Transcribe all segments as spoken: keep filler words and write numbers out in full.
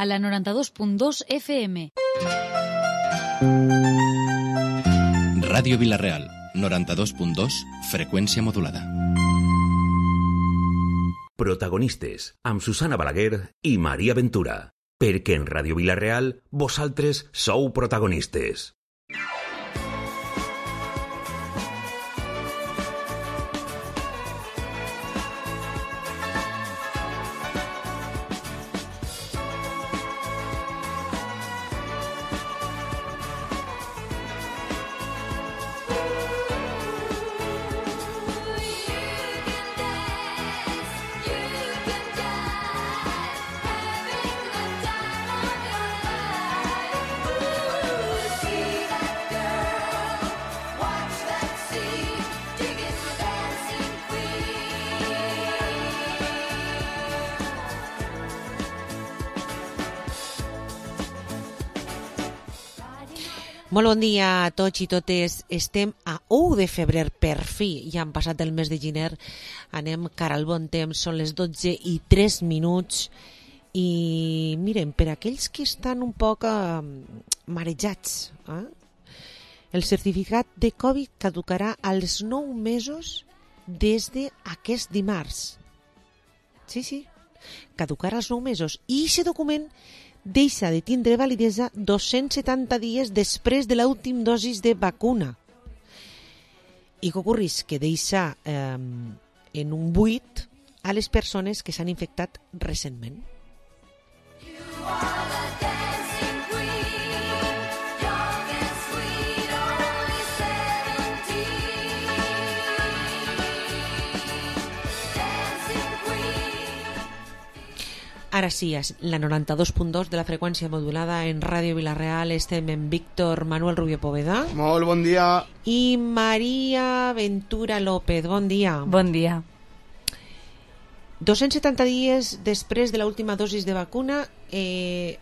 a la noranta-dos punt dos F M. Ràdio Vila-real, noranta-dos punt dos, freqüència modulada. Protagonistes, amb Susana Balaguer i Maria Ventura. Perquè en Ràdio Vila-real vosaltres sou protagonistes. Molt bon dia a tots i totes. Estem a u de febrer, per fi. Ja han passat el mes de gener. Anem cara al bon temps. Són les dotze i tres minuts. I miren, per aquells que estan un poc eh, marejats, eh? el certificat de Covid caducarà als nou mesos des d'aquest dimarts. Sí, sí, caducarà als nou mesos. I aquest document deixa de tindre validesa dos-cents setanta dies després de l'últim dosis de vacuna. I què ocorreix? Que deixa eh, en un buit a les persones que s'han infectat recentment. Ara sí, la noranta-dos punt dos de la freqüència modulada en Ràdio Vila-real. Estem en Víctor Manuel Rubio Poveda. Molt bon dia. I Maria Ventura López. Bon dia. Bon dia. dos-cents setanta dies després de l'última dosis de vacuna, eh,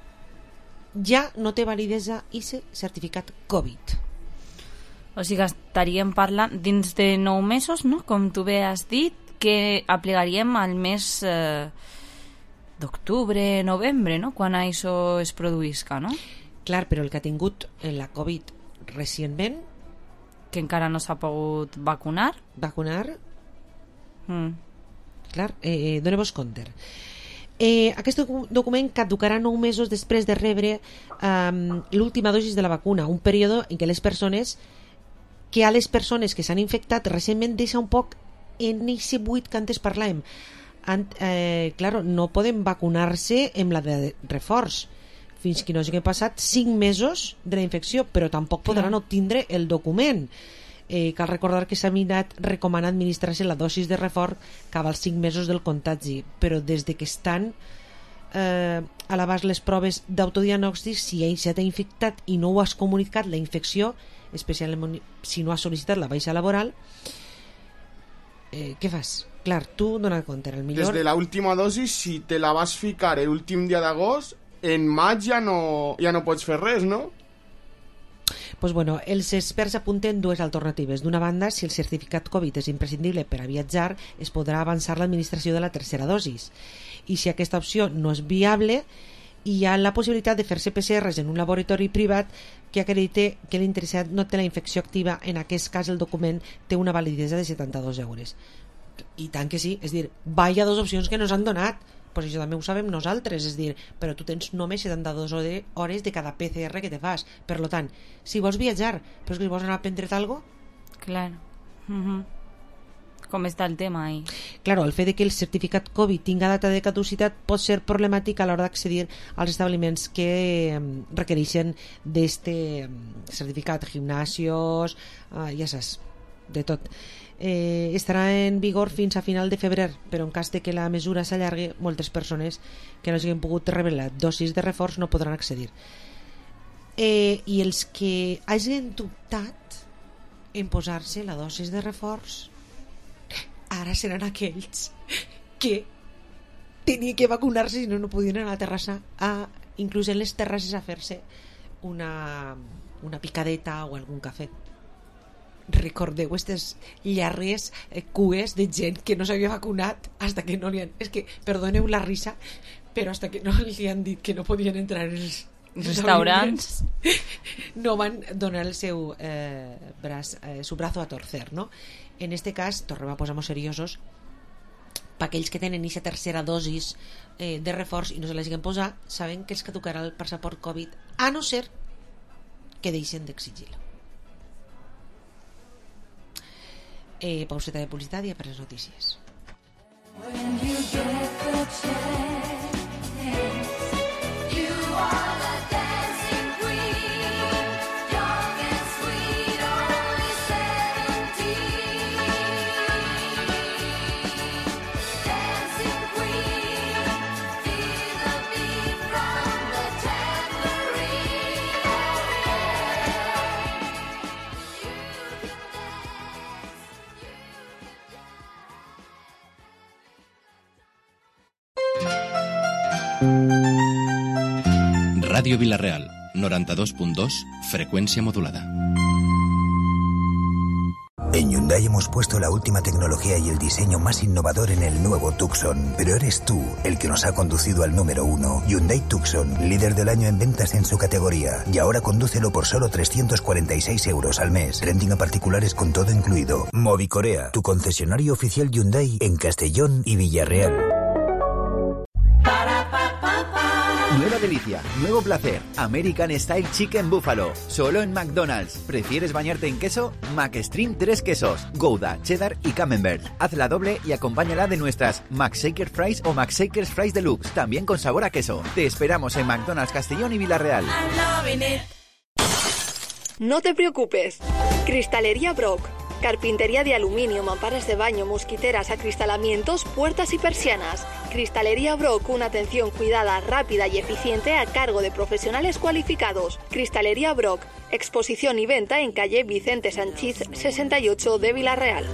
ja no té validesa aquest certificat Covid. O sigui, estaríem parlant dins de nou mesos, no? Com tu bé has dit, que aplicaríem al mes eh, d'octubre, novembre, no? Quan això es produïsca, no? Clar, però el que ha tingut la Covid recentment, que encara no s'ha pogut vacunar. Vacunar? Mm. Clar, eh, doneu-vos compte. Eh, aquest document caducarà nou mesos després de rebre eh, l'última dosis de la vacuna, un període en què les persones que a les persones que s'han infectat recentment deixa un poc en aquest buit que antes parlàvem. Ant, eh, claro, no poden vacunar-se amb la de reforç fins que no hagi passat cinc mesos de la infecció, però tampoc podran Clar. obtindre el document. Eh, cal recordar que s'ha mirat recomanar administrar-se la dosis de reforç cada als cinc mesos del contagi, però des de que estan eh, a l'abast les proves d'autodiagnòstic, si ja t'ha infectat i no ho has comunicat la infecció, especialment si no has sol·licitat la baixa laboral, eh, què fas? Clar, tu dona compte, el millor... Des de l'última dosis, si te la vas ficar l'últim dia d'agost, en maig ja no, ja no pots fer res, no? Pues bueno, els experts apunten dues alternatives. D'una banda, si el certificat Covid és imprescindible per a viatjar, es podrà avançar l'administració de la tercera dosis. I si aquesta opció no és viable, hi ha la possibilitat de fer-se P C Rs en un laboratori privat que acredite que l'interessat no té la infecció activa. En aquest cas, el document té una validesa de setanta-dos euros. I tant que sí, és dir, vaya dos opcions que nos han donat. Pues això també ho sabem nosaltres, és dir, però tu tens només setanta-dues hores de cada P C R que te fas. Per lo tant, si vols viatjar, però és que si vols anar a prendre't alguna cosa... Clar. Uh-huh. Com està el tema ahí? Claro, el fet de que el certificat Covid tinga data de caducitat pot ser problemàtic a l'hora d'accedir als establiments que requereixen d'este certificat, gimnasios, uh, ja saps, de tot. Eh, estarà en vigor fins a final de febrer, però en cas de que la mesura s'allargui, moltes persones que no hagin pogut rebre la dosis de reforç no podran accedir. Eh, I els que hagin dubtat en posar-se la dosis de reforç, ara seran aquells que tenien que vacunar-se i no, no podien anar a la terrassa, a, inclús en les terrasses, a fer-se una, una picadeta o algun cafè. Recordeu aquestes llargues eh, cues de gent que no s'havia vacunat hasta que no li han... És que, perdoneu la risa, però hasta que no li han dit que no podien entrar els restaurants, no van donar el seu eh, braç, eh, su brazo a torcer, no? En este cas, tornem a posar-nos seriosos, per aquells que tenen aquesta tercera dosis eh, de reforç i no se la siguen posar, saben que els caducarà el passaport Covid, a no ser que deixen d'exigir-lo. Eh, pauseta de publicitat i per les notícies. When you get the chance, you are the dancing queen, young and sweet, only seventeen. Dancing queen, feel the beat from the tambourine. Radio Villarreal, noventa y dos punto dos, frecuencia modulada. En Hyundai hemos puesto la última tecnología y el diseño más innovador en el nuevo Tucson, pero eres tú el que nos ha conducido al número uno. Hyundai Tucson, líder del año en ventas en su categoría, y ahora condúcelo por solo trescientos cuarenta y seis euros al mes. Renting a particulares con todo incluido. Movicorea, tu concesionario oficial Hyundai en Castellón y Villarreal. Nueva delicia, nuevo placer, American Style Chicken Buffalo, solo en McDonald's. ¿Prefieres bañarte en queso? McStream tres quesos, Gouda, Cheddar y Camembert. Hazla doble y acompáñala de nuestras McShaker Fries o McShakers Fries Deluxe, también con sabor a queso. Te esperamos en McDonald's Castellón y Villarreal. No te preocupes, Cristalería Brock. Carpintería de aluminio, mamparas de baño, mosquiteras, acristalamientos, puertas y persianas. Cristalería Brock, una atención cuidada, rápida y eficiente a cargo de profesionales cualificados. Cristalería Brock, exposición y venta en calle Vicente Sanchís sesenta y ocho de Villarreal.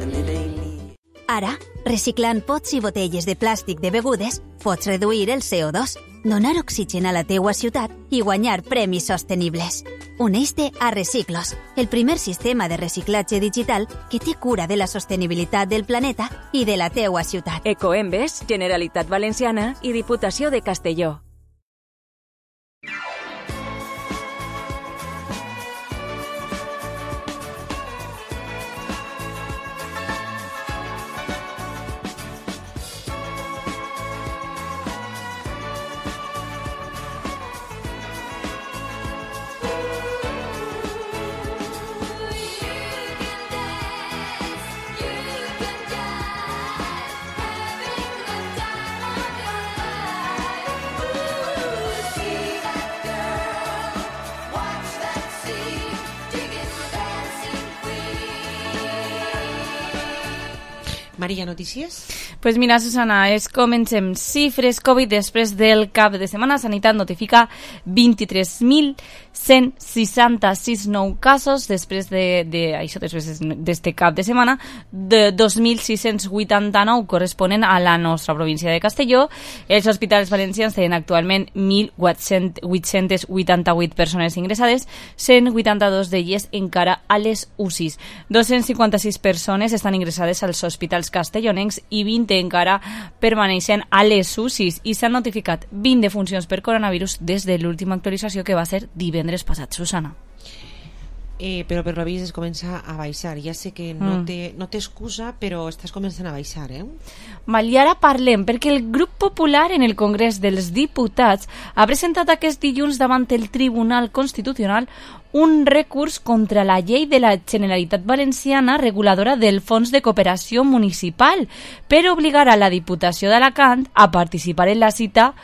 Ara, reciclant pots i botelles de plàstic de begudes, pots reduir el C O dos, donar oxigen a la teua ciutat i guanyar premis sostenibles. Uneix-te a Reciclos, el primer sistema de reciclatge digital que té cura de la sostenibilitat del planeta i de la teua ciutat. Ecoembes, Generalitat Valenciana i Diputació de Castelló. Maria, notícies? Pues mira, Susana, es comencem. Xifres Covid després del cap de setmana. Sanitat notifica vint-i-tres mil cent seixanta-sis nous casos després de, de això, després d'este cap de setmana. De dos mil sis-cents vuitanta-nou corresponen a la nostra província de Castelló. Els hospitals valencians tenen actualment mil vuit-cents vuitanta-vuit persones ingressades, cent vuitanta-dos d'elles encara a les U C Is. dos-cents cinquanta-sis persones estan ingressades als hospitals castellonencs i vint encara permaneixen a les U C Is i s'han notificat vint defuncions per coronavirus des de l'última actualització que va ser divendres passat, Susana. Eh, però per l'avís es comença a baixar. Ja sé que no mm. té, no té excusa, però estàs començant a baixar, eh? Val, i ara parlem, perquè el grup popular en el Congrés dels Diputats ha presentat aquest dilluns davant el Tribunal Constitucional un recurs contra la llei de la Generalitat Valenciana reguladora del Fons de Cooperació Municipal per obligar a la Diputació d'Alacant a participar en la cita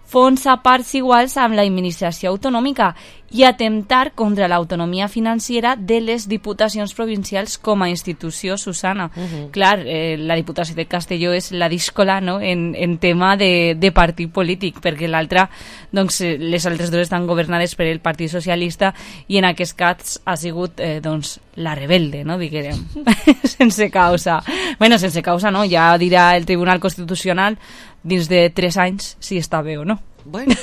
fons a parts iguals amb l'administració autonòmica i atemptar contra l'autonomia financera de les diputacions provincials com a institució, Susana. Uh-huh. Clar, eh, la Diputació de Castelló és la díscola, no?, en, en tema de, de partit polític, perquè l'altra, doncs, les altres dues estan governades per el Partit Socialista i en aquest cas ha sigut, eh, doncs, la rebelde, no?, diguem, sense causa. Bueno, sense causa, no, ja dirà el Tribunal Constitucional dins de tres anys si està bé o no. Bueno,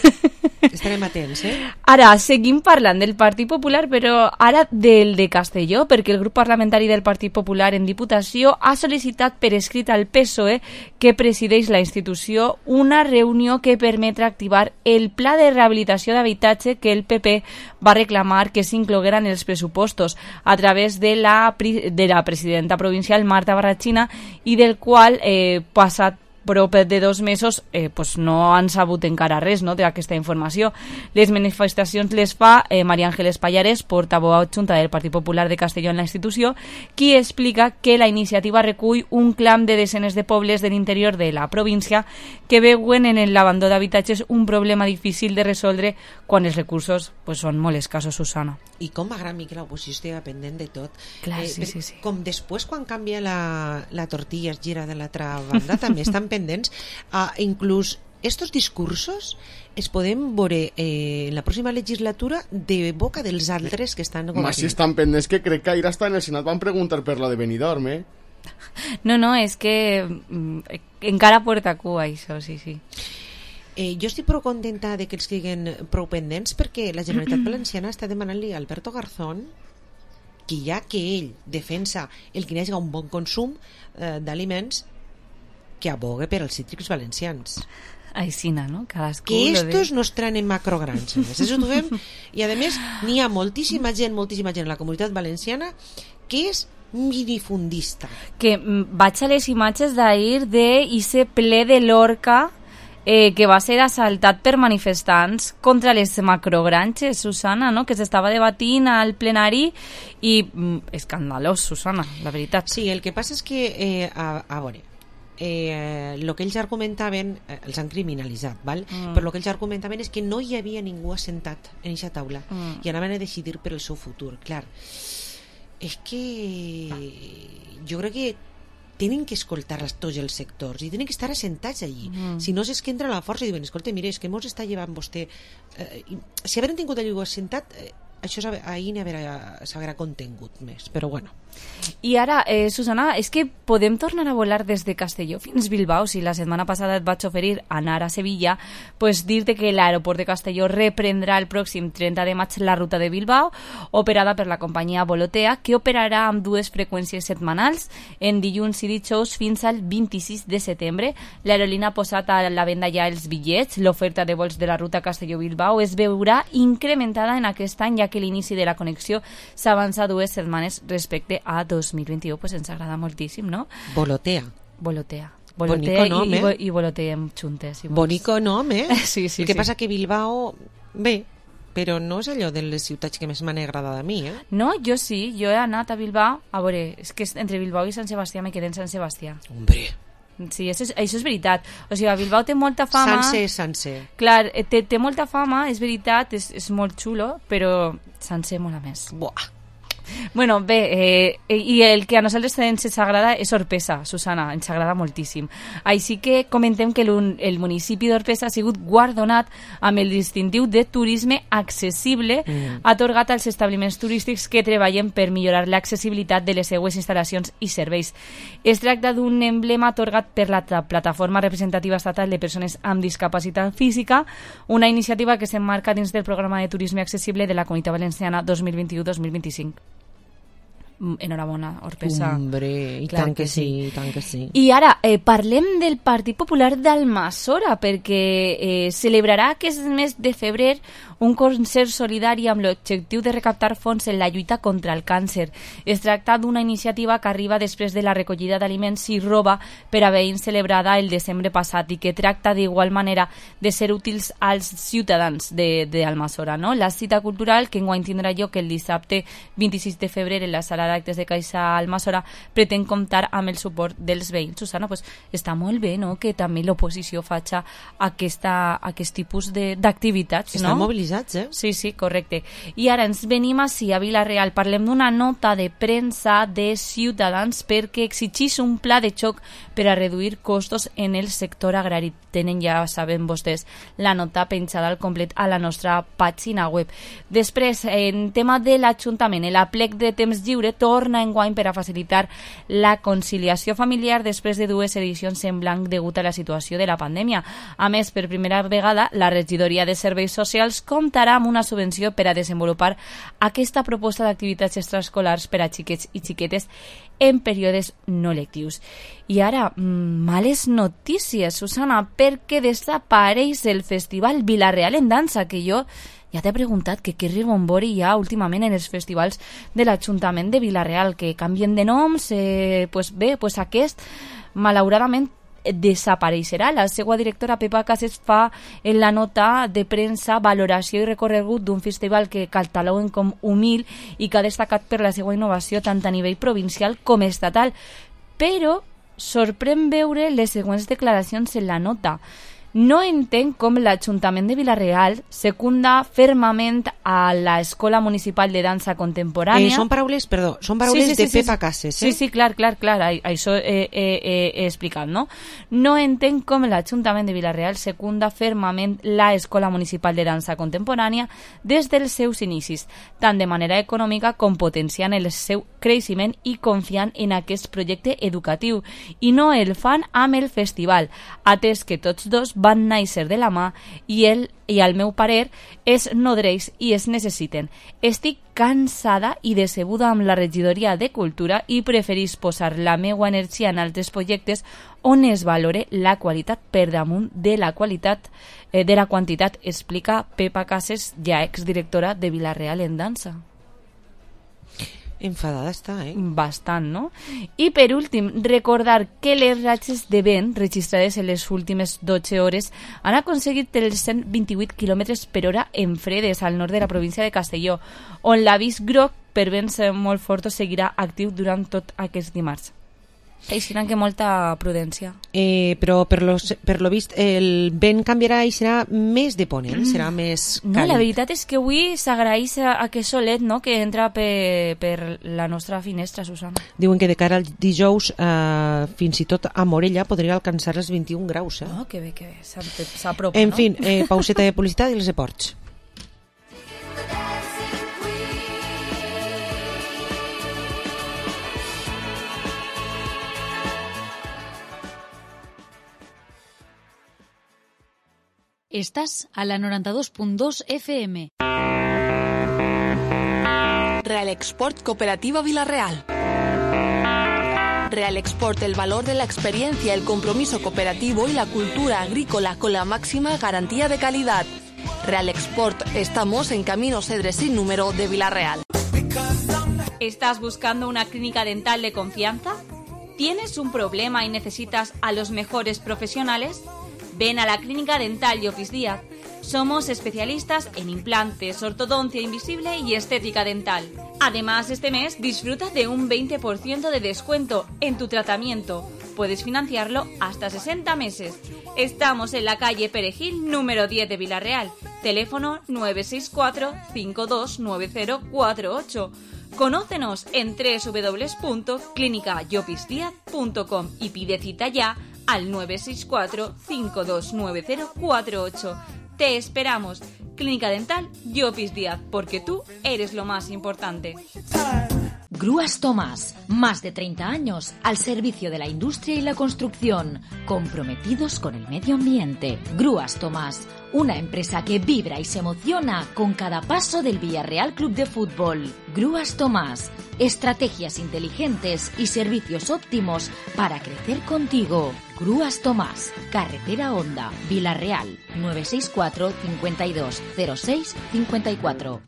estarem atents, eh? Ara, seguim parlant del Partit Popular, però ara del de Castelló, perquè el grup parlamentari del Partit Popular en Diputació ha sol·licitat per escrit al P S O E, que presideix la institució, una reunió que permetrà activar el pla de rehabilitació d'habitatge que el P P va reclamar que s'incloguera en els pressupostos a través de la, de la presidenta provincial Marta Barrachina i del qual eh, passat prop de dos mesos eh, pues no han sabut encara res, no, d'aquesta informació. Les manifestacions les fa eh, María Ángeles Pallares, portaveu adjunta del Partit Popular de Castelló en la institució, qui explica que la iniciativa recull un clam de desenes de pobles de l'interior de la província que veuen en l'abandó d'habitatges un problema difícil de resoldre quan els recursos pues, són molt escassos, Susana. I com m'agrada a mi que l'oposició estigui pendent de tot. Clar, eh, sí, sí, sí. Com després quan canvia la, la tortilla es gira de l'altra banda també estan pendents. Uh, inclús estos discursos es podem veure eh, en la pròxima legislatura de boca dels altres que estan governant. Mas si estan pendents, que crec que ahir hasta en el Senat van preguntar per lo de Benidorm, eh? No, no, és que mm, encara porta cua això, sí, sí. Eh, jo estic prou contenta de que els queden prou pendents perquè la Generalitat Valenciana està demanant-li a Alberto Garzón que ja que ell defensa el que hi hagi un bon consum eh, d'aliments, que abogue per als cítrics valencians. Aixina, no? Cadascú que estos de... no estaran en macrogranges. Això ho fem. I a més n'hi ha moltíssima gent, moltíssima gent a la comunitat valenciana que és minifundista. Que mm, vaig a les imatges d'ahir d'Ice ple de l'Orca eh, que va ser assaltat per manifestants contra les macrogranges, Susana, no? Que s'estava debatint al plenari i mm, escandalós, Susana, la veritat. Sí, el que passa és que eh, a, a veure, eh, el que ells argumentaven eh, els han criminalitzat, val? Mm. Però el que ells argumentaven és que no hi havia ningú assentat en aquesta taula mm. i anaven a decidir per el seu futur. Clar, és que jo crec que tenen que escoltar tots els sectors i tenen que estar assentats allí. Mm. Si no, és que entra la força i diuen, escolta, mire, és que mos està llevant vostè... Eh, si hagueren tingut allò assentat, eh, això ahir s'haguera contingut més, però bueno. I ara, eh, Susana, és que podem tornar a volar des de Castelló fins Bilbao. Si la setmana passada et vaig oferir anar a Sevilla, pues dir-te que l'aeroport de Castelló reprendrà el pròxim trenta de maig la ruta de Bilbao, operada per la companyia Volotea, que operarà amb dues freqüències setmanals, en dilluns i dijous fins al vint-i-sis de setembre. L'aerolínia ha posat a la venda ja els bitllets. L'oferta de vols de la ruta Castelló-Bilbao es veurà incrementada en aquest any, ja que l'inici de la connexió s'avança dues setmanes respecte a dos mil vint-i-u, pues ens agrada moltíssim, no? Volotea. Volotea. Volotea nom, i, eh? i, i voloteem juntes. Si Bonico nom, eh? Sí, sí, El que sí. passa que Bilbao, bé, però no és allò de les ciutats que més m'han agradat a mi, eh? No, jo sí, jo he anat a Bilbao, a veure, és que entre Bilbao i Sant Sebastià me quedé en Sant Sebastià. Hombre. Sí, això és, això és veritat. O sigui, a Bilbao té molta fama... Sanse, Sanse. Clar, té, té molta fama, és veritat, és, és molt xulo, però Sanse mola més. Buah. Bueno, bé, eh, i el que a nosaltres ens agrada és Orpesa, Susana, ens agrada moltíssim. Així que comentem que el municipi d'Orpesa ha sigut guardonat amb el distintiu de turisme accessible mm. atorgat als establiments turístics que treballen per millorar l'accessibilitat de les seues instal·lacions i serveis. Es tracta d'un emblema atorgat per la Plataforma Representativa Estatal de Persones amb Discapacitat Física, una iniciativa que s'emmarca dins del Programa de Turisme Accessible de la Comunitat Valenciana dos mil vint-i-u dos mil vint-i-cinc. Enhorabona, Orpesa. Hombre, i Clar tant que, que sí, sí. i tant que sí. I ara, eh, parlem del Partit Popular d'Almassora, perquè eh, celebrarà aquest mes de febrer un concert solidari amb l'objectiu de recaptar fons en la lluita contra el càncer. Es tracta d'una iniciativa que arriba després de la recollida d'aliments i roba per a veïns celebrada el desembre passat i que tracta d'igual manera de ser útils als ciutadans d'Almassora, no? La cita cultural, que enguany tindrà lloc el dissabte vint-i-sis de febrer en la sala d'actes de Caixa Almassora, pretén comptar amb el suport dels veïns. Susana, pues, està molt bé, no?, que també l'oposició faci aquesta, aquest tipus d'activitats, no? Estan mobilitzats, eh? Sí, sí, correcte. I ara ens venim així a Vila-real. Parlem d'una nota de premsa de Ciutadans perquè exigís un pla de xoc per a reduir costos en el sector agrari. Tenen, ja saben vostès, la nota penjada al complet a la nostra pàgina web. Després, en tema de l'Ajuntament, el aplec de temps lliure torna enguany per a facilitar la conciliació familiar després de dues edicions en blanc degut a la situació de la pandèmia. A més, per primera vegada, la Regidoria de Serveis Socials comptarà amb una subvenció per a desenvolupar aquesta proposta d'activitats extraescolars per a xiquets i xiquetes en períodes no lectius. I ara, males notícies, Susana, perquè desapareix el Festival Vila-real en dansa, que jo ja t'he preguntat que què rebombori hi ha últimament en els festivals de l'Ajuntament de Vila-real, que canvien de noms, eh, pues bé, pues aquest, malauradament, desapareixerà. La seva directora Pepa Cases fa en la nota de premsa valoració i recorregut d'un festival que cataloguen com humil i que ha destacat per la seva innovació tant a nivell provincial com estatal. Però sorprèn veure les següents declaracions en la nota. No entenc com l'Ajuntament de Vila-real secunda fermament a l'Escola Municipal de Dansa Contemporània. Eh, són paraules, perdó, són paraules sí, sí, sí, de sí, Pepa sí. Cases. Eh? Sí, sí, clar, clar, clar, això he, he, he explicat, no? No entenc com l'Ajuntament de Vila-real secunda fermament l'Escola Municipal de Dansa Contemporània des dels seus inicis, tant de manera econòmica com potenciant el seu creixement i confiant en aquest projecte educatiu, i no el fan amb el festival, atès que tots dos van néixer de la mà i el i al meu parer es nodreix i es necessiten. Estic cansada i decebuda amb la regidoria de Cultura i preferís posar la meua energia en altres projectes on es valore la qualitat per damunt de la qualitat eh, de la quantitat, explica Pepa Cases, ja exdirectora de Vila-real en dansa. Enfadada està, eh? Bastant, no? I per últim, recordar que les ratxes de vent registrades en les últimes dotze hores han aconseguit els cent vint-i-vuit quilòmetres per hora en fredes al nord de la província de Castelló, on l'avís groc per vents molt forts seguirà actiu durant tot aquest dimarts. Així que molta prudència. Eh, però per lo, per lo vist el vent canviarà i serà més de ponent, mm. serà més càlid. No, la veritat és que avui s'agraeix aquest solet, no?, que entra per, per la nostra finestra, Susana. Diuen que de cara al dijous eh, fins i tot a Morella podria alcançar els vint-i-un graus. Eh? Oh, que bé, que bé, s'apropa, en no? fin, eh, pauseta de publicitat i els esports. Estás a la noranta-dos punt dos F M. Real Export Cooperativa Vila-real. Real Export, el valor de la experiencia, el compromiso cooperativo y la cultura agrícola con la máxima garantía de calidad. Real Export, estamos en Camino Cedre sin número de Vila-real. ¿Estás buscando una clínica dental de confianza? ¿Tienes un problema y necesitas a los mejores profesionales? Ven a la Clínica Dental Llopis Díaz. Somos especialistas en implantes, ortodoncia invisible y estética dental. Además, este mes disfruta de un veinte por ciento de descuento en tu tratamiento. Puedes financiarlo hasta sesenta meses. Estamos en la calle Perejil, número diez de Vila-real. Teléfono nueve seis cuatro, cinco dos nueve cero cuatro ocho. Conócenos en doble u doble u doble u punto clínica llopis díaz punto com y pide cita ya al nueve seis cuatro, cinco dos nueve cero cuatro ocho. Te esperamos. Clínica Dental Llopis Díaz, porque tú eres lo más importante. Grúas Tomás, más de treinta años al servicio de la industria y la construcción, comprometidos con el medio ambiente. Grúas Tomás, una empresa que vibra y se emociona con cada paso del Villarreal Club de Fútbol. Grúas Tomás, estrategias inteligentes y servicios óptimos para crecer contigo. Grúas Tomás, Carretera Honda, Vila-real, nueve seis cuatro, cinco dos, cero seis, cinco cuatro.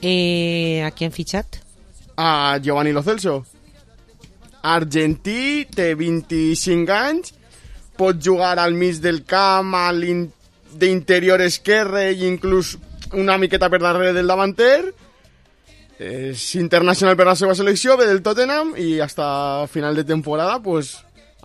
Eh, ¿A qui han fitxat? A Giovanni Lo Celso. Argentí, té vint-i-cinc anys, pot jugar al mig del camp, a d'interior esquerre i inclús una miqueta per darrere del davanter. És internacional per la seva selecció, ve del Tottenham i hasta final de temporada pues,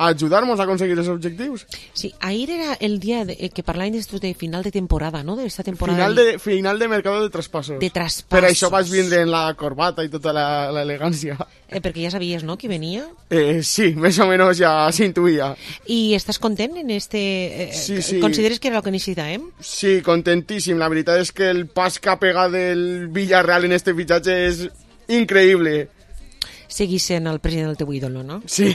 ayudarnos a conseguir esos objetivos. Sí, ayer era el día de, eh, que parlábem de final de temporada, no? De esta temporada. Final de, final de mercado de traspasos. De traspasos. Però això vas vindre en la corbata i tota la, la elegància. Eh, perquè ja sabies, no?, qui venia. Eh, sí, més o menys ja s'intuïa. I estàs content en este... Eh, sí, sí. Consideres que era el que necessitàvem? Sí, contentíssim. La veritat és que el pas que ha pegat el Villarreal en este fitxatge és increïble. Seguís sent el president del teu ídolo, no? Sí.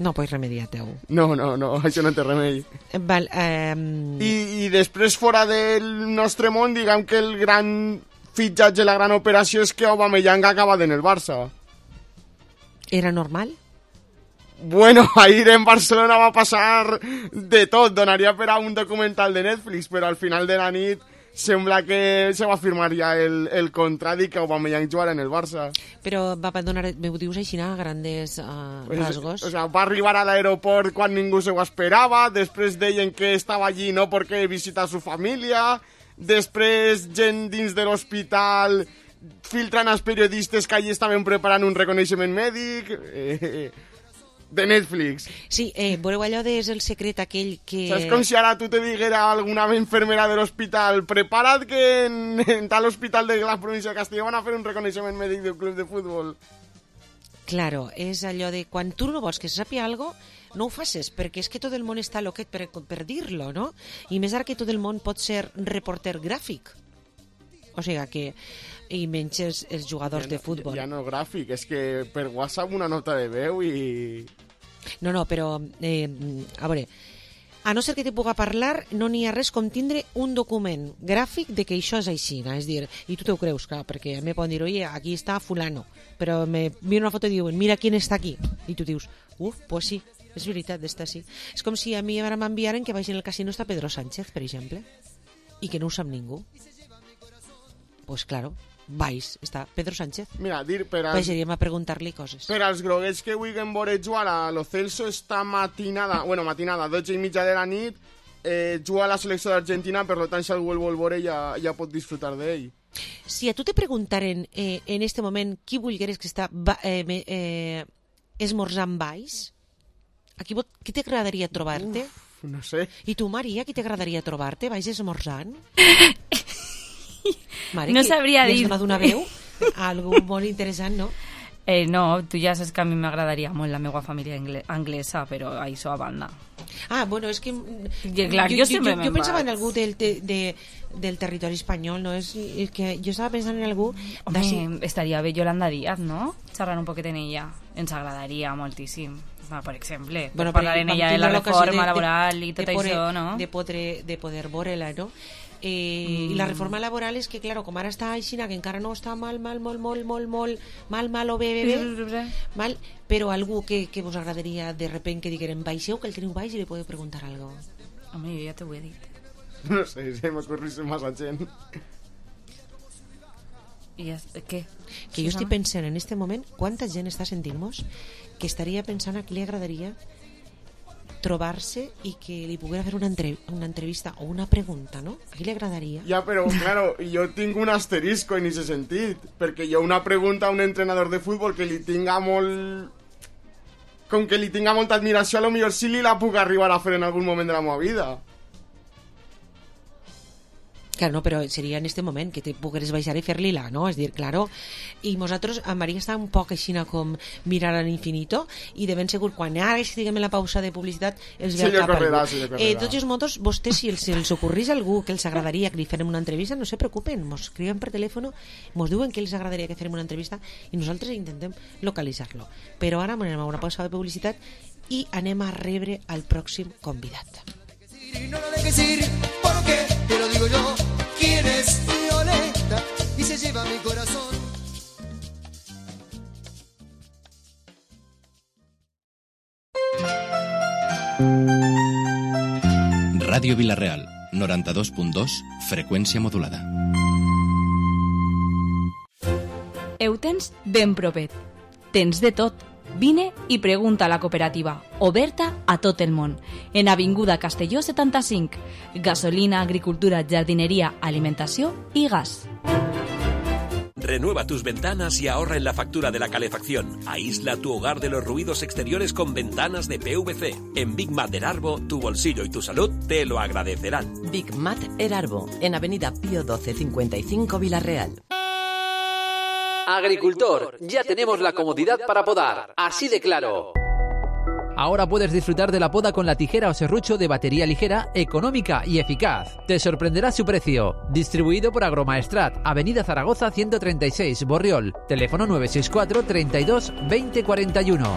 No pots remediar, teu. No, no, no, això no té remei. Val, eh... I, I després, fora del nostre món, diguem que el gran fitxatge, la gran operació és que Aubameyang ha acabat en el Barça. Era normal? Bueno, ahir en Barcelona va passar de tot. Donaria per a un documental de Netflix, però al final de la nit sembla que se va firmar ja el, el contrat i que Aubameyang jugarà en el Barça. Però va donar, me ho dius així a grandes uh, pues, rasgos? O sea, va arribar a l'aeroport quan ningú se ho esperava, després deien que estava allí no perquè visita su família, després gent dins de l'hospital filtran als periodistes que allí estaven preparant un reconeixement mèdic... Eh, de Netflix. Sí, eh, veureu allò de és el secret aquell que... Saps com si ara tu te diguera a alguna enfermera de l'hospital prepara't que en, en tal hospital de la província de Castilla van a fer un reconeixement mèdic d'un club de futbol. Claro, és allò de quan tu no vols que se sàpiga algo, no ho facis, perquè és que tot el món està loquet per, per dir-lo, no? I més ara que tot el món pot ser reporter gràfic. O sigui que... i menys els, els jugadors ja, de futbol. Ja, ja no gràfic, és que per WhatsApp una nota de veu i... No, no, però, eh, a veure, a no ser que te puga parlar, no n'hi ha res com tindre un document gràfic de que això és així, és dir, i tu te ho creus, clar, perquè a mi poden dir, oye, aquí està fulano, però me mira una foto i diuen, mira quién està aquí, i tu dius, uf, pues sí, és veritat, està així. És com si a mi ara m'enviaren que vagi en el casino està Pedro Sánchez, per exemple, i que no ho sap ningú. Pues claro, vais, està Pedro Sánchez. Mira, dir per als... Vairíem a preguntar-li coses. Per als groguets que vulguin veure jugar a Lo Celso esta matinada, bueno, matinada, dotze i mitja de la nit, eh, juga a la selecció d'Argentina, per tant, si algú el vol veure ja, ja pot disfrutar d'ell. Si a tu te preguntaren eh, en este moment qui vulgueres que està eh, eh, esmorzant baix, a qui, qui t'agradaria trobar-te? Uf, no sé. I tu, Maria, qui t'agradaria trobar-te? Baix esmorzant? Mare, no sabria dir. Li has donat una veu? Algo molt interessant, no? Eh, no, tu ja saps que a mi m'agradaria molt la meva família anglesa, però això a banda. Ah, bueno, és que... I, clar, jo, jo, jo, jo, jo pensava en algú del, de, de, del territori espanyol, no? És, és que jo estava pensant en algú... Home, d'ací... estaria bé Yolanda Díaz, no? Xerrant un poquet en ella. Ens agradaria moltíssim. Va, per exemple, bueno, parlar en ella de la reforma de, laboral i tot de poder, això, no? De poder, de poder veure-la, no? Eh, mm. I la reforma laboral és que, claro, com ara està així, que encara no està mal, mal, molt, molt, molt, molt, mal, mal o bé, bé, bé, mal, però algú que, que vos agradaria de repent que digueren baixeu, que el teniu baix i li podeu preguntar algo. Home, jo ja t'ho he dit. No sé, se m'ocorrís massa gent. I ja, què? Que jo estic pensant en este moment quanta gent està sentint-nos que estaria pensant a qui li agradaria trobar-se i que li poguera fer una, entre, una entrevista o una pregunta, no? A qui li agradaria? Ja, però, claro, jo tinc un asterisco en aquest sentit, perquè jo una pregunta a un entrenador de futbol que li tinga molt... Com que li tinga molta admiració, a lo millor sí li la puc arribar a fer en algun moment de la meva vida. Claro, no, però seria en este moment que te pogueres baixar i fer-li-la, no? És dir, claro, i nosaltres, a Maria està un poc aixina com mirar a l'infinito i de ben segur, quan ara estiguem en la pausa de publicitat, els ve sí, al cap correrà, algú. Sí, eh, tots els motos, vostès, si els, si els ocorrís algú que els agradaria que li farem una entrevista, no se preocupen, mos escriuen per telèfon, mos diuen que els agradaria que farem una entrevista i nosaltres intentem localitzar-lo. Però ara anem a una pausa de publicitat i anem a rebre al pròxim convidat. No lo dejes ir, porque te lo digo yo, quién es Violeta y se lleva mi corazón. Ràdio Vilareal, noranta-dos punt dos, freqüència modulada. Ho tens ben propet. Tens de tot. Vine i pregunta a la cooperativa, oberta a tot el món, en Avinguda Castelló setanta-cinc, gasolina, agricultura, jardineria, alimentació i gas. Renueva tus ventanas y ahorra en la factura de la calefacción. Aísla tu hogar de los ruidos exteriores con ventanas de P V C. En Big Mat Erarbo, tu bolsillo y tu salud te lo agradecerán. Big Mat Erarbo, en Avenida Pío doce cincuenta y cinco, Villarreal. Agricultor, ya tenemos la comodidad para podar, así de claro. Ahora puedes disfrutar de la poda con la tijera o serrucho de batería ligera, económica y eficaz. Te sorprenderá su precio. Distribuido por Agromaestrat, Avenida Zaragoza ciento treinta y seis, Borriol. Teléfono nueve seis cuatro, treinta y dos, veinte cuarenta y uno.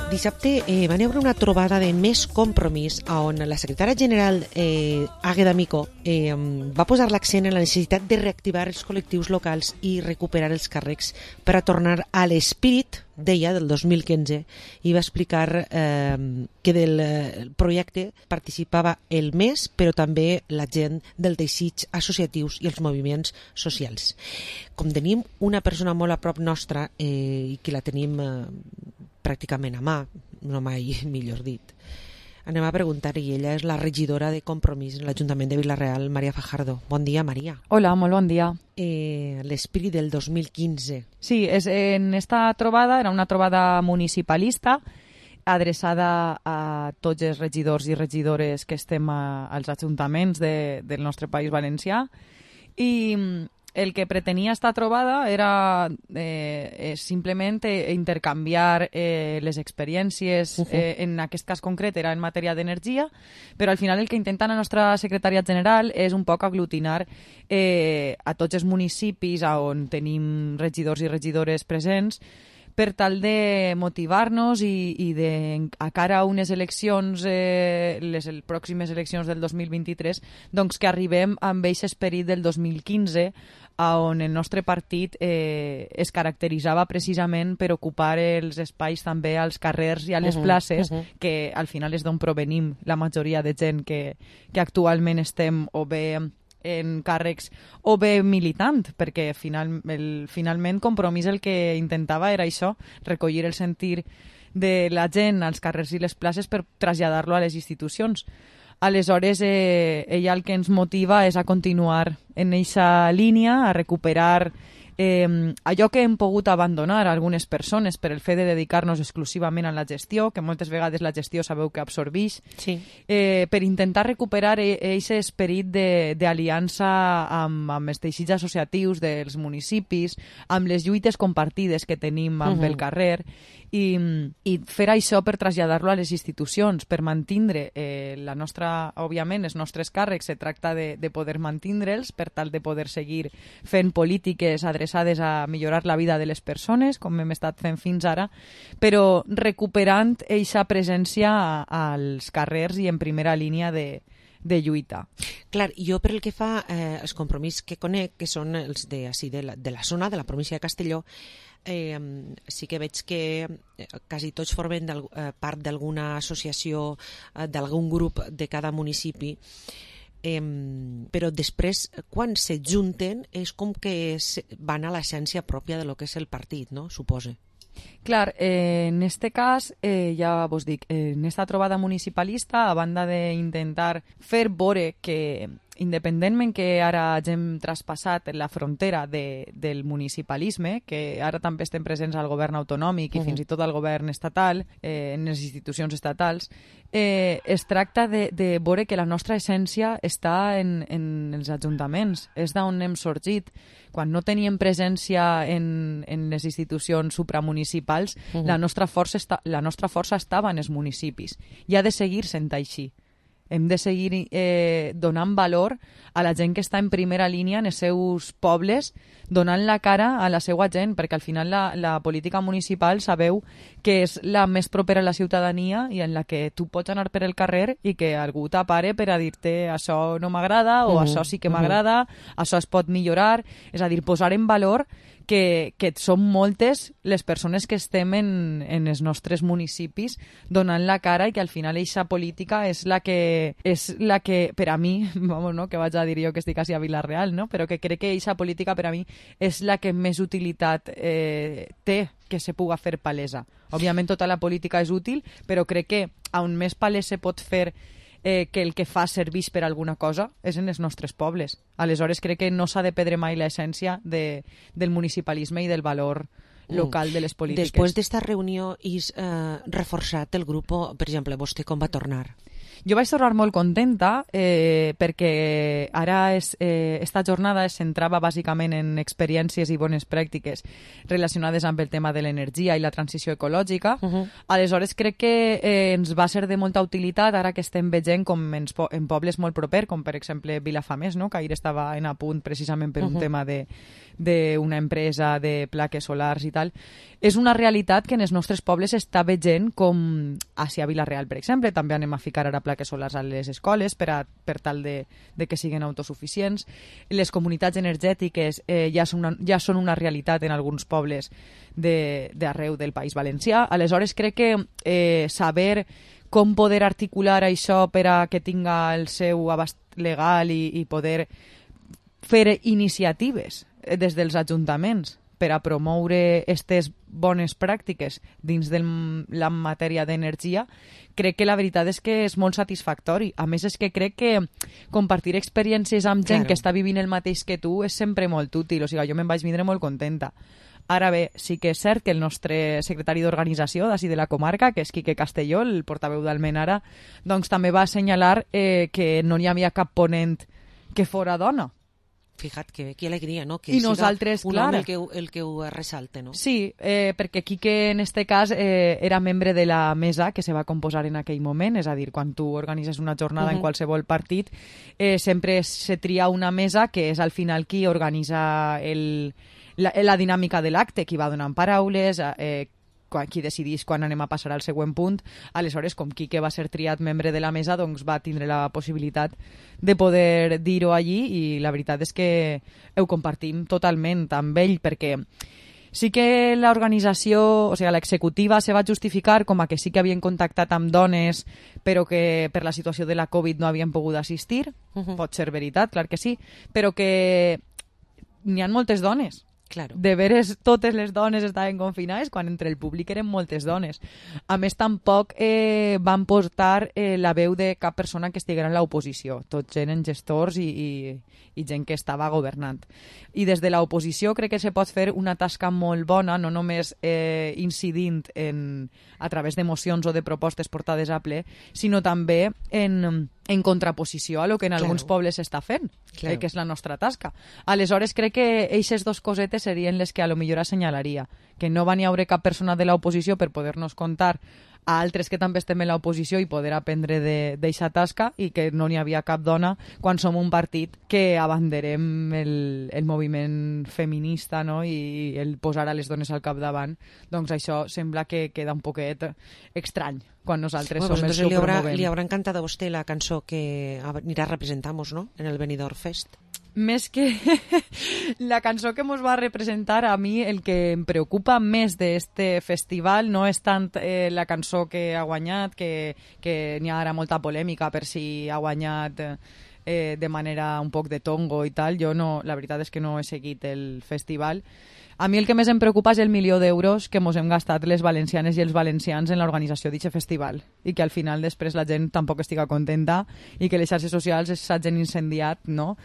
Dissabte eh, van haver una trobada de Més Compromís on la secretària general eh, Àgueda Micó eh, va posar l'accent en la necessitat de reactivar els col·lectius locals i recuperar els càrrecs per a tornar a l'espírit, deia, del dos mil quinze, i va explicar eh, que del eh, projecte participava el Més, però també la gent del teixits associatius i els moviments socials. Com tenim una persona molt a prop nostra eh, i que la tenim eh, pràcticament a mà, no mai millor dit, anem a preguntar-hi. Ella és la regidora de Compromís en l'Ajuntament de Vila-real, Maria Fajardo. Bon dia, Maria. Hola, molt bon dia. Eh, l'espírit del dos mil quinze. Sí, és, en esta trobada era una trobada municipalista adreçada a tots els regidors i regidores que estem a, als ajuntaments de, del nostre País Valencià, i el que pretenia esta trobada era eh, simplement eh, intercanviar eh, les experiències, uh-huh. eh, en aquest cas concret era en matèria d'energia, però al final el que intenta la nostra secretària general és un poc aglutinar eh, a tots els municipis on tenim regidors i regidores presents, per tal de motivar-nos i, i de, a cara a unes eleccions, eh, les el, pròximes eleccions del dos mil vint-i-tres, doncs que arribem amb aquest esperit del dos mil quinze, on el nostre partit eh, es caracteritzava precisament per ocupar els espais també als carrers i a les uh-huh, places, uh-huh. que al final és d'on provenim la majoria de gent que, que actualment estem o bé en càrrecs o bé militant, perquè final, el, finalment Compromís el que intentava era això, recollir el sentir de la gent als carrers i les places per traslladar-lo a les institucions. Aleshores, eh, ella el que ens motiva és a continuar en aquesta línia, a recuperar eh, allò que hem pogut abandonar a algunes persones per el fet de dedicar-nos exclusivament a la gestió, que moltes vegades la gestió sabeu que absorbeix, sí. eh, per intentar recuperar aquest esperit d'aliança amb, amb els teixits associatius dels municipis, amb les lluites compartides que tenim amb uh-huh. el carrer, i, i fer això per traslladar-lo a les institucions, per mantindre eh, la nostra, òbviament, els nostres càrrecs, se tracta de, de poder mantindre'ls per tal de poder seguir fent polítiques adreçades a millorar la vida de les persones, com hem estat fent fins ara, però recuperant eixa presència als carrers i en primera línia de, de lluita. Clar, jo per el que fa eh, els Compromís que conec, que són els de, així, de, la, de la zona, de la província de Castelló, Eh, sí que veig que quasi tots formen eh, part d'alguna associació, eh, d'algun grup de cada municipi, eh, però després, quan se junten, és com que van a l'essència pròpia de lo que és el partit, no? Suposo. Clar, eh, en este cas, eh, ja vos dic, eh, en esta trobada municipalista, a banda d'intentar fer veure que independentment que ara hagin traspassat la frontera de, del municipalisme, que ara també estem presents al govern autonòmic i uh-huh. fins i tot al govern estatal, eh, en les institucions estatals, eh, es tracta de, de veure que la nostra essència està en, en els ajuntaments, és d'on hem sorgit. Quan no teníem presència en, en les institucions supramunicipals, uh-huh. la, nostra força esta, la nostra força estava en els municipis i ha de seguir sent així. Hem de seguir eh, donant valor a la gent que està en primera línia en els seus pobles, donant la cara a la seva gent, perquè al final la, la política municipal sabeu que és la més propera a la ciutadania i en la que tu pots anar per el carrer i que algú t'apare per a dir-te això no m'agrada o uh-huh. això sí que m'agrada, uh-huh. això es pot millorar, és a dir, posar en valor que, que són moltes les persones que estem en, en els nostres municipis donant la cara i que al final eixa política és la que, és la que per a mi, vamos, no, que vaig a dir jo que estic quasi a Vila-real, no? Però que crec que eixa política per a mi és la que més utilitat eh, té que se puga fer palesa. Òbviament tota la política és útil, però crec que on més palès se pot fer eh, que el que fa serveix per alguna cosa és en els nostres pobles. Aleshores crec que no s'ha de perdre mai l'essència de, del municipalisme i del valor local de les polítiques. Després d'esta reunió és eh, reforçat el grup, per exemple, vostè com va tornar? Jo vaig tornar molt contenta eh, perquè ara és, eh, esta jornada es centrava bàsicament en experiències i bones pràctiques relacionades amb el tema de l'energia i la transició ecològica. Uh -huh. Aleshores crec que eh, ens va ser de molta utilitat ara que estem veient com en, en pobles molt propers, com per exemple Vilafamés, no? Que ahir estava en a punt precisament per un uh -huh. tema de d'una empresa de plaques solars i tal. És una realitat que en els nostres pobles està veient com hacia Vila-real, per exemple. També anem a ficar ara plaques solars a les escoles per, a, per tal de, de que siguin autosuficients. Les comunitats energètiques eh, ja, són una, ja són una realitat en alguns pobles d'arreu de, del País Valencià. Aleshores crec que eh, saber com poder articular això per a que tinga el seu abast legal i, i poder fer iniciatives des dels ajuntaments per a promoure aquestes bones pràctiques dins de la matèria d'energia, crec que la veritat és que és molt satisfactori. A més, és que crec que compartir experiències amb gent claro. que està vivint el mateix que tu és sempre molt útil. O sigui, jo me'n vaig vindre molt contenta. Ara bé, sí que és cert que el nostre secretari d'organització d'ací de la comarca, que és Quique Castelló, el portaveu d'Almenara, doncs també va assenyalar eh, que no hi havia cap ponent que fora dona. Fija't, que, que alegria, no? Que I nosaltres, un clar, home el que, el que ho ressalta, no? Sí, eh, perquè Quique en este cas eh, era membre de la mesa que se va composar en aquell moment, és a dir, quan tu organitzes una jornada uh -huh. en qualsevol partit, eh, sempre se tria una mesa que és al final qui organitza el, la, la dinàmica de l'acte, qui va donant paraules, eh, qui decidís quan anem a passar al següent punt. Aleshores, com Quique va ser triat membre de la mesa, doncs va tindre la possibilitat de poder dir-ho allí i la veritat és que ho compartim totalment amb ell, perquè sí que l'organització, o sigui, l'executiva se va justificar com a que sí que havien contactat amb dones però que per la situació de la Covid no havien pogut assistir. Uh -huh. Pot ser veritat, clar que sí, però que n'hi ha moltes dones. Claro. De veres totes les dones estaven confinades quan entre el públic eren moltes dones. A més, tampoc eh, van portar eh, la veu de cap persona que estiguera en l'oposició. Tots eren gestors i, i, i gent que estava governant. I des de l'oposició crec que se pot fer una tasca molt bona, no només eh, incidint en, a través de mocions o de propostes portades a ple, sinó també en, en contraposició a lo que en claro. alguns pobles s'està fent, claro. eh, que és la nostra tasca. Aleshores, crec que eixes dos cosetes serien les que a lo millor assenyalaria, que no va n'hi haure cap persona de l'oposició per poder-nos contar a altres que també estem en l'oposició i poder aprendre d'eixa tasca, i que no n'hi havia cap dona quan som un partit que abanderem el, el moviment feminista, no? I el posar a les dones al capdavant. Doncs això sembla que queda un poquet estrany quan nosaltres bueno, som els que li ho haurà, promovem. Li haurà encantat a vostè la cançó que anirà a representar-nos, no?, en el Benidorm Fest. Més que la cançó que ens va representar, a mi el que em preocupa més d'este festival no és tant eh, la cançó que ha guanyat, que, que n'hi ha ara molta polèmica per si ha guanyat eh, de manera un poc de tongo i tal. Jo no, la veritat és que no he seguit el festival. A mi el que més em preocupa és el milió d'euros que mos hem gastat les valencianes i els valencians en l'organització d'aquest festival, i que al final després la gent tampoc estiga contenta i que les xarxes socials s'hagin incendiat, no?,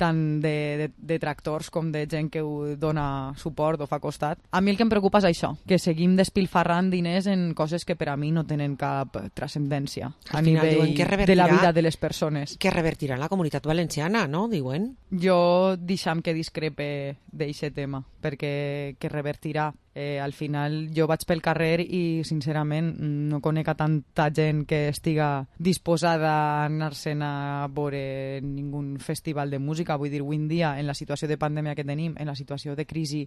tant de, de, de tractors com de gent que ho dona suport o fa costat. A mi el que em preocupa és això, que seguim despilfarrant diners en coses que per a mi no tenen cap transcendència a nivell de la vida de les persones. Que revertirà en la comunitat valenciana, no?, diuen. Jo deixam que discrepe d'aquest tema, perquè que revertirà. Eh, al final jo vaig pel carrer i sincerament no conec a tanta gent que estiga disposada a anar-se'n a veure ningun festival de música. Vull dir, avui en dia, en la situació de pandèmia que tenim, en la situació de crisi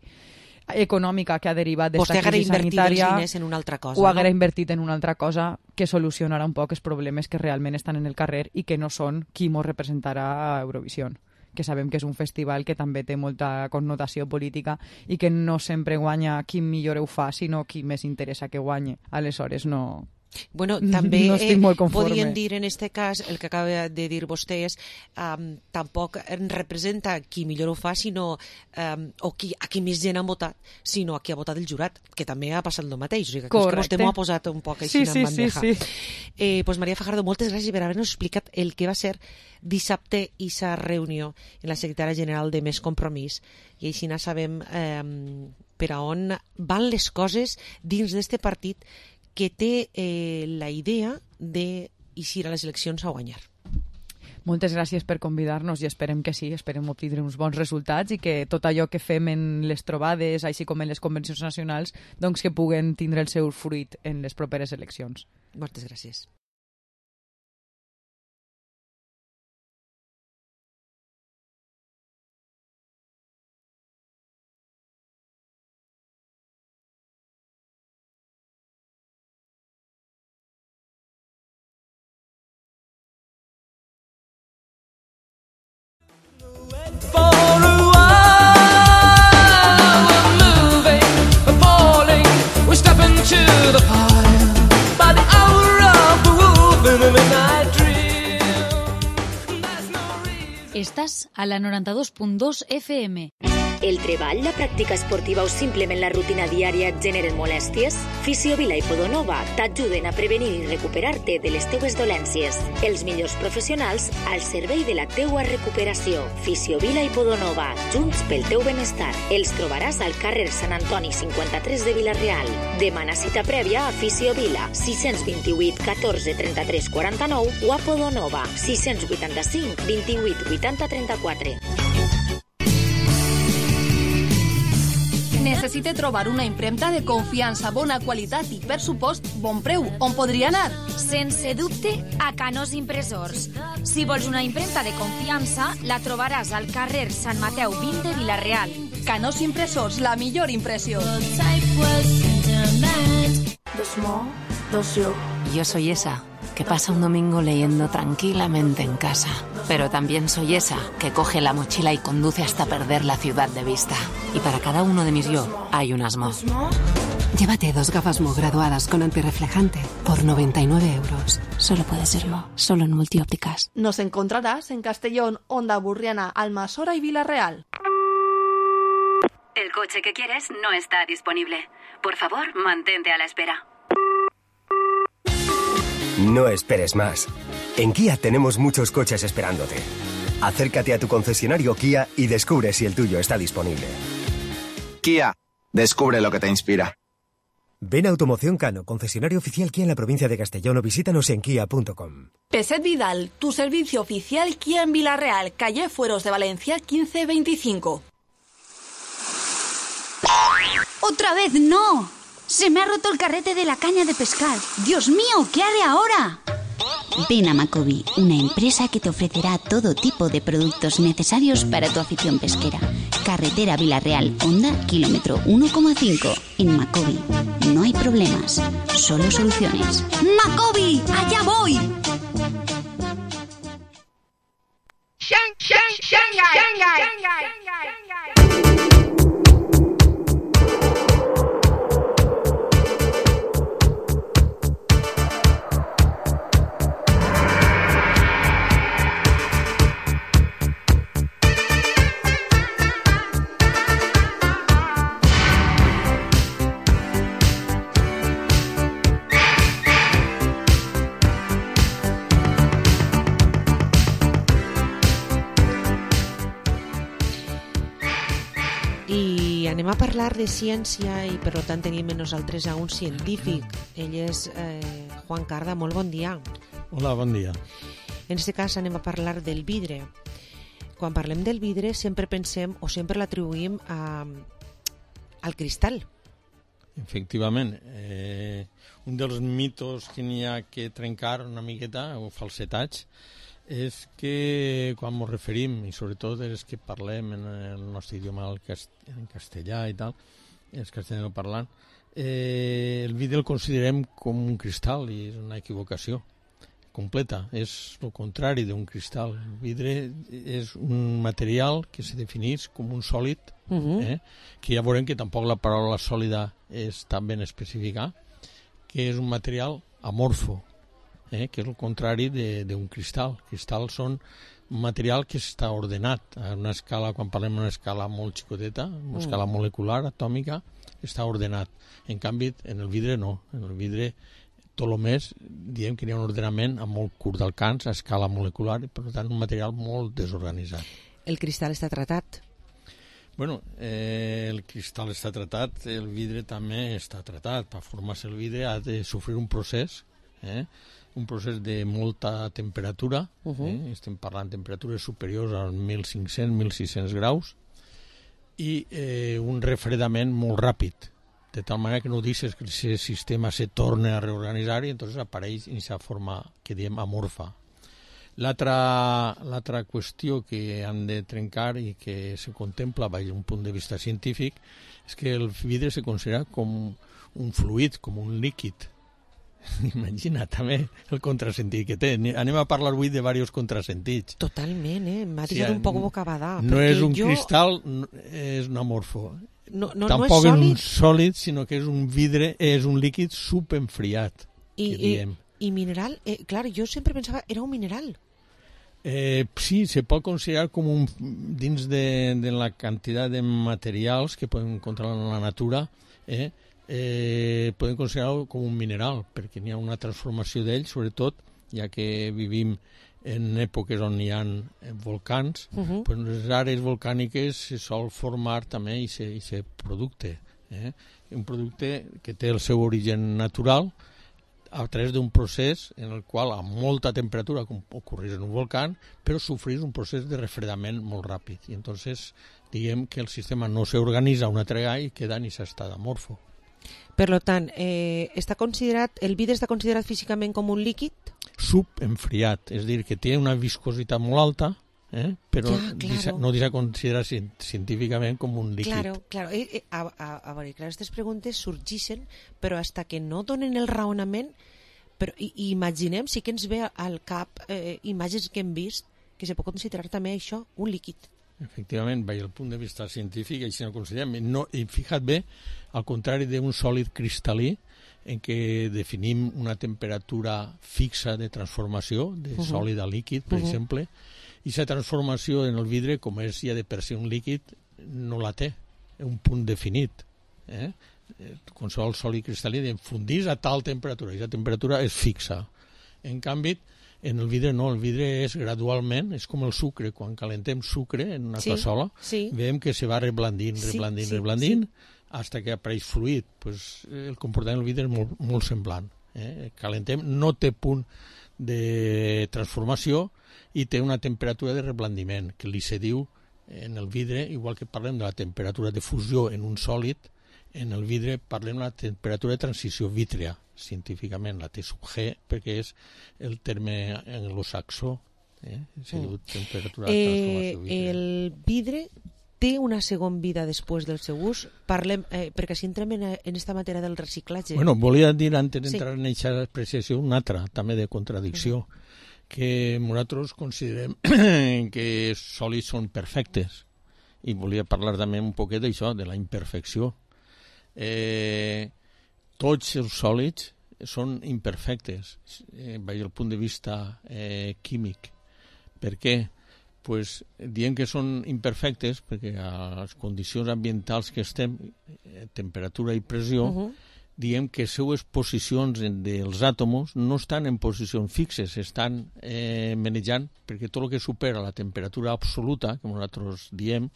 econòmica que ha derivat d'esta crisi sanitària, els en una altra cosa, ho haguera no? invertit en una altra cosa que solucionarà un poc els problemes que realment estan en el carrer i que no són qui mos representarà a Eurovisió, que sabem que és un festival que també té molta connotació política i que no sempre guanya qui millor ho fa, sinó qui més interessa que guanye. Aleshores, no... Bueno, també no estic molt conforme. Podríem dir en este cas, el que acaba de dir vostè és um, tampoc representa qui millor ho fa, sinó um, o qui, a qui més gent ha votat, sinó a qui ha votat el jurat, que també ha passat el mateix. O sigui, que vostè m'ho ha posat un poc així sí, en sí, bandeja. Sí, sí. Eh, pues Maria Fajardo, moltes gràcies per haver-nos explicat el que va ser dissabte i sa reunió en la secretària general de Més Compromís, i així no sabem eh, per a on van les coses dins d'este partit que té eh, la idea d'eixir a les eleccions a guanyar. Moltes gràcies per convidar-nos i esperem que sí, esperem obtindre uns bons resultats i que tot allò que fem en les trobades, així com en les convencions nacionals, doncs que puguen tindre el seu fruit en les properes eleccions. Moltes gràcies. Estàs a la noranta-dos punt dos F M. El treball, la pràctica esportiva o simplement la rutina diària et generen molèsties? Fisiovila i Podonova t'ajuden a prevenir i recuperar-te de les teues dolències. Els millors professionals al servei de la teua recuperació. Fisiovila i Podonova, junts pel teu benestar. Els trobaràs al carrer Sant Antoni cinquanta-tres de Vila-real. Demana cita prèvia a Fisiovila, sis dos vuit, catorze, trenta-tres, quaranta-nou o a Podonova, sis vuitanta-cinc, vint-i-vuit, vuitanta, trenta-quatre. Necessite trobar una impremta de confiança, bona qualitat i, per supost, bon preu. On podria anar? Sense dubte, a Canós Impressors. Si vols una impremta de confiança, la trobaràs al carrer Sant Mateu vint de Vila-real. Canós Impressors, la millor impressió. Dos mo, dos yo. Yo soy esa que pasa un domingo leyendo tranquilamente en casa. Pero también soy esa que coge la mochila y conduce hasta perder la ciudad de vista. Y para cada uno de mis yo hay unas Mo. Llévate dos gafas Mo graduadas con antirreflejante por noventa y nueve euros. Solo puede ser Mo, solo en Multiópticas. Nos encontrarás en Castellón, Onda Burriana, Almasora y Vila-real. El coche que quieres no está disponible. Por favor, mantente a la espera. No esperes más. En Kia tenemos muchos coches esperándote. Acércate a tu concesionario Kia y descubre si el tuyo está disponible. Kia, descubre lo que te inspira. Ven a Automoción Cano, concesionario oficial Kia en la provincia de Castellón, o visítanos en kia punto com. Peset Vidal, tu servicio oficial Kia en Vila-real, calle Fueros de Valencia quince veinticinco. ¡Otra vez no! ¡Se me ha roto el carrete de la caña de pescar! ¡Dios mío! ¿Qué haré ahora? Ven a Macobi, una empresa que te ofrecerá todo tipo de productos necesarios para tu afición pesquera. Carretera Vila-real, Honda, kilómetro uno coma cinco. En Macobi no hay problemas, solo soluciones. ¡Macobi! ¡Allá voy! Shanghai, Shanghai, Shanghai. Anem a parlar de ciència i per tant tenim amb nosaltres a un científic. Ell és eh, Juan Carda, molt bon dia. Hola, bon dia. En aquest cas anem a parlar del vidre. Quan parlem del vidre sempre pensem o sempre l'atribuïm a, al cristal. Efectivament. Eh, un dels mitos que n'hi ha que trencar una miqueta, o falsetats, és que quan ens referim, i sobretot els que parlem en el nostre idioma en castellà i tal, els castellanoparlants, eh, el vidre el considerem com un cristal i és una equivocació. completa, és el contrari d'un cristal. El vidre és un material que se defineix com un sòlid, Mhm. eh? que ja veurem que tampoc la paraula sòlida és tan ben especificar, que és un material amorfo, eh? que és el contrari de- d'un cristal. Cristals són un material que està ordenat a una escala, quan parlem d'una escala molt xicoteta, una Mm. escala molecular, atòmica, està ordenat. En canvi, en el vidre no. En el vidre, tot el més, diem que hi ha un ordenament a molt curt d'alcance, a escala molecular, i per tant un material molt desorganitzat. El cristal està tratat. Bueno, eh, el cristal està tratat, el vidre també està tratat. Per formar-se el vidre ha de sofrir un procés, eh? un procés de molta temperatura, Uh-huh. eh? estem parlant de temperatures superiors als mil cinc-cents a mil sis-cents graus, i eh, un refredament molt ràpid, de tal manera que no deixes que el sistema se torni a reorganitzar i entonces apareix en aquesta forma que diem amorfa. L'altra l'altra qüestió que han de trencar i que se contempla des d'un punt de vista científic és que el vidre se considera com un fluid, com un líquid. Imagina també el contrasentit que té. Anem a parlar avui de diversos contrasentits. Totalment, eh? M'ha Sí, deixat un poc bocabadà. No perquè és un jo... cristal, no- és un amorfo. No, no, Tampoc no és és un sòlid sòlid, sinó que és un vidre, és un líquid subenfriat, i, que i, diem. i mineral. Eh, clar, jo sempre pensava era un mineral. Eh, sí, se pot considerar com un, dins de, de la quantitat de materials que podem encontrar en la natura, eh, eh, podem considerar-ho com un mineral, perquè n'hi ha una transformació d'ell, sobretot, ja que vivim en èpoques on hi ha volcans, Mhm. pues en les àrees volcàniques se sol formar també i se, i se producte. Eh? Un producte que té el seu origen natural a través d'un procés en el qual a molta temperatura, com ocorreix en un volcán, però sofrís un procés de refredament molt ràpid. I entonces diguem que el sistema no s'organitza una altra vegada i queda en aquest estat amorfo. Per lo tant, eh, està considerat, el vidre està considerat físicament com un líquid? Subenfriat, és a dir, que té una viscositat molt alta, eh? però Ja, claro. deixa, no deixa considerar cien- científicament com un líquid. Claro, claro. Eh, eh, a, a, a veure, clar, aquestes preguntes sorgeixen, però hasta que no donen el raonament, però i, i imaginem, sí que ens ve al cap eh, imatges que hem vist, que se pot considerar també això un líquid. Efectivament, des del punt de vista científic, així no considerem. No, I fija't bé, al contrari d'un sòlid cristal·lí, en què definim una temperatura fixa de transformació, de Uh-huh. sòlid a líquid, per Uh-huh. exemple, i aquesta transformació en el vidre, com és ja de per si un líquid, no la té, un punt definit. Eh? Qualsevol sòlid cristal·lí fundís a tal temperatura, i aquesta temperatura és fixa. En canvi, en el vidre no, el vidre és gradualment, és com el sucre, quan calentem sucre en una Sí, cassola, sí. veiem que se va reblandint, Sí, reblandint, sí, reblandint, hasta que apareix fluid. Pues, eh, el comportament del vidre és molt, molt semblant. Eh? Calentem, no té punt de transformació i té una temperatura de reblandiment, que li se diu en el vidre, igual que parlem de la temperatura de fusió en un sòlid, en el vidre parlem de la temperatura de transició vítrea, científicament, la T sub G, perquè és el terme anglosaxó, eh? Se diu temperatura de Eh, transformació vítrea. el vidre té una segona vida després del seu ús? Parlem, eh, perquè així entrem en, en esta matèria del reciclatge. Bueno, volia dir, antes d'entrar Sí. en aquesta apreciació, una altra, també de contradicció, uh -huh. que nosaltres considerem que els sòlids són perfectes. I volia parlar també un poquet d'això, de la imperfecció. Eh, tots els sòlids són imperfectes, eh, des del punt de vista eh, químic. Per què? Pues, diem que són imperfectes perquè a les condicions ambientals que estem, eh, temperatura i pressió, Uh-huh. diem que les seues posicions en- dels àtoms no estan en posicions fixes, estan eh, manejant, perquè tot el que supera la temperatura absoluta, com nosaltres diem,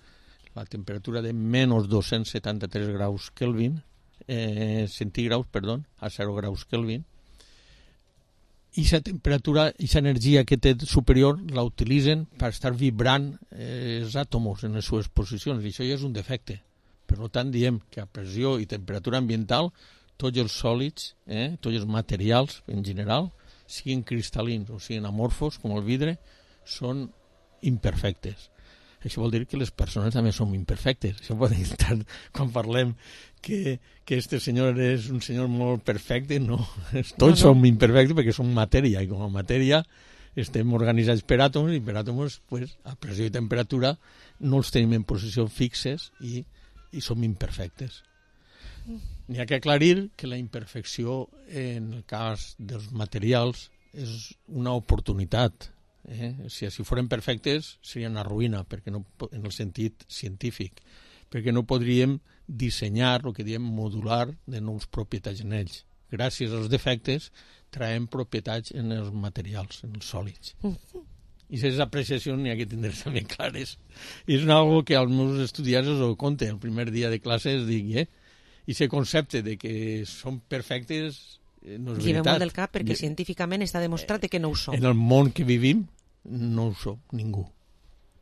la temperatura de menys dos-cents setanta-tres graus Kelvin, eh, centígraus, perdó, a zero graus Kelvin, i aquesta temperatura, aquesta energia que té superior la utilitzen per estar vibrant eh, els àtoms en les seves posicions, i això ja és un defecte. Per tant, diem que a pressió i temperatura ambiental tots els sòlids, eh, tots els materials en general, siguin cristal·lins o siguin amorfos, com el vidre, són imperfectes. això vol dir que les persones també som imperfectes. Això pot dir tant quan parlem que, que este senyor és un senyor molt perfecte, no. Tots no, no. som imperfectes perquè som matèria, i com a matèria estem organitzats per àtoms, i per àtoms, pues, a pressió i temperatura, no els tenim en posició fixes i, i som imperfectes. N'hi ha que aclarir que la imperfecció en el cas dels materials és una oportunitat. Eh? Si així foren perfectes seria una ruïna, perquè no, en el sentit científic, perquè no podríem dissenyar el que diem modular de nous propietats en ells. Gràcies als defectes traiem propietats en els materials, en els sòlids. I aquestes apreciacions n'hi ha que tindre també clares. I és una cosa que als meus estudiants els ho conte. El primer dia de classe els dic, eh? I aquest concepte de que són perfectes no és veritat. Molt del cap perquè de... científicament està demostrat que no ho som. En el món que vivim no ho som, ningú.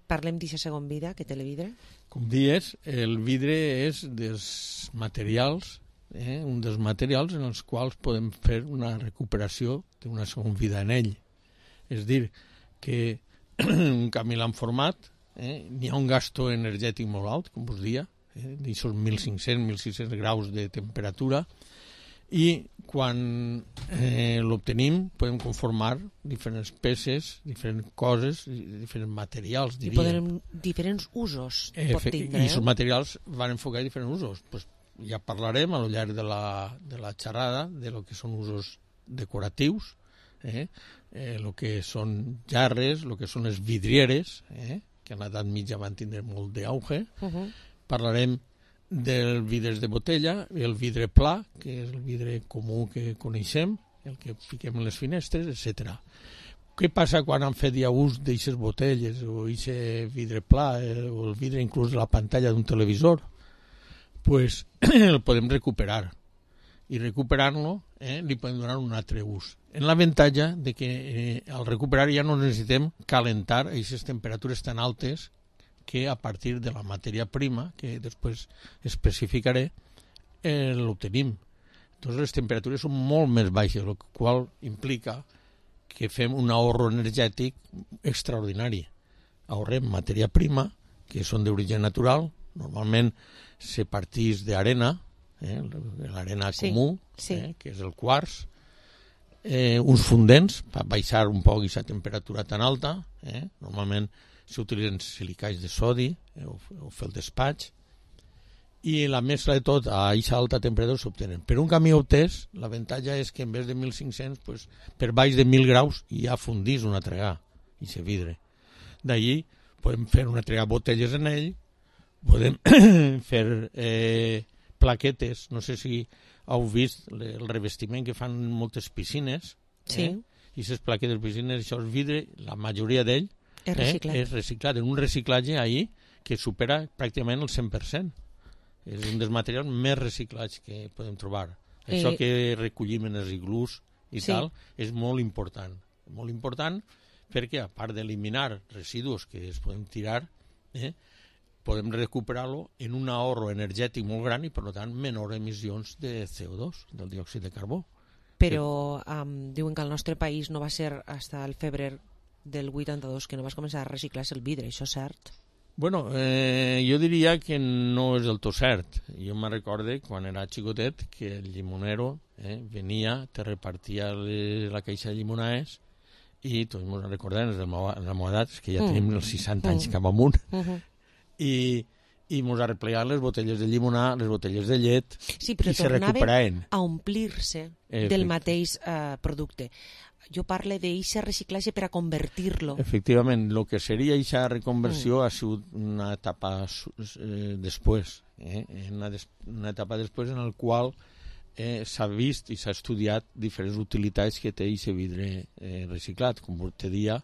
Parlem d'aquesta segon vida que té el vidre? Com dius, el vidre és dels materials, eh, un dels materials en els quals podem fer una recuperació d'una segona vida en ell. És dir, que un camí l'han format, eh, n'hi ha un gasto energètic molt alt, com vos dia, eh, d'aixòs mil cinc-cents a mil sis-cents graus de temperatura, i quan eh, l'obtenim podem conformar diferents peces, diferents coses, diferents materials, diríem. I podem diferents usos pot tindre. I aquests materials van enfocar diferents usos. Pues ja parlarem a lo llarg de la, de la xerrada de lo que són usos decoratius, eh? Eh, lo que són jarres, lo que són les vidrieres, eh? que en l'edat mitja van tindre molt d'auge. Uh -huh. Parlarem del vidres de botella, el vidre pla, que és el vidre comú que coneixem, el que fiquem en les finestres, etcètera. Què passa quan han fet ja ús d'aixes botelles o aquest vidre pla eh, o el vidre inclús de la pantalla d'un televisor? Pues el podem recuperar i recuperant-lo eh, li podem donar un altre ús. En l'avantatge de que eh, al recuperar ja no necessitem calentar aquestes temperatures tan altes que a partir de la matèria prima, que després especificaré, eh, l'obtenim. Doncs les temperatures són molt més baixes, el qual implica que fem un ahorro energètic extraordinari. Ahorrem matèria prima, que són d'origen natural, normalment se partís d'arena, eh, l'arena sí, comú, sí. Eh, que és el quars, eh, uns fundents per baixar un poc aquesta temperatura tan alta, eh, normalment s'utilitzen silicats de sodi eh, o, o fer el despatx, i la mescla de tot a aquesta alta temperatura s'obtenen. Per un camí obtès, l'avantatge és que en vez de mil cinc-cents, pues, per baix de mil graus ja fundís un altre gra, i se vidre. D'allí podem fer un altre gra botelles en ell, podem fer eh, plaquetes, no sé si heu vist el revestiment que fan moltes piscines, sí. eh? I aquestes plaquetes de piscines, això és vidre, la majoria d'ell és reciclat. Eh, és reciclat, en un reciclatge ahir que supera pràcticament el cent per cent. És un dels materials més reciclats que podem trobar. Eh... Això que recollim en els iglús i sí. tal, és molt important. Molt important perquè, a part d'eliminar residus que es podem tirar, eh, podem recuperar-lo en un ahorro energètic molt gran i, per tant, menor emissions de C O dos, del diòxid de carbó. Però um, diuen que al nostre país no va ser fins al febrer del vuitanta-dos que no vas començar a reciclar-se el vidre, això és cert? Bueno, eh, jo diria que no és del tot cert. Jo me recorde quan era xicotet que el llimonero eh, venia, te repartia le, la caixa de llimonades i tots ens recordem, en la meva edat, és que ja mm. tenim els seixanta anys mm. cap amunt, mm -hmm. i, i ens arreplegaven les botelles de llimonà, les botelles de llet, sí, però i se recuperaven. A omplir-se eh, del mateix eh, producte. Jo parlo d'eixa reciclatge per a convertir-lo. Efectivament, el que seria eixa reconversió mm. ha sigut una etapa eh, després, eh? una, des, una etapa després en la qual eh, s'ha vist i s'ha estudiat diferents utilitats que té eixe vidre eh, reciclat, com te dia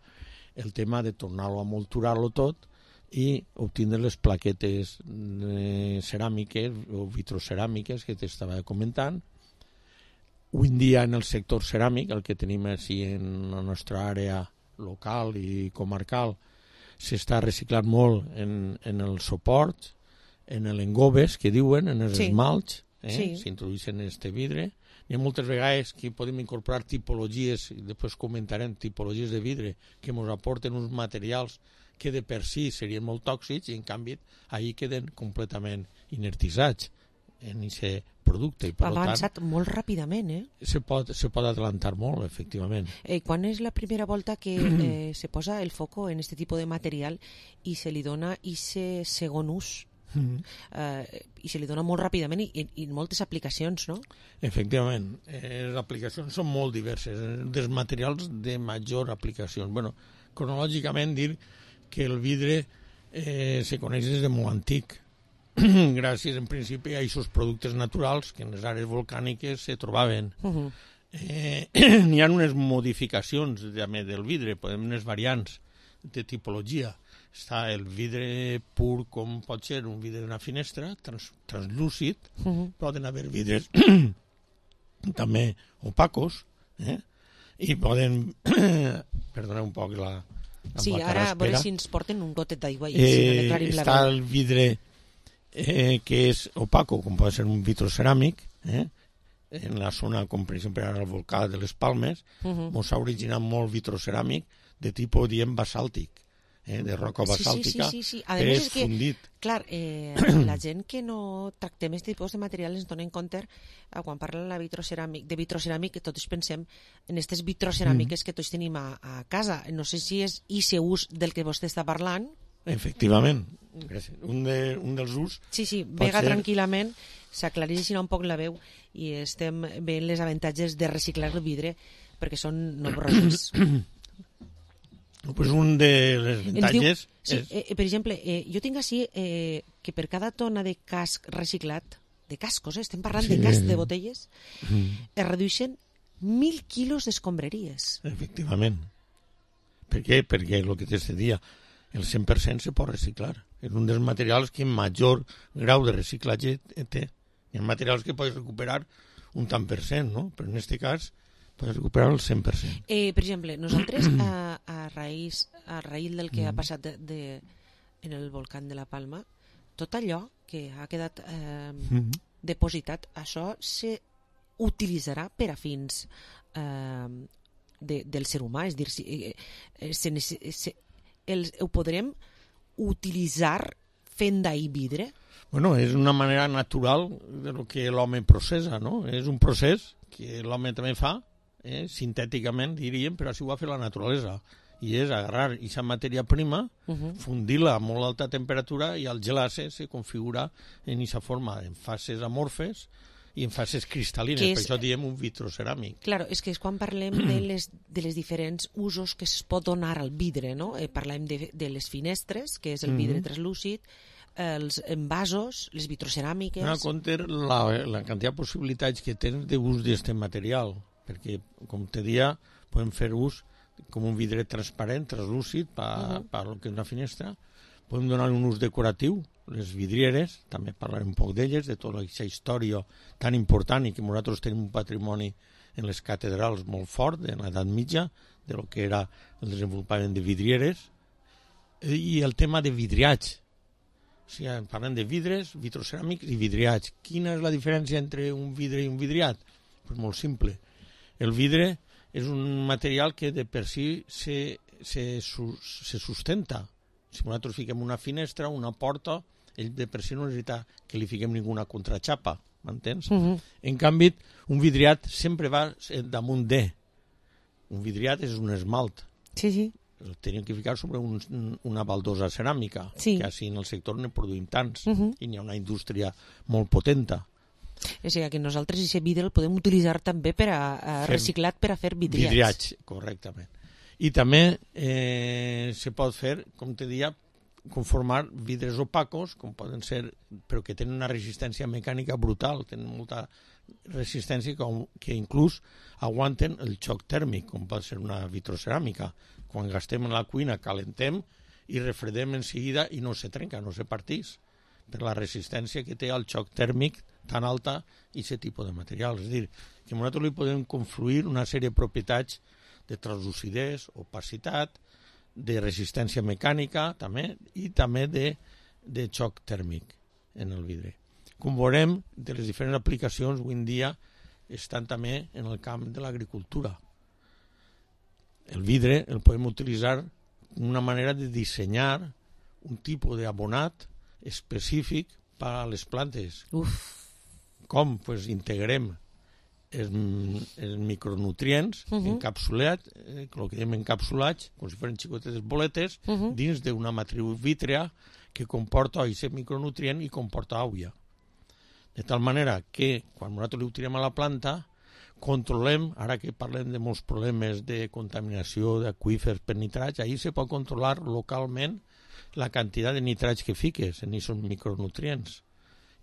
el tema de tornar-lo a molturar-lo tot i obtindre les plaquetes eh, ceràmiques o vitroceràmiques que t'estava comentant. Avui en dia en el sector ceràmic, el que tenim així en la nostra àrea local i comarcal, s'està reciclant molt en, en el suport, en l'engobes, que diuen, en els sí. esmalts, eh? sí. s'introdueixen en este vidre. Hi ha moltes vegades que podem incorporar tipologies, i després comentarem tipologies de vidre, que ens aporten uns materials que de per si serien molt tòxics i en canvi ahir queden completament inertitzats en aquest producte. I, per ha avançat tant, molt ràpidament, eh? Se pot, se pot adelantar molt, efectivament. Eh, quan és la primera volta que eh, se posa el foco en aquest tipus de material i se li dona aquest segon ús? Mm. Eh, I se li dona molt ràpidament i, i, i moltes aplicacions, no? Efectivament. Eh, les aplicacions són molt diverses. Dels materials de major aplicació. Bueno, cronològicament dir que el vidre eh, se coneix des de molt antic. Gràcies, en principi, a aquests productes naturals que en les àrees volcàniques se trobaven. Uh-huh. eh, N'hi ha unes modificacions també del vidre, podem unes variants de tipologia. Està el vidre pur, com pot ser un vidre d'una finestra, trans, translúcid. Uh-huh. Poden haver vidres també opacos, eh? I poden... Perdoneu un poc la... la sí, ara a veure si ens porten un gotet d'aigua i eh, si no declarim la està el vidre eh, que és opaco, com pot ser un vitroceràmic, eh? En la zona, com per exemple ara el volcà de les Palmes, uh-huh. Mos ha originat molt vitroceràmic de tipus, diem, basàltic, eh? De roca basàltica, sí, sí, sí, sí. que és, és que, fundit. Clar, eh, la gent que no tractem aquest tipus de materials ens donen compte, eh, quan parlen la vitroceràmic, de vitroceràmic, que tots pensem en aquestes vitroceràmiques mm. que tots tenim a, a casa. No sé si és aquest ús del que vostè està parlant. Efectivament. Un, de, un dels ús... Sí, sí, vega ser... tranquil·lament, s'aclareix un poc la veu i estem veient les avantatges de reciclar el vidre perquè són nombrosos. Pues un de les avantatges... Diu, sí, és... eh, per exemple, eh, jo tinc així eh, que per cada tona de casc reciclat, de cascos, eh, estem parlant sí. de casc de botelles, mm. es redueixen mil quilos d'escombraries. Efectivament. Per què? Perquè el que te dia, el cent per cent se pot reciclar. És un dels materials que major grau de reciclatge té. Hi ha materials que pots recuperar un tant per cent, no? Però en aquest cas pots recuperar el cent per cent. Eh, per exemple, nosaltres a, a, raïs, a raïl del que mm. ha passat de, de, en el volcán de la Palma, tot allò que ha quedat eh, mm. depositat, això se utilitzarà per a fins eh, de, del ser humà, és dir, si, eh, se, se, els, ho podrem utilitzar fent d'ahir vidre? Bueno, és una manera natural de lo que l'home processa, no? És un procés que l'home també fa, eh, sintèticament, diríem, però així ho ha fet la naturalesa. I és agarrar aquesta matèria prima, uh-huh. fundir-la a molt alta temperatura i al gelar-se se configura en aquesta forma, en fases amorfes i en fases cristal·lines, és... per això diem un vitroceràmic. Claro, és que és quan parlem de les, de les diferents usos que es pot donar al vidre, no? Eh, parlem de, de les finestres, que és el vidre mm-hmm. translúcid, els envasos, les vitroceràmiques... No, compte la, la quantitat de possibilitats que tens d'ús d'aquest material, perquè, com te dia, podem fer ús com un vidre transparent, translúcid, per uh-huh. per lo que és una finestra. Podem donar un ús decoratiu, les vidrieres, també parlarem un poc d'elles, de tota aquesta història tan important i que nosaltres tenim un patrimoni en les catedrals molt fort, en l'edat mitja, de lo que era el desenvolupament de vidrieres, i el tema de vidriats. O sigui, parlem de vidres, vitroceràmics i vidriats. Quina és la diferència entre un vidre i un vidriat? Pues molt simple. El vidre és un material que de per si se, se, se sustenta. Si nosaltres fiquem una finestra, una porta, ell de per si no necessita que li fiquem ninguna contraxapa, m'entens? Uh-huh. En canvi, un vidriat sempre va damunt de. Un vidriat és un esmalt. Sí, sí. El teníem que ficar sobre un, una baldosa ceràmica, sí. que així en el sector ne produïm tants, uh-huh. i n'hi ha una indústria molt potenta. O sigui que nosaltres aquest vidre el podem utilitzar també per a, a reciclat per a fer vidriats. Vidriats, correctament. I també eh, se pot fer, com te deia, conformar vidres opacos, com poden ser, però que tenen una resistència mecànica brutal, tenen molta resistència com, que inclús aguanten el xoc tèrmic, com pot ser una vitroceràmica. Quan gastem en la cuina calentem i refredem en seguida i no se trenca, no se partís, per la resistència que té al xoc tèrmic tan alta i aquest tipus de materials. És a dir, que nosaltres li podem confluir una sèrie de propietats de translucidesa, opacitat, de resistència mecànica també, i també de, de xoc tèrmic en el vidre. Com veurem, de les diferents aplicacions avui en dia estan també en el camp de l'agricultura. El vidre el podem utilitzar una manera de dissenyar un tipus d'abonat específic per a les plantes. Uf. Com? Pues integrem els, els micronutrients uh -huh. encapsulats, eh, el que diem encapsulats, com si fossin xicotetes boletes, uh -huh. dins d'una matriu vítrea que comporta aquest micronutrient i comporta aigua. De tal manera que, quan nosaltres li tirem a la planta, controlem, ara que parlem de molts problemes de contaminació d'aqüífers per nitrats, ahir se pot controlar localment la quantitat de nitrats que fiques en aquests micronutrients.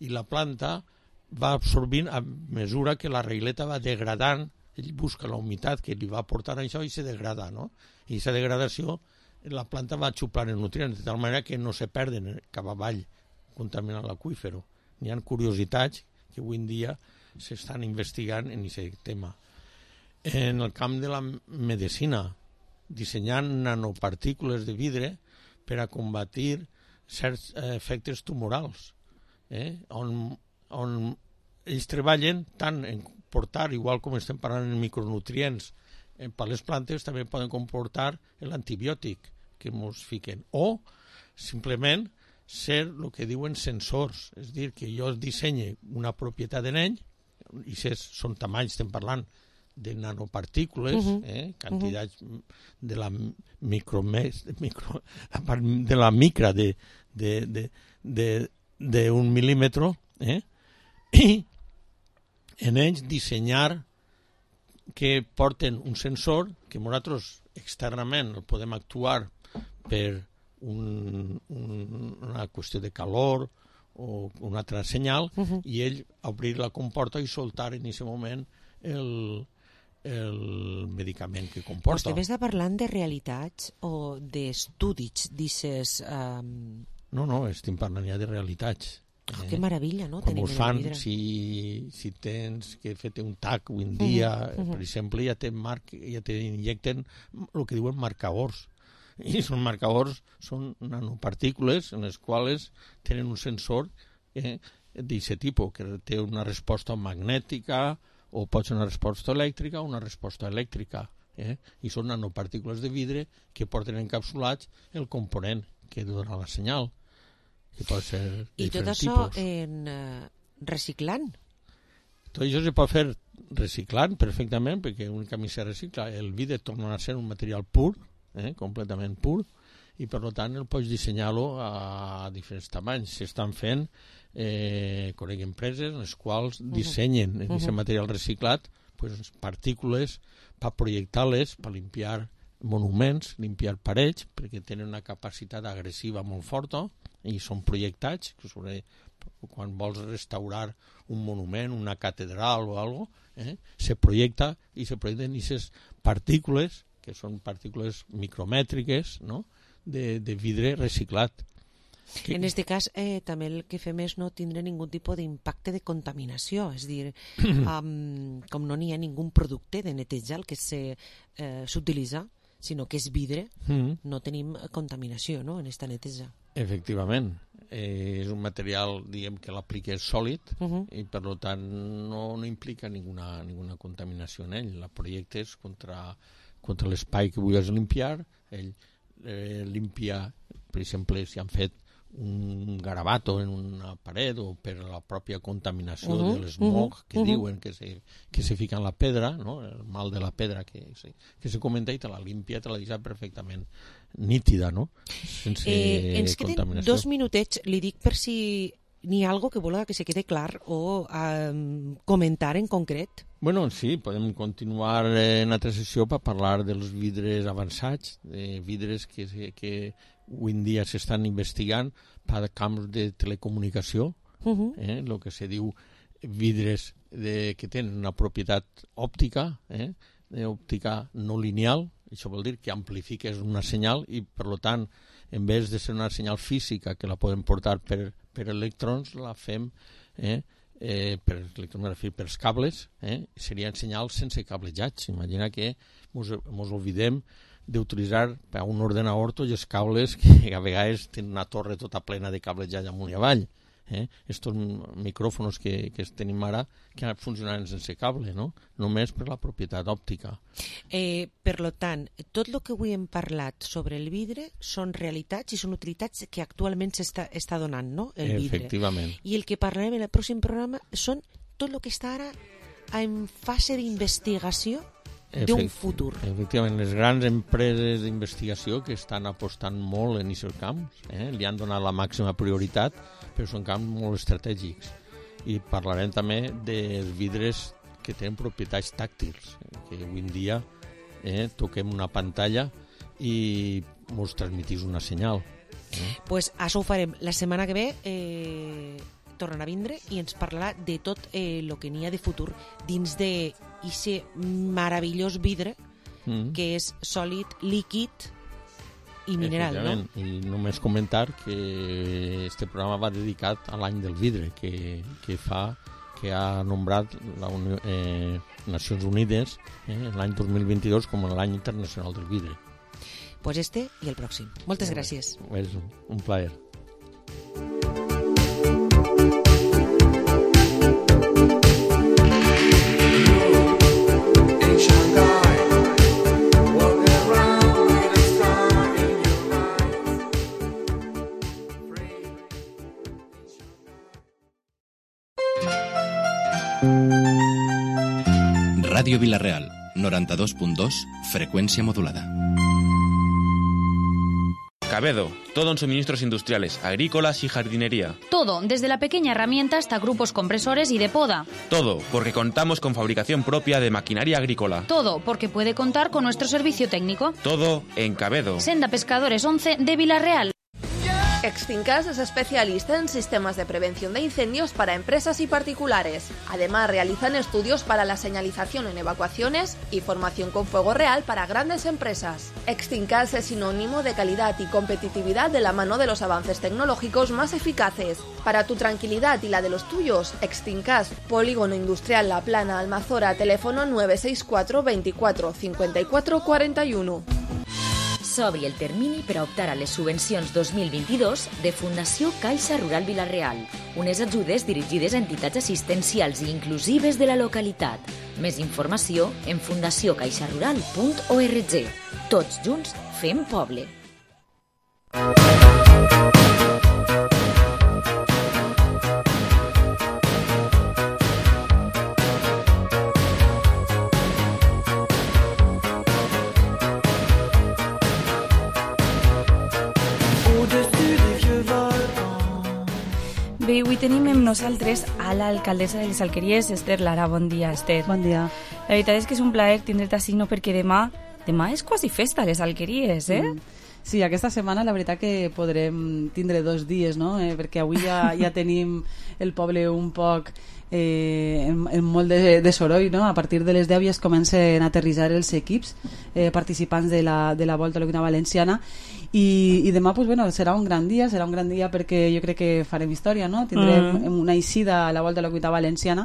I la planta va absorbint a mesura que la regleta va degradant, ell busca la humitat que li va aportar això i se degrada, no? I aquesta degradació, la planta va xuplant els nutrients, de tal manera que no se perden cap avall, contaminant l'aqüífero. Hi ha curiositats que avui en dia s'estan investigant en aquest tema. En el camp de la medicina, dissenyant nanopartícules de vidre per a combatir certs efectes tumorals, eh? on, on ells treballen tant en portar, igual com estem parlant en micronutrients, eh, per les plantes també poden comportar l'antibiòtic que ens fiquen, o simplement ser el que diuen sensors, és a dir, que jo dissenye una propietat en ell, i són tamanys, estem parlant de nanopartícules, uh-huh. eh, quantitats uh-huh. de la micro, micro de la micra de, de, de, de, de un mil·límetre, eh, i en ells dissenyar que porten un sensor que nosaltres externament el podem actuar per un, un, una qüestió de calor o un altre senyal, uh-huh. i ell obrir la comporta i soltar en aquest moment el, el medicament que comporta. Vostè m'està parlant de realitats o d'estudis, dices... Um... No, no, estem parlant ja de realitats. Oh, que meravella, no? Com ho fan, si, si tens que fer un tac avui en dia, uh -huh. per exemple, ja te, marc, ja te injecten el que diuen marcadors. I són marcadors, són nanopartícules en les quals tenen un sensor eh, d'aquest tipus, que té una resposta magnètica, o pot ser una resposta elèctrica o una resposta elèctrica. Eh? I són nanopartícules de vidre que porten encapsulats el component que dona la senyal. Que pot ser I tot això tipus. en uh, reciclant? Tot això se pot fer reciclant perfectament, perquè únicament se recicla. El vidre torna a ser un material pur, eh, completament pur, i per tant el pots dissenyar-lo a diferents tamanys. S'estan fent, eh, conec empreses en les quals dissenyen en aquest uh -huh. material reciclat pues, partícules per projectar-les, per limpiar monuments, limpiar parets, perquè tenen una capacitat agressiva molt forta, i són projectats, que sobre, quan vols restaurar un monument, una catedral o alguna cosa, eh, se projecta i se projecten aquestes partícules, que són partícules micromètriques, no?, de, de vidre reciclat. Que... En aquest cas, eh, també el que fem és no tindre ningú tipus d'impacte de contaminació, és a dir, um, com no n'hi ha ningú producte de netejar el que s'utilitza, eh, sinó que és vidre, mm. no tenim contaminació, no?, en aquesta neteja. Efectivament. Eh, és un material, diguem, que l'aplica sòlid, uh-huh. i per tant no, no implica ninguna, ninguna contaminació en ell. La projectes contra, contra l'espai que vulguis limpiar, ell eh, limpia, per exemple, si han fet un garabato en una paret o per la pròpia contaminació uh-huh, de l'esmog uh-huh, que uh-huh. diuen que se, que se fica en la pedra, no? El mal de la pedra que se, que se comenta, i te la limpia, te la deixa perfectament nítida, no? Sense eh, ens queden contaminació. Dos minutets, li dic per si n'hi ha algo que vola que se quede clar o um, comentar en concret. Bueno, sí, podem continuar en altra sessió per parlar dels vidres avançats, de vidres que, que avui en dia s'estan investigant per camps de telecomunicació, uh-huh. eh, el que se diu vidres de, que tenen una propietat òptica, eh, òptica no lineal, això vol dir que amplifiques una senyal i, per tant, en vez de ser una senyal física que la podem portar per, per electrons, la fem eh, eh, per electrons, per cables, eh, serien senyals sense cablejats. Imagina que ens oblidem d'utilitzar per a un ordenador tots els cables que a vegades tenen una torre tota plena de cablejats amunt i avall. Eh? Estos micròfons que, que tenim ara que funcionaran sense cable, no? Només per la propietat òptica. Eh, per lo tant, tot el que avui hem parlat sobre el vidre són realitats i són utilitats que actualment s'està està donant, no? El vidre. Efectivament. I el que parlarem en el pròxim programa són tot el que està ara en fase d'investigació d'un futur. Efectivament, les grans empreses d'investigació que estan apostant molt en aquests camps, eh? li han donat la màxima prioritat, però són camps molt estratègics. I parlarem també dels vidres que tenen propietats tàctils, que avui en dia eh, toquem una pantalla i ens transmetís una senyal. Eh? Pues això ho farem la setmana que ve. Eh... tornen a vindre i ens parlarà de tot el eh, que n'hi ha de futur dins de aquest meravellós vidre mm. que és sòlid, líquid i mineral, no? I només comentar que este programa va dedicat a l'any del vidre que, que fa que ha nombrat la Unió, eh, Nacions Unides eh, l'any dos mil vint-i-dos com l'any internacional del vidre. Pues este i el pròxim. Moltes Molt gràcies. És un plaer. Radio Villarreal, noventa y dos punto dos, frecuencia modulada. Cabedo, todo en suministros industriales, agrícolas y jardinería. Todo, desde la pequeña herramienta hasta grupos compresores y de poda. Todo, porque contamos con fabricación propia de maquinaria agrícola. Todo, porque puede contar con nuestro servicio técnico. Todo en Cabedo. Senda Pescadores once de Villarreal. Extincas es especialista en sistemas de prevención de incendios para empresas y particulares. Además, realizan estudios para la señalización en evacuaciones y formación con fuego real para grandes empresas. Extincas es sinónimo de calidad y competitividad de la mano de los avances tecnológicos más eficaces. Para tu tranquilidad y la de los tuyos, Extincas, Polígono Industrial La Plana, Almazora, teléfono nueve seis cuatro veinticuatro cincuenta y cuatro cuarenta y uno. S'obri el termini per a optar a les subvencions dos mil vint-i-dos de Fundació Caixa Rural Vila-real, unes ajudes dirigides a entitats assistencials i inclusives de la localitat. Més informació en fundació caixa rural punt org. Tots junts fem poble. Bé, avui tenim amb nosaltres a l'alcaldessa de les Alqueries, Esther Lara. Bon dia, Esther. Bon dia. La veritat és que és un plaer tindre't així, no? Perquè demà, demà és quasi festa a les Alqueries, eh? Mm. Sí, aquesta setmana la veritat que podrem tindre dos dies, no? Eh, perquè avui ja, ja tenim el poble un poc eh, en, en molt de, de soroll, no? A partir de les deu ja es comencen a aterrissar els equips eh, participants de la, de la Volta a l'Oquina Valenciana i, i demà pues, bueno, serà un gran dia, serà un gran dia perquè jo crec que farem història, no? Tindrem mm. una eixida a la Volta a l'Oquina Valenciana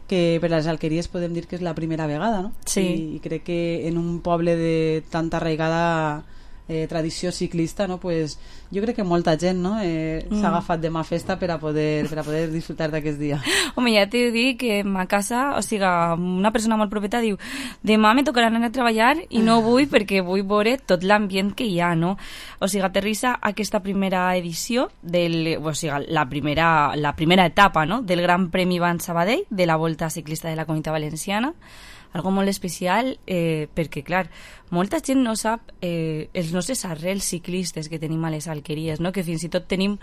que per les Alqueries podem dir que és la primera vegada, no? Sí. I, i crec que en un poble de tanta arraigada eh, tradició ciclista, no? Pues jo crec que molta gent, no? eh, mm. s'ha agafat demà festa per a poder, per a poder disfrutar d'aquest dia. Home, ja t'he dit que a casa, o sigui, una persona molt propeta diu demà me tocarà anar a treballar i no vull perquè vull veure tot l'ambient que hi ha, no? O sigui, aterrissa aquesta primera edició del, o sigui, la primera, la primera etapa, no? Del Gran Premi Van Sabadell de la Volta Ciclista de la Comunitat Valenciana. Algo molt especial eh, perquè, clar, molta gent no sap eh, els nostres arrels ciclistes que tenim a les Alqueries, no? Que fins i tot tenim,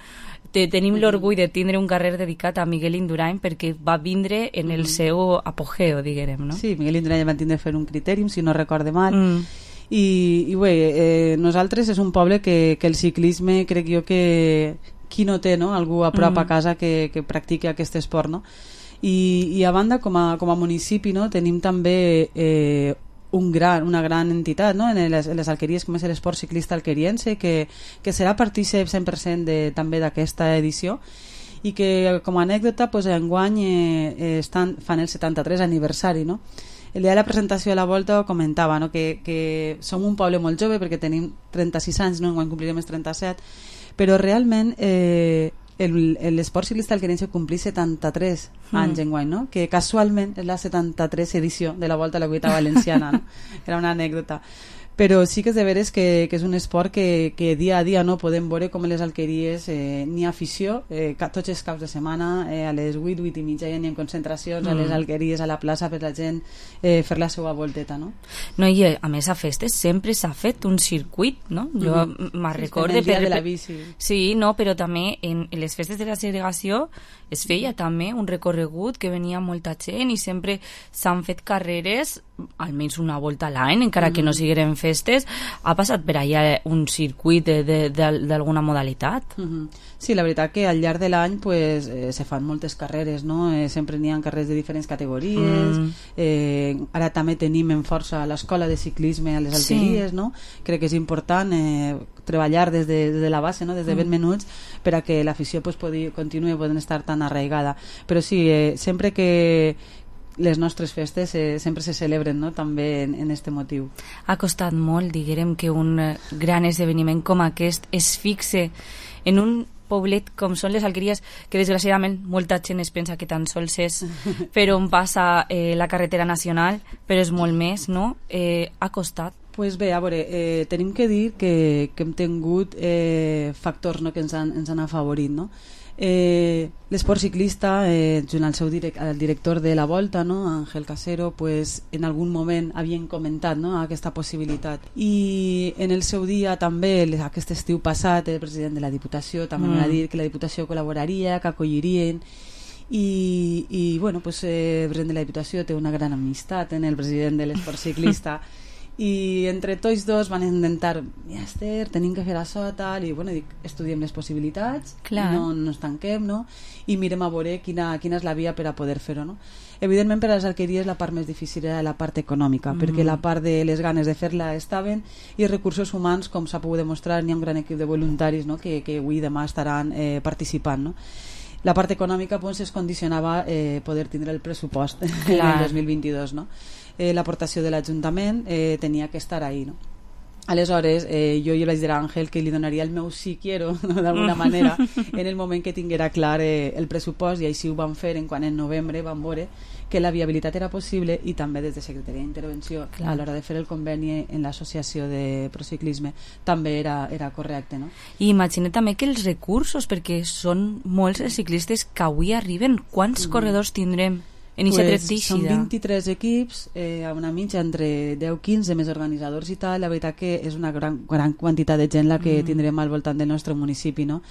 te, tenim l'orgull de tindre un carrer dedicat a Miguel Indurain perquè va vindre en el seu apogeo, diguem, no? Sí, Miguel Indurain va tindre fer un critèrium, si no recorde mal. Mm. I, i bé, eh, nosaltres és un poble que, que el ciclisme crec jo que qui no té, no? Algú a prop mm. a casa que, que practiqui aquest esport, no? I, i a banda com a, com a municipi, no, tenim també eh, un gran, una gran entitat, no, en les, en les Alqueries com és l'esport ciclista alqueriense que, que serà partícip cent per cent de, també d'aquesta edició i que com a anècdota pues, enguany eh, estan, fan el setanta-tres aniversari, no? El dia de la presentació de la Volta comentava, no, que, que som un poble molt jove perquè tenim trenta-sis anys, no? Enguany complirem els trenta-set, però realment eh, el- el- l'esport ciclista alquerense complís setanta-tres Mm. anys enguany, no? Que casualment és la setanta-tres edició de la Volta a la Comunitat Valenciana, no? Era una anècdota. Però sí que és de veres que, que és un esport que, que dia a dia no podem veure com les alqueries eh, n'hi ha afició, eh, ca- tots els caps de setmana, eh, a les vuit, vuit i mitja ja n'hi ha concentracions, a les Mm. alqueries a la plaça per la gent eh, fer la seva volteta, no? No, i eh, a més a festes sempre s'ha fet un circuit, no? Jo Mhm. me'n Sí, recorde... en el dia per- de la bici. Sí, no, però també en, en les festes de la segregació es feia també un recorregut que venia molta gent i sempre s'han fet carreres almenys una volta a l'any, encara que no Mhm. sigueren festes. Ha passat per allà un circuit de- de- de- d'alguna modalitat? Mhm. Sí, la veritat que al llarg de l'any pues, eh, se fan moltes carreres, no? Eh, sempre n'hi ha carreres de diferents categories. Mm. Eh, ara també tenim en força l'escola de ciclisme a les Sí. alqueries, no? Crec que és important eh, treballar des de, des de la base, no? Des de ben Mm. menuts, per a que l'afició pues, podi, continuï podent estar tan arraigada. Però sí, eh, sempre que les nostres festes eh, sempre se celebren, no? També en, en este motiu. Ha costat molt, diguem, que un eh, gran esdeveniment com aquest es fixe en un poblet com són les Alqueries, que desgraciadament molta gent es pensa que tan sols és per on passa eh, la carretera nacional, però és molt més, no? Eh, ha costat. Pues bé, a veure, eh, tenim que dir que, que hem tingut eh, factors, no?, que ens han, ens han afavorit, no? Eh, l'esport ciclista, eh, junt al seu direc al director de la Volta, no?, Ángel Casero, pues, en algun moment havien comentat, no?, aquesta possibilitat. I en el seu dia també, aquest estiu passat, el president de la Diputació també mm. va dir que la Diputació col·laboraria, que acollirien, i, i bueno, pues, eh, el president de la Diputació té una gran amistat en el president de l'esport ciclista, i entre tots dos van intentar, ja Esther, tenim que fer això, tal, i bueno, dic, estudiem les possibilitats, Clar. no, no ens tanquem, no? I mirem a veure quina, quina és la via per a poder fer-ho, no? Evidentment per a les alqueries la part més difícil era la part econòmica, Mm. perquè la part de les ganes de fer-la estaven, i recursos humans, com s'ha pogut demostrar, n'hi ha un gran equip de voluntaris, no?, que, que avui i demà estaran eh, participant, no? La part econòmica pues, es condicionava eh, poder tindre el pressupost en Clar. el dos mil vint-i-dos, no? Eh, l'aportació de l'Ajuntament eh, tenia que estar ahí, no? Aleshores, eh, jo hi vaig dir a Àngel que li donaria el meu sí quiero, no? D'alguna manera, en el moment que tinguera clar eh, el pressupost, i així ho vam fer en quan en novembre vam veure que la viabilitat era possible, i també des de Secretaria d'Intervenció Clar. a l'hora de fer el conveni en l'associació de Prociclisme també era, era correcte, no? I imagina també que els recursos, perquè són molts els ciclistes que avui arriben, quants Mm. corredors tindrem en aquesta Pues, tret d'eixida? són vint-i-tres equips, eh, a una mitja entre deu quinze més organitzadors i tal. La veritat que és una gran, gran quantitat de gent la que Mm. tindrem al voltant del nostre municipi, no?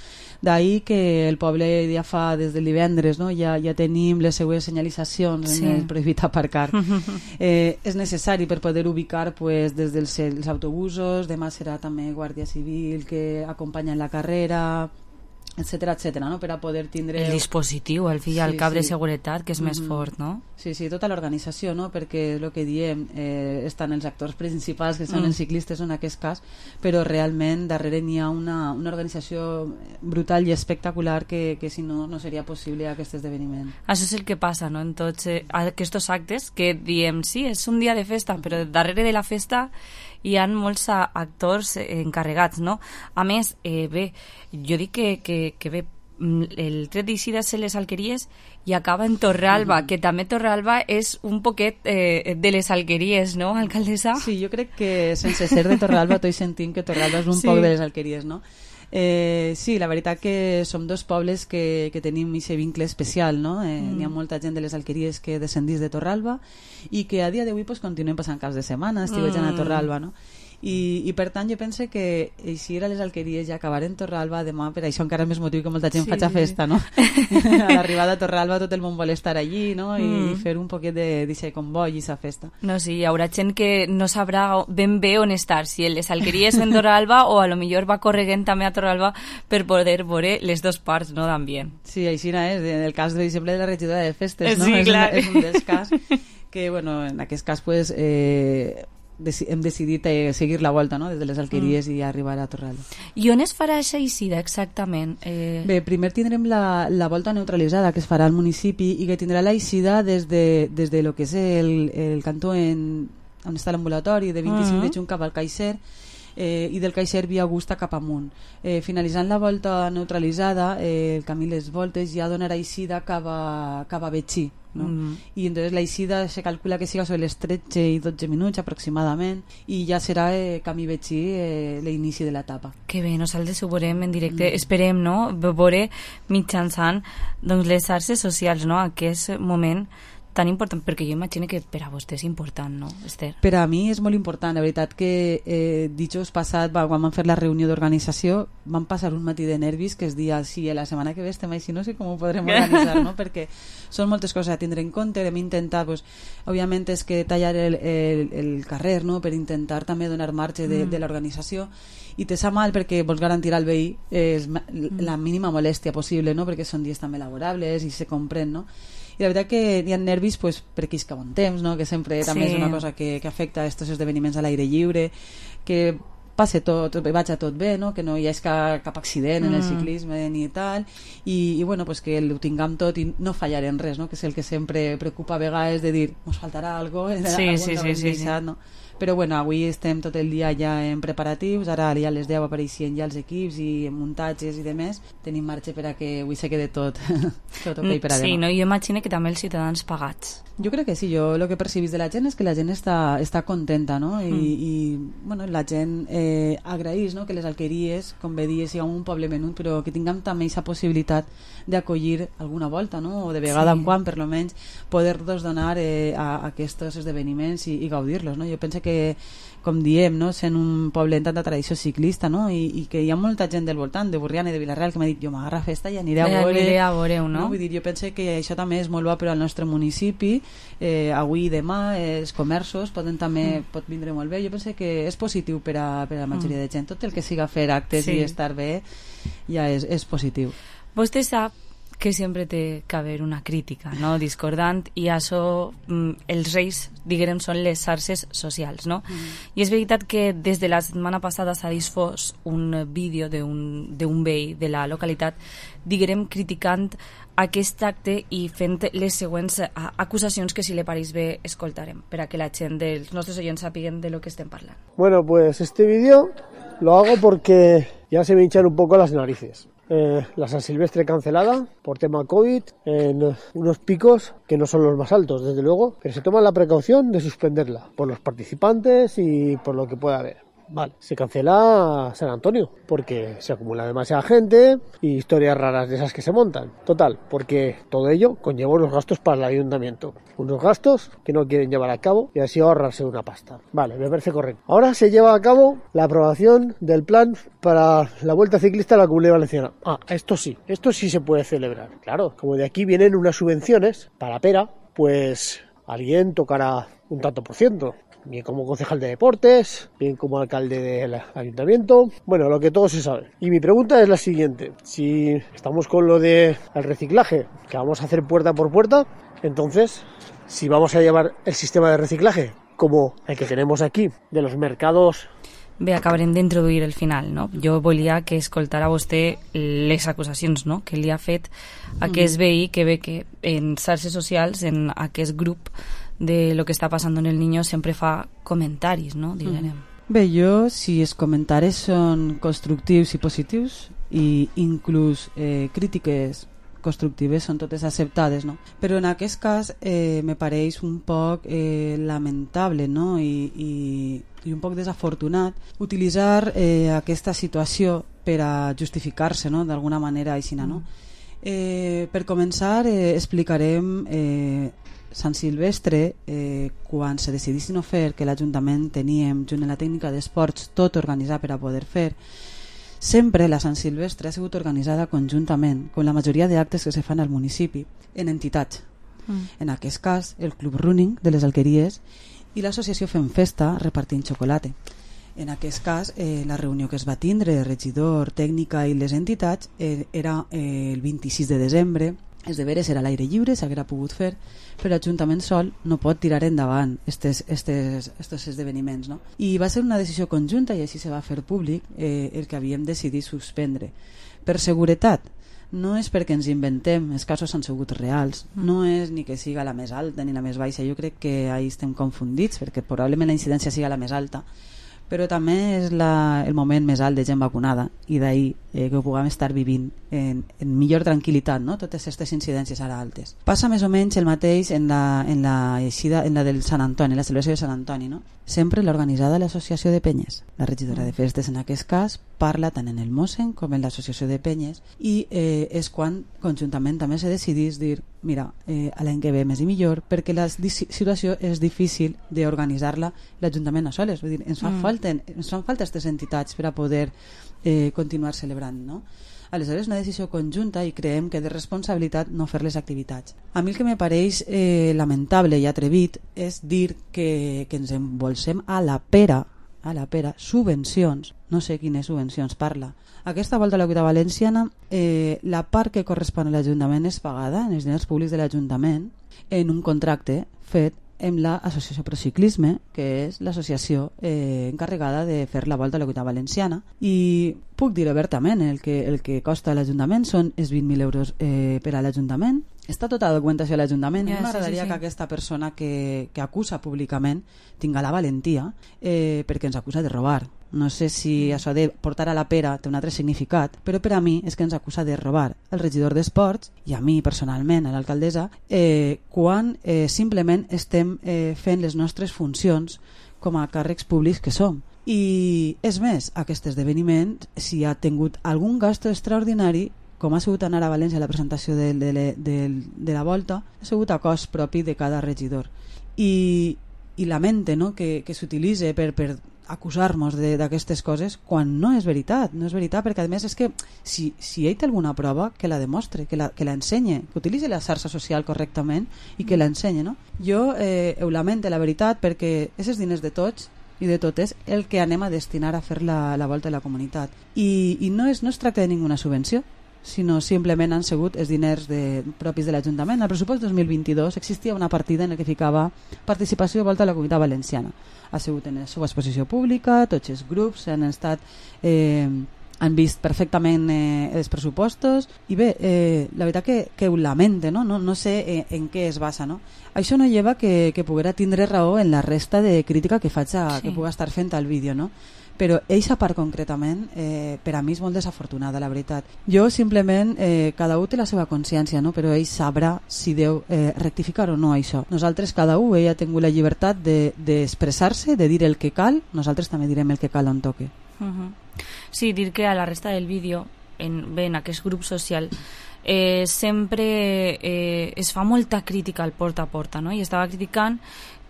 D'ahir que el poble ja fa des del divendres, no? ja, ja tenim les seues senyalitzacions Sí. en el prohibit aparcar. eh, és necessari per poder ubicar pues, des dels els autobusos, demà serà també Guàrdia Civil que acompanya en la carrera, etcètera, etcètera, no? Per a poder tindre... El dispositiu, al fi i al cap de seguretat, que és més Mhm. fort, no? Sí, sí, tota l'organització, no? Perquè el que diem, eh, estan els actors principals, que són Mm. els ciclistes en aquest cas, però realment darrere n'hi ha una, una organització brutal i espectacular que, que si no, no seria possible aquest esdeveniment. Això és el que passa, no?, en tots eh, aquests actes que diem, sí, és un dia de festa, però darrere de la festa hi ha molts a- actors eh, encarregats, no? A més, eh, bé, jo dic que, que, que bé, mm, el tret d'eixida se les alqueries i acaba en Torralba, Mhm. que també Torralba és un poquet eh, de les alqueries, no, alcaldessa? Sí, jo crec que sense ser de Torralba estic sentint que Torralba és un Sí. poc de les alqueries, no? Eh, sí, la veritat que som dos pobles que, que tenim aquest vincle especial, no? Eh, Mm. N'hi ha molta gent de les alqueries que descendís de Torralba i que a dia d'avui pues, continuem passant caps de setmana, estiuejant Mm. a Torralba, no? I, i per tant jo penso que eixir a les alqueries i acabar en Torralba demà, per això encara és més motiu que molta gent Sí. faci festa, no? A l'arribada a Torralba tot el món vol estar allí, no? I, Mm. i fer un poquet de, d'aquest comboi i aquesta festa. No, sí, hi haurà gent que no sabrà ben bé on estar, si el les alqueries en Torralba o a lo millor va corregent també a Torralba per poder veure les dues parts, no, d'ambient. Sí, així és, en el cas, per exemple, de la regidora de festes, no? Sí, és, clar. una, és un dels cas que, bueno, en aquest cas, pues, eh, deci hem decidit eh, seguir la volta, no?, des de les alqueries mm. i arribar a Torralba. I on es farà aquesta eixida, exactament? Eh... Bé, primer tindrem la, la volta neutralitzada que es farà al municipi i que tindrà la eixida des de, des de lo que és el, el cantó en, on està l'ambulatori de vint-i-cinc Mm. de juny cap al Caixer, eh, i del Caixer via Augusta cap amunt. Eh, finalitzant la volta neutralitzada, eh, el camí Les Voltes ja donarà eixida cap a, cap a Betxí, no? Mm. I entonces la eixida se calcula que siga sobre les tretze i dotze minuts aproximadament i ja serà eh, camí Betxí eh, l'inici de l'etapa. Que bé, nosaltres ho veurem en directe, mm. esperem, no?, veure mitjançant doncs, les xarxes socials, no?, aquest moment tan important, perquè jo imagino que per a vostè és important, no, Esther? Per a mi és molt important, la veritat que eh, dijous passat, va, quan vam fer la reunió d'organització, vam passar un matí de nervis que es dia, sí, la setmana que ve estem així, no sé com ho podrem organitzar, no? Perquè són moltes coses a tindre en compte, hem intentat, pues, òbviament és que tallar el, el, el carrer, no?, per intentar també donar marge de, mm. de l'organització, i te sap mal perquè vols garantir al veí eh, la mínima molèstia possible, no?, perquè són dies també laborables i se comprèn, no? I la veritat que hi ha nervis pues, perquè és que bon temps, no? Que sempre també sí. és una cosa que, que afecta a aquests esdeveniments a l'aire lliure, que passe tot, vaig a tot bé, no? Que no hi ha cap, cap accident mm. en el ciclisme ni tal, i, i bueno, pues que ho tinguem tot i no fallar en res, no? Que és el que sempre preocupa a vegades de dir, ens faltarà alguna cosa, sí, sí, sí, sí, sí. no? Però bueno, avui estem tot el dia ja en preparatius, ara ja a les deu apareixien ja els equips i muntatges i demés, tenim marge per a que avui se quede tot, tot ok per a demà. Sí, no? Jo imagino que també els ciutadans pagats. Jo crec que sí, jo el que percibís de la gent és que la gent està, està contenta, no? I, mm. i bueno, la gent eh, agraís, no? Que les alqueries, com bé dies, siguem un poble menut, però que tinguem també aquesta possibilitat d'acollir alguna volta, no? O de vegada sí. en quan, per lo menys, poder-los donar eh, a, a aquests esdeveniments i, i gaudir-los, no? Jo penso que, com diem, no? Sent un poble amb tanta tradició ciclista, no? I, i que hi ha molta gent del voltant, de Borriana i de Vilareal, que m'ha dit, jo m'agarra festa i aniré a veure. Aniré a veure-ho, no? no? Vull dir, jo penso que això també és molt bo per al nostre municipi, eh, avui i demà, eh, els comerços poden també, mm. pot vindre molt bé. Jo penso que és positiu per a, per a la majoria mm. de gent. Tot el que siga fer actes sí. i estar bé ja és, és positiu. Vostè sap que sempre té que haver una crítica, no?, discordant, i això, mm, els reis, diguem, són les xarxes socials, no? Mm. I és veritat que des de la setmana passada s'ha disfós un vídeo d'un veí de la localitat, diguem, criticant aquest acte i fent les següents acusacions que, si le pareix bé, escoltarem, per a que la gent dels nostres oients sàpiguen de lo que estem parlant. Bueno, pues este vídeo lo hago porque ya se me hinchan un poco las narices. Eh, la San Silvestre cancelada por tema COVID en unos picos que no son los más altos, desde luego, pero se toma la precaución de suspenderla por los participantes y por lo que pueda haber. Vale, se cancela San Antonio porque se acumula demasiada gente y historias raras de esas que se montan. Total, porque todo ello conlleva unos gastos para el ayuntamiento. Unos gastos que no quieren llevar a cabo y así ahorrarse una pasta. Vale, me parece correcto. Ahora se lleva a cabo la aprobación del plan para la Vuelta Ciclista a la Comunidad Valenciana. Ah, esto sí, esto sí se puede celebrar. Claro, como de aquí vienen unas subvenciones para Pera, pues alguien tocará un tanto por ciento. Bien como concejal de deportes, bien como alcalde del ayuntamiento, bueno, lo que todo se sabe. Y mi pregunta es la siguiente: si estamos con lo del reciclaje, que vamos a hacer puerta por puerta, entonces, si vamos a llevar el sistema de reciclaje como el que tenemos aquí, de los mercados... Bé, acabarem d'introduir el final, no? Jo volia que escoltara vostè les acusacions, no?, que li ha fet aquest veí, que ve que en xarxes socials, en aquest grup de lo que està passant en el niño, sempre fa comentaris, no?, diguem. Bé, jo, si els comentaris són constructius i positius, i inclús eh, crítiques constructives són totes acceptades, no? Però en aquest cas eh, me pareix un poc eh, lamentable, no?, i, i, i un poc desafortunat utilitzar eh, aquesta situació per a justificar-se, no?, d'alguna manera així, no? Eh, per començar, eh, explicarem eh, Sant Silvestre, eh, quan se decidissin no fer, que l'Ajuntament teníem junt en la tècnica d'esports tot organitzat per a poder fer, sempre la Sant Silvestre ha sigut organitzada conjuntament, com la majoria d'actes que se fan al municipi, en entitats. Mm. En aquest cas, el Club Running de les Alqueries i l'associació Fem Festa repartint xocolata. En aquest cas, eh, la reunió que es va tindre, regidor, tècnica i les entitats, eh, era eh, el vint-i-sis de desembre. És de veres, era a l'aire lliure, s'haguera pogut fer, però l'Ajuntament sol no pot tirar endavant estes, estes, estos esdeveniments, no? I va ser una decisió conjunta, i així se va fer públic, eh, el que havíem decidit suspendre. Per seguretat, no és perquè ens inventem, els casos han sigut reals, no és ni que siga la més alta ni la més baixa, jo crec que ahí estem confundits, perquè probablement la incidència siga la més alta, però també és la, el moment més alt de gent vacunada i d'ahir eh, que ho puguem estar vivint en, en millor tranquil·litat, no? Totes aquestes incidències ara altes. Passa més o menys el mateix en la, en la, eixida, en la del Sant Antoni, la celebració de Sant Antoni, no? Sempre l'ha organitzada l'Associació de Penyes. La regidora de Festes en aquest cas parla tant en el Mossen com en l'Associació de Penyes i eh, és quan conjuntament també se decidís dir mira, eh, a l'any que ve més i millor perquè la situació és difícil d'organitzar-la l'Ajuntament a soles. Vull dir, ens fan, mm. falta, ens fan falta aquestes entitats per a poder eh, continuar celebrant, no? Aleshores, una decisió conjunta i creiem que de responsabilitat no fer les activitats. A mi el que me pareix eh, lamentable i atrevit és dir que, que ens embolsem a la pera, a la pera, subvencions, no sé quines subvencions parla. Aquesta volta a la Comunitat Valenciana, eh, la part que correspon a l'Ajuntament és pagada en els diners públics de l'Ajuntament en un contracte fet amb l'Associació Prociclisme, que és l'associació eh, encarregada de fer la volta a la Comunitat Valenciana, i puc dir obertament el que, el que costa a l'Ajuntament són els vint mil euros eh, per a l'Ajuntament. Està tota la documentació a l'Ajuntament. Yeah, m'agradaria sí, sí, sí. que aquesta persona que, que acusa públicament tinga la valentia eh, perquè ens acusa de robar. No sé si això de portar a la pera té un altre significat, però per a mi és que ens acusa de robar el regidor d'Esports i a mi personalment, a l'alcaldessa, eh, quan eh, simplement estem eh, fent les nostres funcions com a càrrecs públics que som. I és més, aquest esdeveniment, si ha tingut algun gasto extraordinari, com ha sigut anar a València a la presentació de, de, de, de la volta, ha sigut a cost propi de cada regidor. I, i lamente, no?, que, que s'utilitzi per, per acusar-nos d'aquestes coses quan no és veritat, no és veritat, perquè a més és que si, si ell té alguna prova que la demostre, que la, que la ensenye, que utilitzi la xarxa social correctament i que la ensenye, no? Jo eh, ho lamente, la veritat, perquè aquests diners de tots i de totes el que anem a destinar a fer la, la volta de la comunitat i, i no, és, no es tracta de ninguna subvenció, sinó simplement han sigut els diners de, propis de l'Ajuntament. Al pressupost dos mil vint-i-dos existia una partida en la que ficava participació de volta a la Comunitat Valenciana. Ha sigut en la seva exposició pública, tots els grups han estat eh, han vist perfectament eh, els pressupostos i bé, eh, la veritat que, que ho lamente, no? No, no sé eh, en què es basa, no? Això no lleva que, que poguera tindre raó en la resta de crítica que faig a, sí. que puga estar fent al vídeo, no? Però eixa part concretament eh, per a mi és molt desafortunada, la veritat. Jo simplement, eh, cada un té la seva consciència, no? Però ell sabrà si deu eh, rectificar o no això. Nosaltres, cada un, ell ha tingut la llibertat d'expressar-se, de, de dir el que cal, nosaltres també direm el que cal on toque. Uh-huh. Sí, dir que a la resta del vídeo, en, bé, en aquest grup social, eh, sempre eh, es fa molta crítica al porta a porta, no? I estava criticant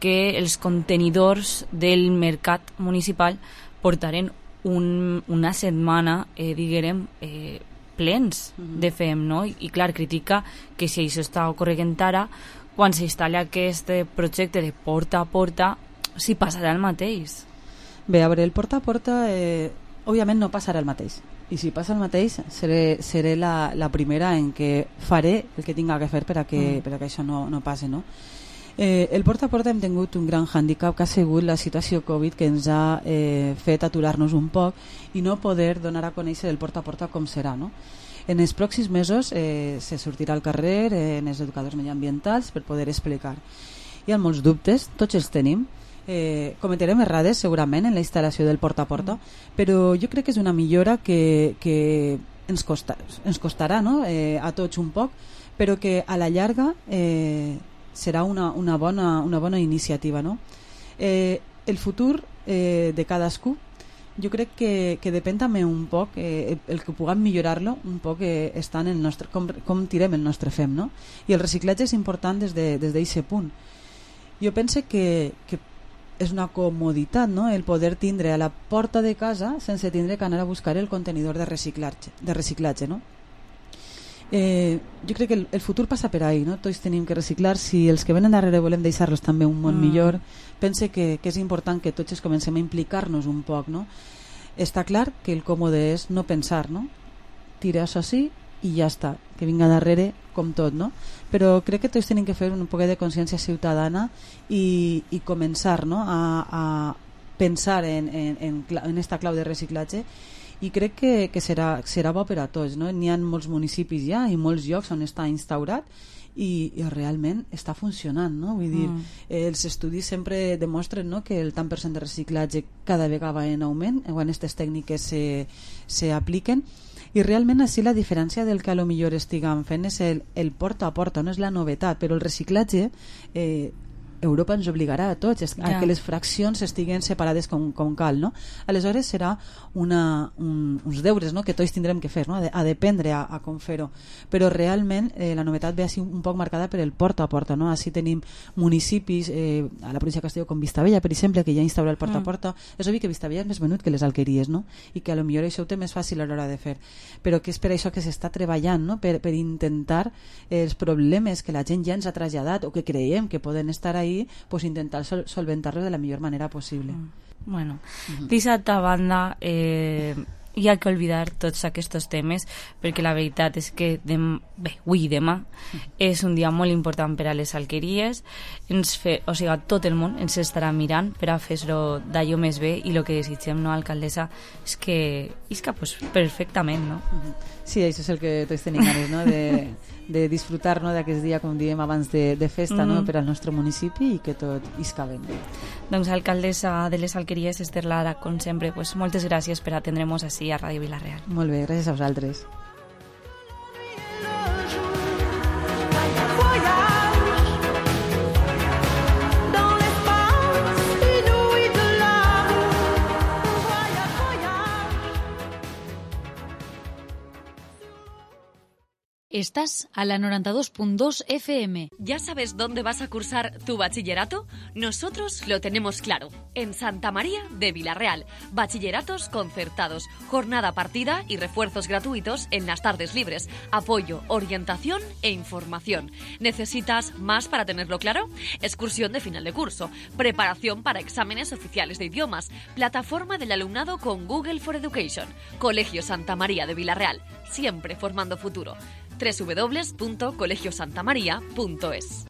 que els contenidors del mercat municipal portaren un, una setmana, eh, diguem, eh, plens uh-huh. de fem, no? I, I clar, critica que si això està ocorrent ara, quan s'instal·la aquest projecte de porta a porta, s'hi passarà el mateix. Bé, a veure, el porta a porta, eh, òbviament no passarà el mateix. I si passa el mateix, seré, seré la, la primera en què faré el que tinga que fer per a que, uh-huh. per a que això no, no passi, no? Eh, el porta a porta hem tingut un gran hàndicap que ha sigut la situació Covid, que ens ha eh, fet aturar-nos un poc i no poder donar a conèixer el porta a porta com serà, no? En els pròxims mesos eh, se sortirà al carrer eh, en els educadors mediambientals per poder explicar. Hi ha molts dubtes, tots els tenim, eh, cometerem errades segurament en la instal·lació del porta a porta, però jo crec que és una millora que, que ens, costa, ens costarà, no? eh, a tots un poc, però que a la llarga eh, serà una, una, bona, una bona iniciativa, no? Eh, el futur eh, de cadascú jo crec que, que depèn també un poc eh, el que puguem millorar-lo un poc eh, està en el nostre, com, com tirem el nostre fem, no? I el reciclatge és important des de, des d'aquest punt. Jo penso que, que és una comoditat, no? El poder tindre a la porta de casa sense tindre que anar a buscar el contenidor de reciclatge, de reciclatge, no? Eh, jo crec que el, el futur passa per ahí, no? Tots tenim que reciclar. Si els que venen darrere volem deixar-los també un món mm. millor, pense que, que és important que tots comencem a implicar-nos un poc, no? Està clar que el còmode és no pensar, no? Tira això sí i ja està, que vinga darrere com tot, no? Però crec que tots tenim que fer un poc de consciència ciutadana i, i començar, no? a, a pensar en, en, en, en esta clau de reciclatge i crec que, que serà, serà bo per a tots, no? N'hi ha molts municipis ja i molts llocs on està instaurat i, i realment està funcionant, no? Vull dir, Mm. eh, els estudis sempre demostren, no?, que el tant per cent de reciclatge cada vegada va en augment quan aquestes tècniques se, se apliquen, i realment així la diferència del que a lo millor estiguem fent és el, el porta a porta, no és la novetat, però el reciclatge eh, Europa ens obligarà a tots a Ja. que les fraccions estiguen separades com, com cal, no? Aleshores serà una, un, uns deures, no?, que tots tindrem que fer, no?, a, de, a dependre a, a com fer-ho, però realment eh, la novetat ve així un poc marcada per el porta a porta, no? Així tenim municipis eh, a la província de Castelló com Vistabella, per exemple, que ja instaura el porta a porta. És obvi que Vistabella és més venut que les alqueries, no?, i que a lo millor això ho té més fàcil a l'hora de fer, però que és per això que s'està treballant, no?, per, per intentar eh, els problemes que la gent ja ens ha traslladat o que creiem que poden estar ahí, pues intentar sol solventar-los de la millor manera possible. Mm. Bueno, uh-huh. D'altra banda, eh, hi ha que oblidar tots aquests temes, perquè la veritat és que dem bé, avui i demà és un dia molt important per a les alqueries. Ens fe, o sigui, tot el món ens estarà mirant per a fer-ho d'allò més bé, i el que desitgem, no, alcaldessa, és que isca pues, perfectament, no? Sí, això és el que tots tenim ganes, no?, de, de disfrutar, no?, d'aquest dia, com diem abans, de, de festa, no?, Mm. per al nostre municipi, i que tot isca ben bé. Doncs, alcaldessa de les alqueries, Esther Lara, com sempre, pues, moltes gràcies per atendre'ns així a Ràdio Vila-real. Molt bé, gràcies a vosaltres. Estás a la noventa y dos punto dos F M. ¿Ya sabes dónde vas a cursar tu bachillerato? Nosotros lo tenemos claro. En Santa María de Vila-real. Bachilleratos concertados, jornada partida y refuerzos gratuitos en las tardes libres. Apoyo, orientación e información. ¿Necesitas más para tenerlo claro? Excursión de final de curso, preparación para exámenes oficiales de idiomas, plataforma del alumnado con Google for Education. Colegio Santa María de Vila-real, siempre formando futuro. doble u doble u doble u punto colegio santa maría punto es.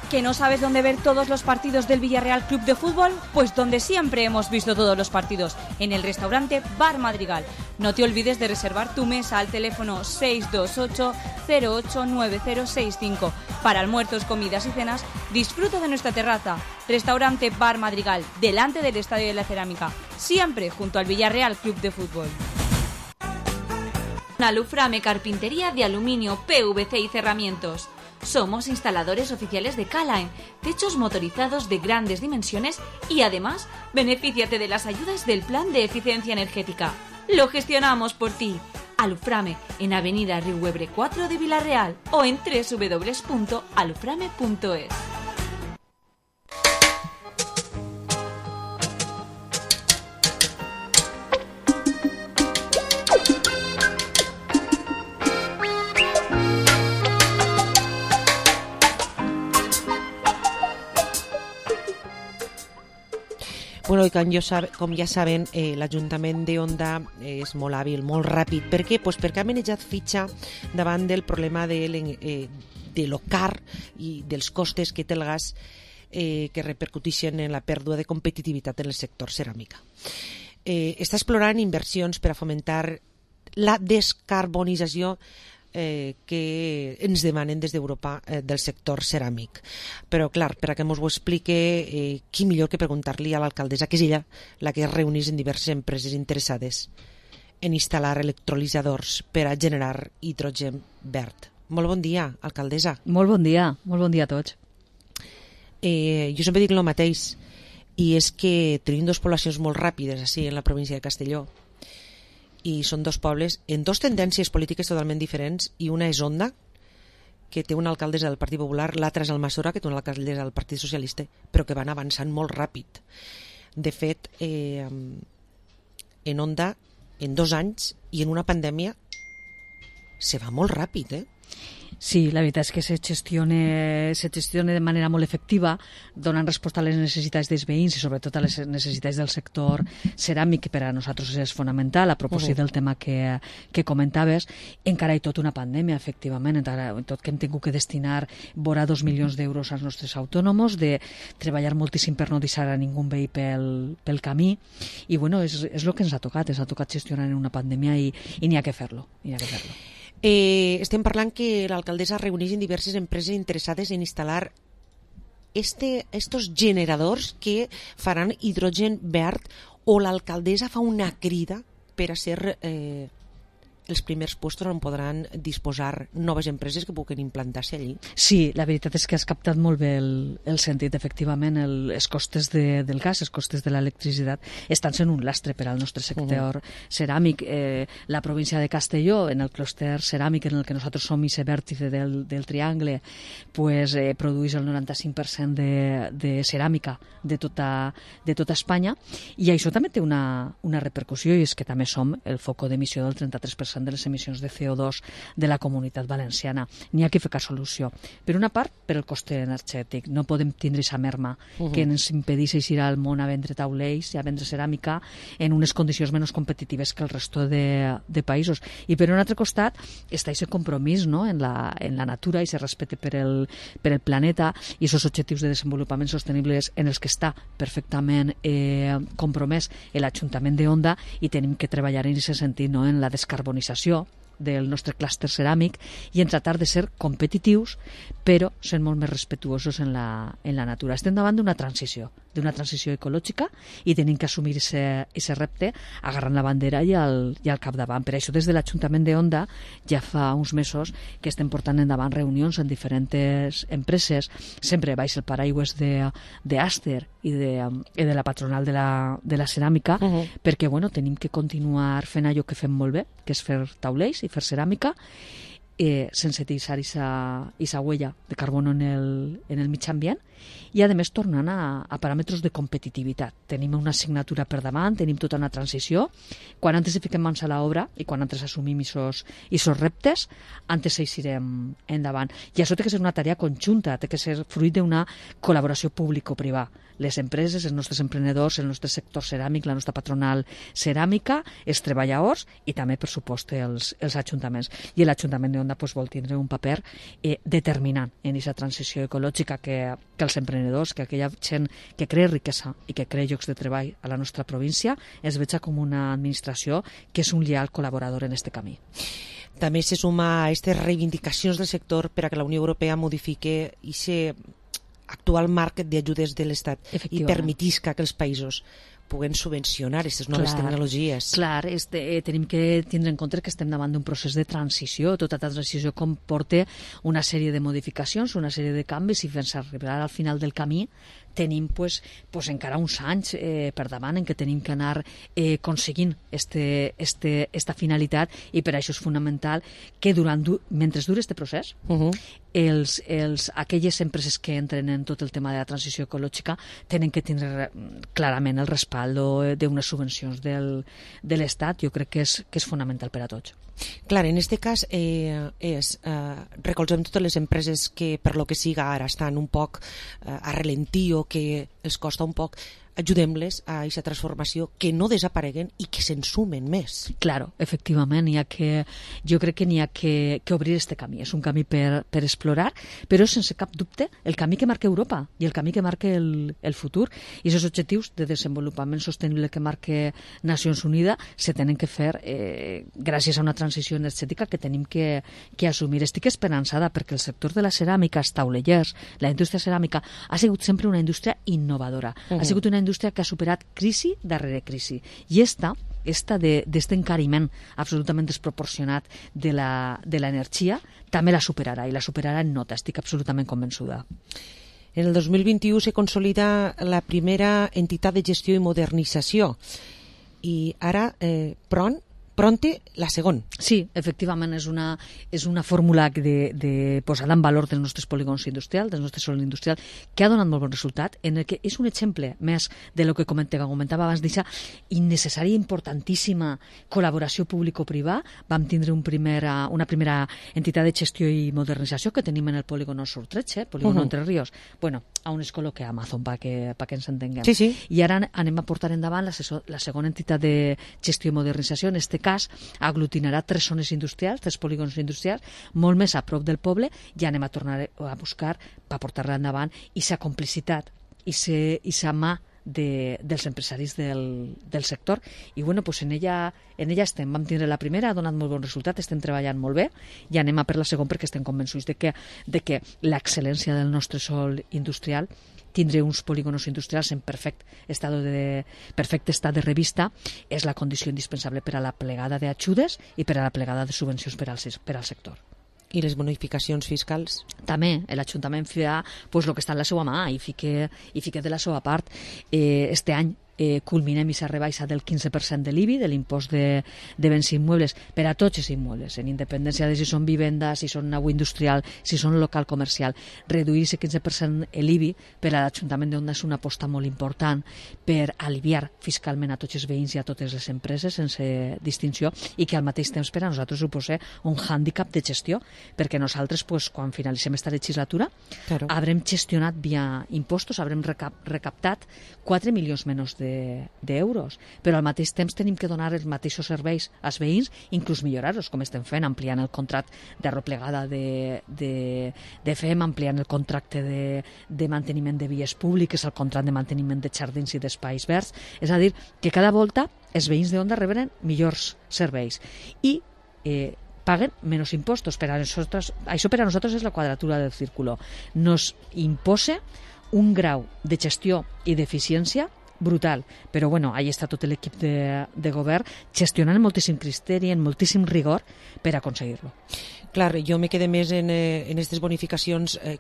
¿Que no sabes dónde ver todos los partidos del Villarreal Club de Fútbol? Pues donde siempre hemos visto todos los partidos, en el restaurante Bar Madrigal. No te olvides de reservar tu mesa al teléfono seis dos ocho cero ocho nueve cero seis cinco. Para almuerzos, comidas y cenas, disfruta de nuestra terraza. Restaurante Bar Madrigal, delante del Estadio de la Cerámica, siempre junto al Villarreal Club de Fútbol. Aluframe Carpintería de Aluminio, P V C y Cerramientos. Somos instaladores oficiales de Calaen, techos motorizados de grandes dimensiones, y además, benefíciate de las ayudas del Plan de Eficiencia Energética. Lo gestionamos por ti. Aluframe, en Avenida Riuebre cuatro de Vila-real, o en doble u doble u doble u punto aluframe punto es. Bueno, i com, jo sab, com ja saben, eh, l'Ajuntament de Onda és molt hàbil, molt ràpid. Per què? Pues perquè ha manejat fitxa davant del problema de, eh, de lo car i dels costes que té el gas eh, que repercuteixen en la pèrdua de competitivitat en el sector ceràmica. Eh, està explorant inversions per a fomentar la descarbonització Eh, que ens demanen des d'Europa eh, del sector ceràmic. Però, clar, per a que ens ho explique, eh, qui millor que preguntar-li a l'alcaldessa, que és ella la que es reuneix en diverses empreses interessades en instal·lar electrolitzadors per a generar hidrogen verd. Molt bon dia, alcaldessa. Molt bon dia, molt bon dia a tots. Eh, jo sempre dic el mateix, i és que tenim dues poblacions molt ràpides així en la província de Castelló, i són dos pobles en dos tendències polítiques totalment diferents, i una és Onda, que té una alcaldessa del Partit Popular, l'altra és Almassora, que té una alcaldessa del Partit Socialista, però que van avançant molt ràpid. De fet, eh, en Onda, en dos anys i en una pandèmia, se va molt ràpid, eh? Sí, la veritat és que se gestiona, se gestiona de manera molt efectiva, donant resposta a les necessitats dels veïns i sobretot a les necessitats del sector ceràmic, que per a nosaltres és fonamental, a propòsit uh-huh. del tema que, que comentaves. Encara hi tot una pandèmia, efectivament, encara, tot que hem tingut que destinar vora dos milions d'euros als nostres autònoms, de treballar moltíssim per no deixar a ningú veí pel, pel camí, i bueno, és, és el que ens ha tocat, ens ha tocat gestionar en una pandèmia, i, i n'hi ha que fer-lo, n'hi ha que fer-lo. Eh, estem parlant que l'alcaldessa reuneix en diverses empreses interessades en instal·lar este, estos generadors que faran hidrogen verd, o l'alcaldessa fa una crida per a ser eh, els primers puestos on podran disposar noves empreses que puguen implantar-se allí. Sí, la veritat és que has captat molt bé el, el sentit. Efectivament, el, els costes de, del gas, els costes de l'electricitat estan sent un lastre per al nostre sector uh-huh. ceràmic. Eh, la província de Castelló, en el clúster ceràmic en el que nosaltres som i se vèrtice del, del triangle, pues, eh, produeix el noranta-cinc per cent de, de ceràmica de tota, de tota Espanya, i això també té una, una repercussió, i és que també som el foco d'emissió del trenta-tres per cent de les emissions de C O dos de la Comunitat Valenciana. N'hi ha que ficar solució. Per una part, per el coste energètic. No podem tindre aquesta merma uh-huh. que ens impedeix ir al món a vendre taulells i a vendre ceràmica en unes condicions menys competitives que el resto de, de països. I per un altre costat està aquest compromís, no?, en, la, en la natura, i se respecte per el, per el planeta, i aquests objectius de desenvolupament sostenibles en els que està perfectament eh, compromès l'Ajuntament de Onda, i tenim que treballar en aquest sentit, no?, en la descarbonització del nostre clúster ceràmic, i en tratar de ser competitius però sent molt més respetuosos en la, en la natura. Estem davant d'una transició, d'una transició ecològica, i tenim que assumir aquest repte agarrant la bandera i al, i al capdavant. Per això des de l'Ajuntament de Onda ja fa uns mesos que estem portant endavant reunions en diferents empreses, sempre baix el paraigües d'Aster i de, i de la patronal de la, de la ceràmica, uh-huh. perquè bueno, tenim que continuar fent allò que fem molt bé, que és fer taulells i fer ceràmica, eh, sense deixar aquesta huella de carboni en el, en el mig ambient, i a més tornant a, a paràmetres de competitivitat. Tenim una assignatura per davant, tenim tota una transició. Quan antes fiquem mans a l'obra i quan antes assumim aquests reptes, antes eixirem endavant. I això té que ser una tarea conjunta, té que ser fruit d'una col·laboració público-privada. Les empreses, els nostres emprenedors, el nostre sector ceràmic, la nostra patronal ceràmica, els treballadors i també, per supost, els, els ajuntaments. I l'Ajuntament d'Onda pues, vol tindre un paper eh, determinant en aquesta transició ecològica que, que els emprenedors, que aquella gent que crea riquesa i que crea llocs de treball a la nostra província es veja com una administració que és un lleal col·laborador en aquest camí. També se suma a aquestes reivindicacions del sector per a que la Unió Europea modifique aquest actual marc d'ajudes de l'Estat i permetisca que els països puguen subvencionar aquestes noves clar, tecnologies. Clar, este, eh, tenim que tindre en compte que estem davant d'un procés de transició. Tota transició comporta una sèrie de modificacions, una sèrie de canvis, i fins a arribar al final del camí tenim pues, pues encara uns anys eh, per davant en què tenim que anar eh, aconseguint este, este, esta finalitat, i per això és fonamental que durant du mentre dura este procés uh-huh. els, els, aquelles empreses que entren en tot el tema de la transició ecològica tenen que tindre clarament el respaldo d'unes subvencions del, de l'Estat. Jo crec que és, que és fonamental per a tots. Clar, en aquest cas eh, és eh, recolzem totes les empreses que per lo que siga ara estan un poc eh, a ralentí o que els costa un poc, ajudem-les a aquesta transformació, que no desapareguen i que se'n sumen més. Claro, efectivament, ha que, jo crec que n'hi ha que, que obrir este camí. És un camí per, per explorar, però sense cap dubte el camí que marca Europa i el camí que marca el, el futur. I aquests objectius de desenvolupament sostenible que marca Nacions Unides se tenen que fer eh, gràcies a una transició energètica que tenim que, que assumir. Estic esperançada perquè el sector de la ceràmica, els taulellers, la indústria ceràmica, ha sigut sempre una indústria innovadora. Uh-huh. Ha sigut una indústria que ha superat crisi darrere crisi, i esta, esta d'aquest encariment absolutament desproporcionat de l'energia també la superarà, i la superarà en nota, estic absolutament convençuda. En el dos mil vint-i-u se consolida la primera entitat de gestió i modernització, i ara eh, Pron Pronte, la segon. Sí, efectivament, és una, és una fórmula de, de posada en valor dels nostres polígons industrials, del nostre sòl industrial, que ha donat molt bon resultat, en el que és un exemple més de lo que comentava, comentava abans d'aquesta innecessària i importantíssima col·laboració público-privada. Vam tindre un primera, una primera entitat de gestió i modernització que tenim en el polígon Sur tretze, polígon uh -huh. Entre Ríos, bueno, a un escoló que Amazon, per que, pa que ens entenguem. Sí, sí. I ara anem a portar endavant la, la segona entitat de gestió i modernització, en este cas aglutinarà tres zones industrials, tres polígons industrials, molt més a prop del poble, i anem a tornar a buscar per portar-la endavant i sa complicitat i sa mà de, dels empresaris del, del sector. I bueno, pues en ella, en ella estem. Vam tindre la primera, ha donat molt bon resultat, estem treballant molt bé i anem a per la segona perquè estem convençuts de que, de que l'excel·lència del nostre sòl industrial, tindre uns polígonos industrials en perfecte estat de, perfecte estat de revista és la condició indispensable per a la plegada d'ajudes i per a la plegada de subvencions per al, per al sector. I les bonificacions fiscals? També, l'Ajuntament fa pues, el que està en la seva mà i fica, i fica de la seva part. Eh, este any eh, culminem aquesta rebaixa del quinze per cent de l'I B I, de l'impost de, de béns immobles, per a tots els immobles, en independència de si són vivendes, si són nau industrial, si són local comercial. Reduir aquest quinze per cent l'I B I per a l'Ajuntament d'Onda és una aposta molt important per aliviar fiscalment a tots els veïns i a totes les empreses sense distinció i que al mateix temps per a nosaltres suposa un hàndicap de gestió, perquè nosaltres, pues, quan finalitzem aquesta legislatura, claro, haurem gestionat via impostos, haurem recap recaptat quatre milions menys d'euros, de, però al mateix temps tenim que donar els mateixos serveis als veïns, inclús millorar-los, com estem fent, ampliant el contracte de replegada de, de, de F E M, ampliant el contracte de, de manteniment de vies públiques, el contracte de manteniment de jardins i d'espais verds. És a dir, que cada volta els veïns d'Onda reberen millors serveis i eh, paguen menys impostos. Per a nosaltres, això per a nosaltres és la quadratura del círculo. Nos imposa un grau de gestió i d'eficiència brutal, però bueno, ahí està tot l'equip de, de govern gestionant amb moltíssim criteri, amb moltíssim rigor per aconseguir-lo. Clar, jo me quedé més en, eh, en aquestes bonificacions eh,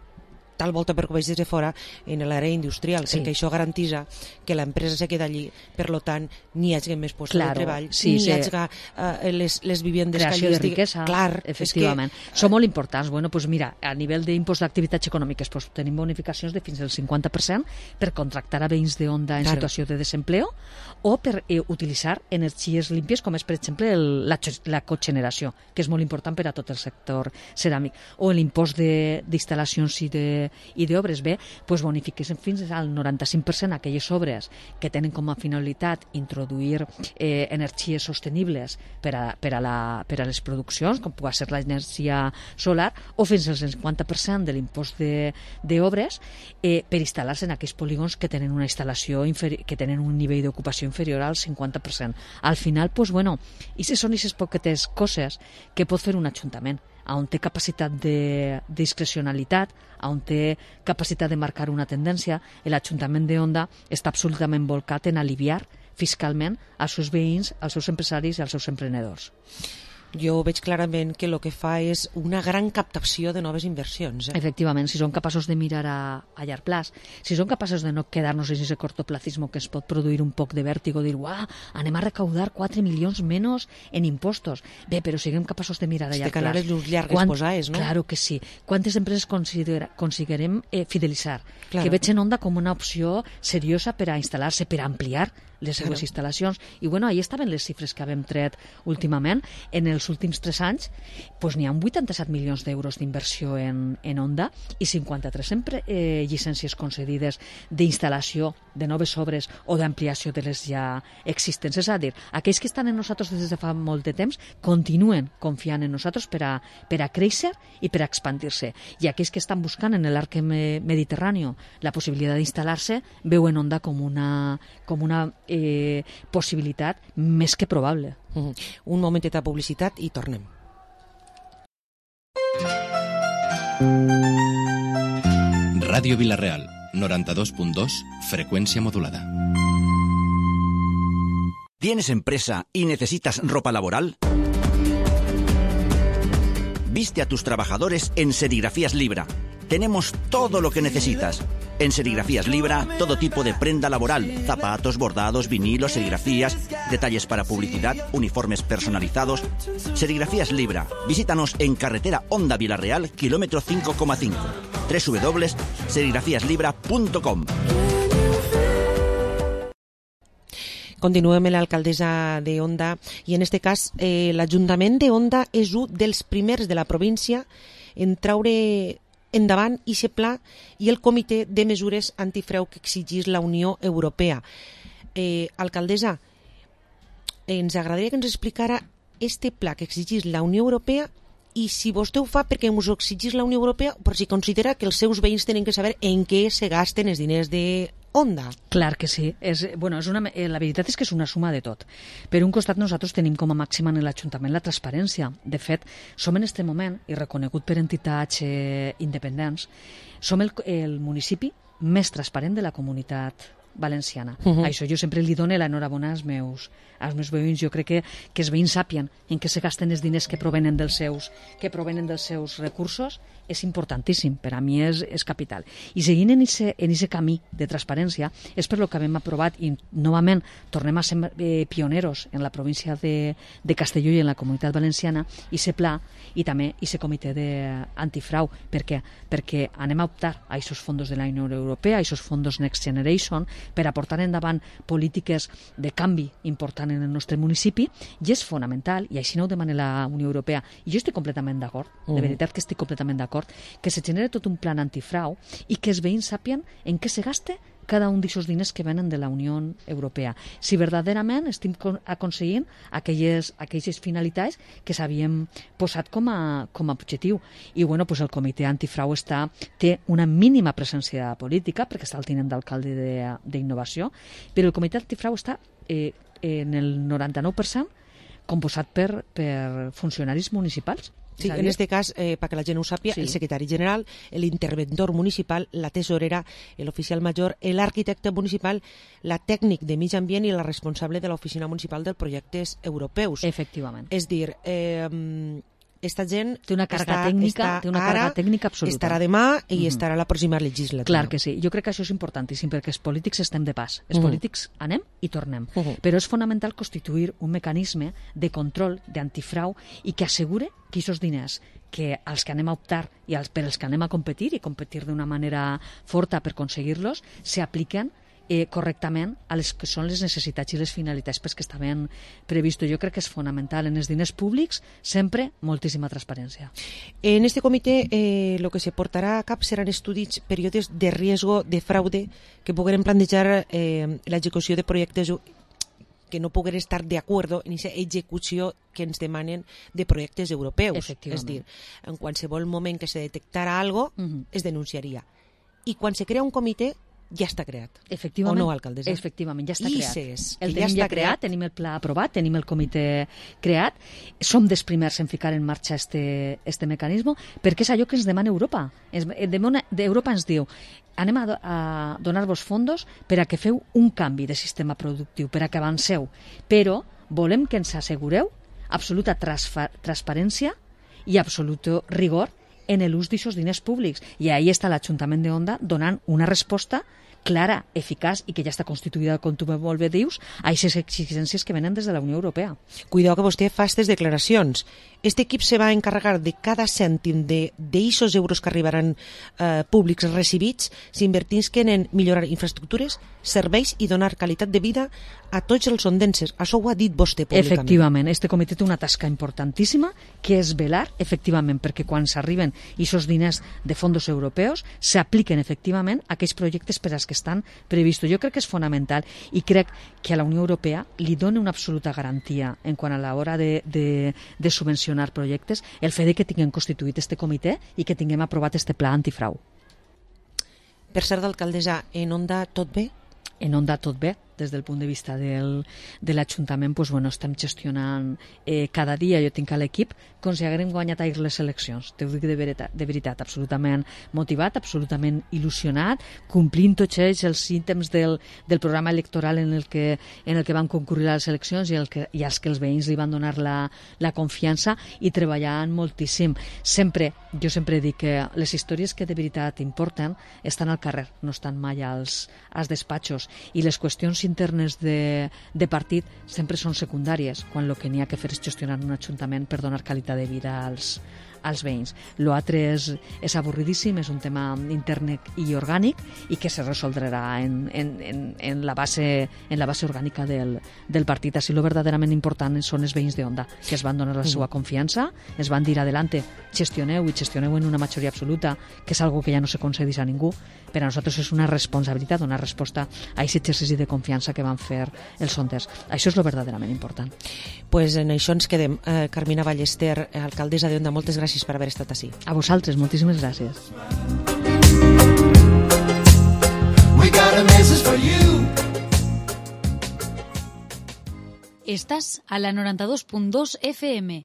tal volta perquè ho veig des de fora en l'àrea industrial, sí, perquè això garantisa que l'empresa se queda allí, per lo tant n'hi hagi més llocs claro, de treball, sí, n'hi sí. hagi uh, les, les vivendes creació de riquesa, clar, efectivament, que... són molt importants. Bueno, pues mira, a nivell d'impost d'activitats econòmiques pues, tenim bonificacions de fins al cinquanta per cent per contractar a veïns d'Onda en claro. situació de desempleo o per eh, utilitzar energies límpies com és per exemple el, la, la cogeneració, que és molt important per a tot el sector ceràmic, o l'impost d'instal·lacions i de i d'obres. Bé, doncs bonifiquessin fins al noranta-cinc per cent aquelles obres que tenen com a finalitat introduir eh, energies sostenibles per a, per, a la, per a les produccions, com pugui ser l'energia solar, o fins al cinquanta per cent de l'impost d'obres eh, per instal·lar-se en aquells polígons que tenen una instal·lació que tenen un nivell d'ocupació inferior al cinquanta per cent. Al final, doncs, bueno, i si són aquestes poquetes coses que pot fer un ajuntament, on té capacitat de discrecionalitat, on té capacitat de marcar una tendència, l'Ajuntament d'Onda està absolutament volcat en aliviar fiscalment als seus veïns, als seus empresaris i als seus emprenedors. Jo veig clarament que el que fa és una gran captació de noves inversions. Eh? Efectivament, si som capaços de mirar a, a llarg plaç, si som capaços de no quedar-nos en aquest cortoplacisme que es pot produir un poc de vèrtigo, dir, uah, anem a recaudar quatre milions menys en impostos. Bé, però siguem capaços de mirar a llarg plaç. De llurs llargues Quant... posades, no? Claro que sí. Quantes empreses aconseguirem eh, fidelitzar? Claro. Que veig en Onda com una opció seriosa per a instal·lar-se, per a ampliar les seves claro. instal·lacions. I bueno, ahí estaven les xifres que vam tret últimament. En els últims tres anys pues, n'hi ha vuitanta-set milions d'euros d'inversió en, en Onda i cinquanta-tres eh, llicències concedides d'instal·lació de noves obres o d'ampliació de les ja existents. És a dir, aquells que estan en nosaltres des de fa molt de temps continuen confiant en nosaltres per a, per a créixer i per a expandir-se. I aquells que estan buscant en l'arc mediterrani la possibilitat d'instal·lar-se veuen Onda com una, com una eh, possibilitat més que probable. Mm-hmm. Un momentet de publicitat i tornem. Radio Vilareal, noranta-dos punt dos, frecuencia modulada. ¿Tienes empresa y necesitas ropa laboral? Viste a tus trabajadores en Serigrafías Libra. Tenemos todo lo que necesitas. En Serigrafías Libra, todo tipo de prenda laboral, zapatos, bordados, vinilos, serigrafías, detalles para publicidad, uniformes personalizados. Serigrafías Libra. Visítanos en carretera Onda Vilareal, kilómetro cinco coma cinco. doble u doble u doble u punt serigrafías libra punt com. Continuem amb l'alcaldessa d'Onda i en aquest cas eh, l'Ajuntament d'Onda és un dels primers de la província en traure endavant i aquest pla i el comitè de mesures antifrau que exigís la Unió Europea. Eh, alcaldessa, ens agradaria que ens explicara este pla que exigís la Unió Europea i si vostè ho fa perquè us ho exigís la Unió Europea, però si considera que els seus veïns tenen que saber en què se gasten els diners de Onda. Clar que sí. És, bueno, és una, la veritat és que és una suma de tot. Per un costat, nosaltres tenim com a màxima en l'Ajuntament la transparència. De fet, som en aquest moment, i reconegut per entitats eh, independents, som el, el municipi més transparent de la comunitat valenciana. Uh -huh. Això jo sempre li dono l'enhorabona als meus, als meus veïns. Jo crec que, que els veïns sàpien en què se gasten els diners que provenen dels seus, que provenen dels seus recursos. És importantíssim, per a mi és, és capital. I seguint en aquest camí de transparència és per lo que hem aprovat, i novament tornem a ser eh, pioneros en la província de, de Castelló i en la Comunitat Valenciana, i se pla i també i se comitè d'antifrau. Per què? Perquè anem a optar a aquests fons de la Unió Europea, a aquests fons Next Generation, per a portar endavant polítiques de canvi important en el nostre municipi, i és fonamental, i així no ho demana la Unió Europea, i jo estic completament d'acord, de veritat que estic completament d'acord, que se genere tot un plan antifrau i que els veïns sàpien en què se gasta cada un d'aquests diners que venen de la Unió Europea. Si verdaderament estem aconseguint aquelles, aquelles finalitats que s'havien posat com a, com a objectiu. I bueno, pues el comitè antifrau està, té una mínima presència política, perquè està el tinent d'alcalde d'innovació, però el comitè antifrau està eh, en el noranta-nou per cent composat per, per funcionaris municipals. Sí, en este cas, eh, perquè la gent ho sàpia, sí. El secretari general, l'interventor municipal, la tesorera, l'oficial major, l'arquitecte municipal, la tècnic de mig ambient i la responsable de l'oficina municipal dels projectes europeus. Efectivament. És dir, eh, esta gent té una càrrega està, tècnica, està té una ara, càrrega tècnica absoluta. Estarà demà i mm-hmm. estarà la pròxima legislatura. Clar que sí. Jo crec que això és importantíssim perquè els polítics estem de pas. Els mm-hmm. polítics anem i tornem. Mm-hmm. Però és fonamental constituir un mecanisme de control, d'antifrau, i que assegure que aquests diners que als que anem a optar i als, per als que anem a competir i competir d'una manera forta per aconseguir-los, s'apliquen eh, correctament a les que són les necessitats i les finalitats per que estaven previstos. Jo crec que és fonamental en els diners públics sempre moltíssima transparència. En este comitè eh, lo que se portarà a cap seran estudis períodes de riesgo de fraude que pogueren plantejar eh, l'execució de projectes que no pogueren estar d'acord en aquesta execució que ens demanen de projectes europeus. És dir, en qualsevol moment que se detectara algo, uh-huh. es denunciaria. I quan se crea un comitè, ja està creat. Efectivament, o no, alcaldessa? Efectivament, ja està I creat. ses, el ja tenim està ja creat, tenim el pla aprovat, tenim el comitè creat. Som dels primers en ficar en marxa este, este mecanisme, perquè és allò que ens demana Europa. Europa ens diu, anem a, a donar-vos fondos per a que feu un canvi de sistema productiu, per a que avanceu, però volem que ens assegureu absoluta transparència i absolut rigor en l'ús d'aquests diners públics. I ahí està l'Ajuntament d'Onda donant una resposta clara, eficaç i que ja està constituïda, com tu molt bé dius, a aquestes exigències que venen des de la Unió Europea. Cuidao que vostè fa aquestes declaracions. Este equip se va encarregar de cada cèntim d'aixos euros que arribaran eh, públics recibits, s'invertisquen en millorar infraestructures, serveis i donar qualitat de vida a tots els ondenses. Això ho ha dit vostè públicament. Efectivament, este comitè té una tasca importantíssima que és velar, efectivament, perquè quan s'arriben aquests diners de fons europeus s'apliquen efectivament a aquells projectes per als que estan previstos. Jo crec que és fonamental i crec que a la Unió Europea li dona una absoluta garantia en quant a l'hora de, de, de subvencionar projectes el fet de que tinguem constituït este comitè i que tinguem aprovat este pla antifrau. Per cert, d'alcaldessa, en Onda tot bé? En Onda tot bé. Des del punt de vista del, de l'Ajuntament, pues, bueno, estem gestionant eh, cada dia, jo tinc a l'equip, com si haguérem guanyat ahir les eleccions. T'ho dic de veritat, de veritat, absolutament motivat, absolutament il·lusionat, complint tots ells els ítems del, del programa electoral en el que, en el que van concurrir a les eleccions i, el que, i als que els veïns li van donar la, la confiança i treballant moltíssim. Sempre, jo sempre dic que les històries que de veritat importen estan al carrer, no estan mai als, als despatxos, i les qüestions internes de, de partit sempre són secundàries, quan el que n'hi ha que fer és gestionar un ajuntament per donar qualitat de vida als, als veïns. L'altre és, és avorridíssim, és un tema intern i orgànic i que se resoldrà en, en, en, en, la, base, en la base orgànica del, del partit. Així, lo verdaderament important són els veïns d'Onda, que es van donar la seva confiança, es van dir adelante, gestioneu i gestioneu en una majoria absoluta, que és algo que ja no se concedeix a ningú. Per a nosaltres és una responsabilitat donar resposta a aquest exercici de confiança que van fer els sonders. Això és lo verdaderament important. Pues en això ens quedem. Eh, Carmina Ballester, alcaldessa d'Onda, moltes gràcies per haver estat ací. A vosaltres, moltíssimes gràcies. We got a message for Estás a la noranta dos punt dos F M.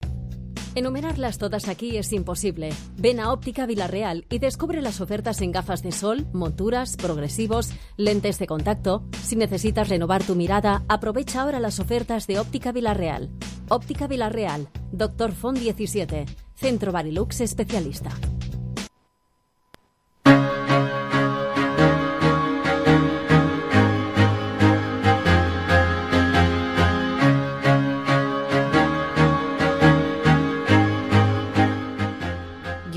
Enumerarlas todas aquí es imposible. Ven a Óptica Vilarreal y descubre las ofertas en gafas de sol, monturas, progresivos, lentes de contacto. Si necesitas renovar tu mirada, aprovecha ahora las ofertas de Óptica Vilarreal. Óptica Vilarreal, Doctor Font diecisiete, Centro Barilux Especialista.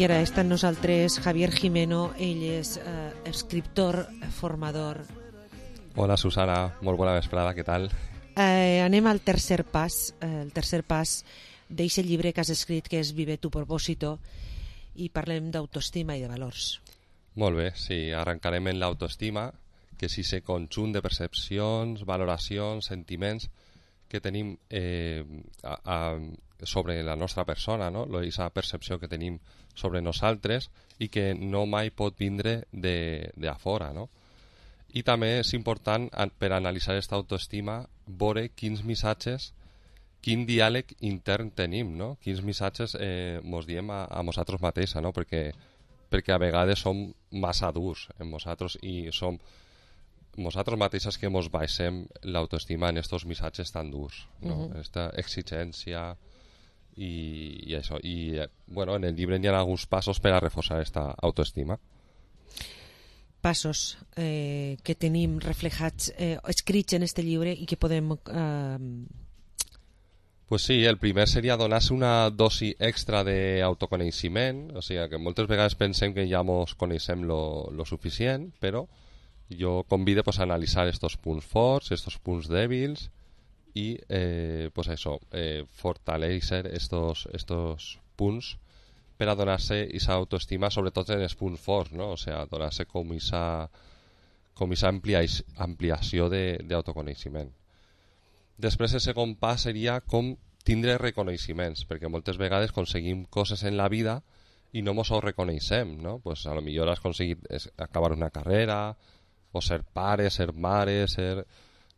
I ara està amb nosaltres Javier Jimeno, ell és eh, escriptor, formador. Hola Susana, molt bona vesprada, què tal? Eh, anem al tercer pas, eh, el tercer pas d'eixe llibre que has escrit, que és Vive tu propósito, i parlem d'autoestima i de valors. Molt bé, sí, arrencarem en l'autoestima, que és ese conjunt de percepcions, valoracions, sentiments que tenim eh, a, a, sobre la nostra persona, no? Aquesta percepció que tenim sobre nosaltres i que no mai pot vindre de, de a fora, no? I també és important per analitzar aquesta autoestima veure quins missatges, quin diàleg intern tenim, no? Quins missatges eh, mos diem a, a nosaltres mateixos, no? Perquè, perquè a vegades som massa durs en nosaltres i som nosaltres mateixes que mos baixem l'autoestima en estos missatges tan durs, no? Uh-huh. Esta exigència i, i això. I, bueno, en el llibre hi ha alguns passos per a reforçar aquesta autoestima. Passos eh, que tenim reflejats, eh, escrits en este llibre i que podem... Eh... Pues sí, el primer seria donar-se una dosi extra d'autoconeixement, o sigui que moltes vegades pensem que ja mos coneixem lo, lo suficient, però jo convido pues, a analitzar estos punts forts, estos punts dèbils i eh, pues això, eh, fortalecer estos, estos punts per a donar-se aquesta autoestima, sobretot en els punts forts, no? O sigui, donar-se com aquesta com aquesta ampliació d'autoconeixement. Després el segon pas seria com tindre reconeixements, perquè moltes vegades aconseguim coses en la vida i no mos ho reconeixem, no? Pues a lo millor has aconseguit acabar una carrera, o ser pare, ser mare, ser,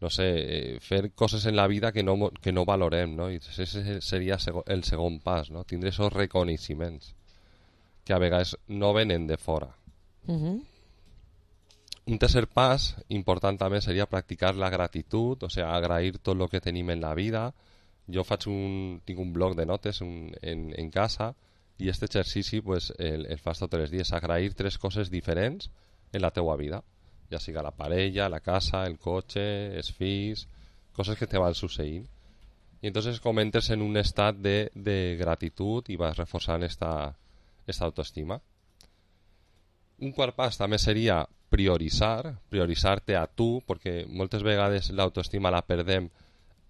no sé, eh, fer coses en la vida que no, que no valorem, no? I ese seria el segon pas, no? Tindre esos reconeixements que a vegades no venen de fora. Uh-huh. Un tercer pas important també seria practicar la gratitud, o sigui, agrair tot el que tenim en la vida. Jo faig un, tinc un bloc de notes un, en, en casa i aquest exercici pues, el, el fas tots els dies, agrair tres coses diferents en la teua vida, ja siga la parella, la casa, el cotxe, els fills, coses que te van succeint. I entonces comentes en un estat de, de gratitud i vas reforçant esta, esta autoestima. Un quart pas també seria prioritzar, prioritzar-te a tu, perquè moltes vegades l'autoestima la perdem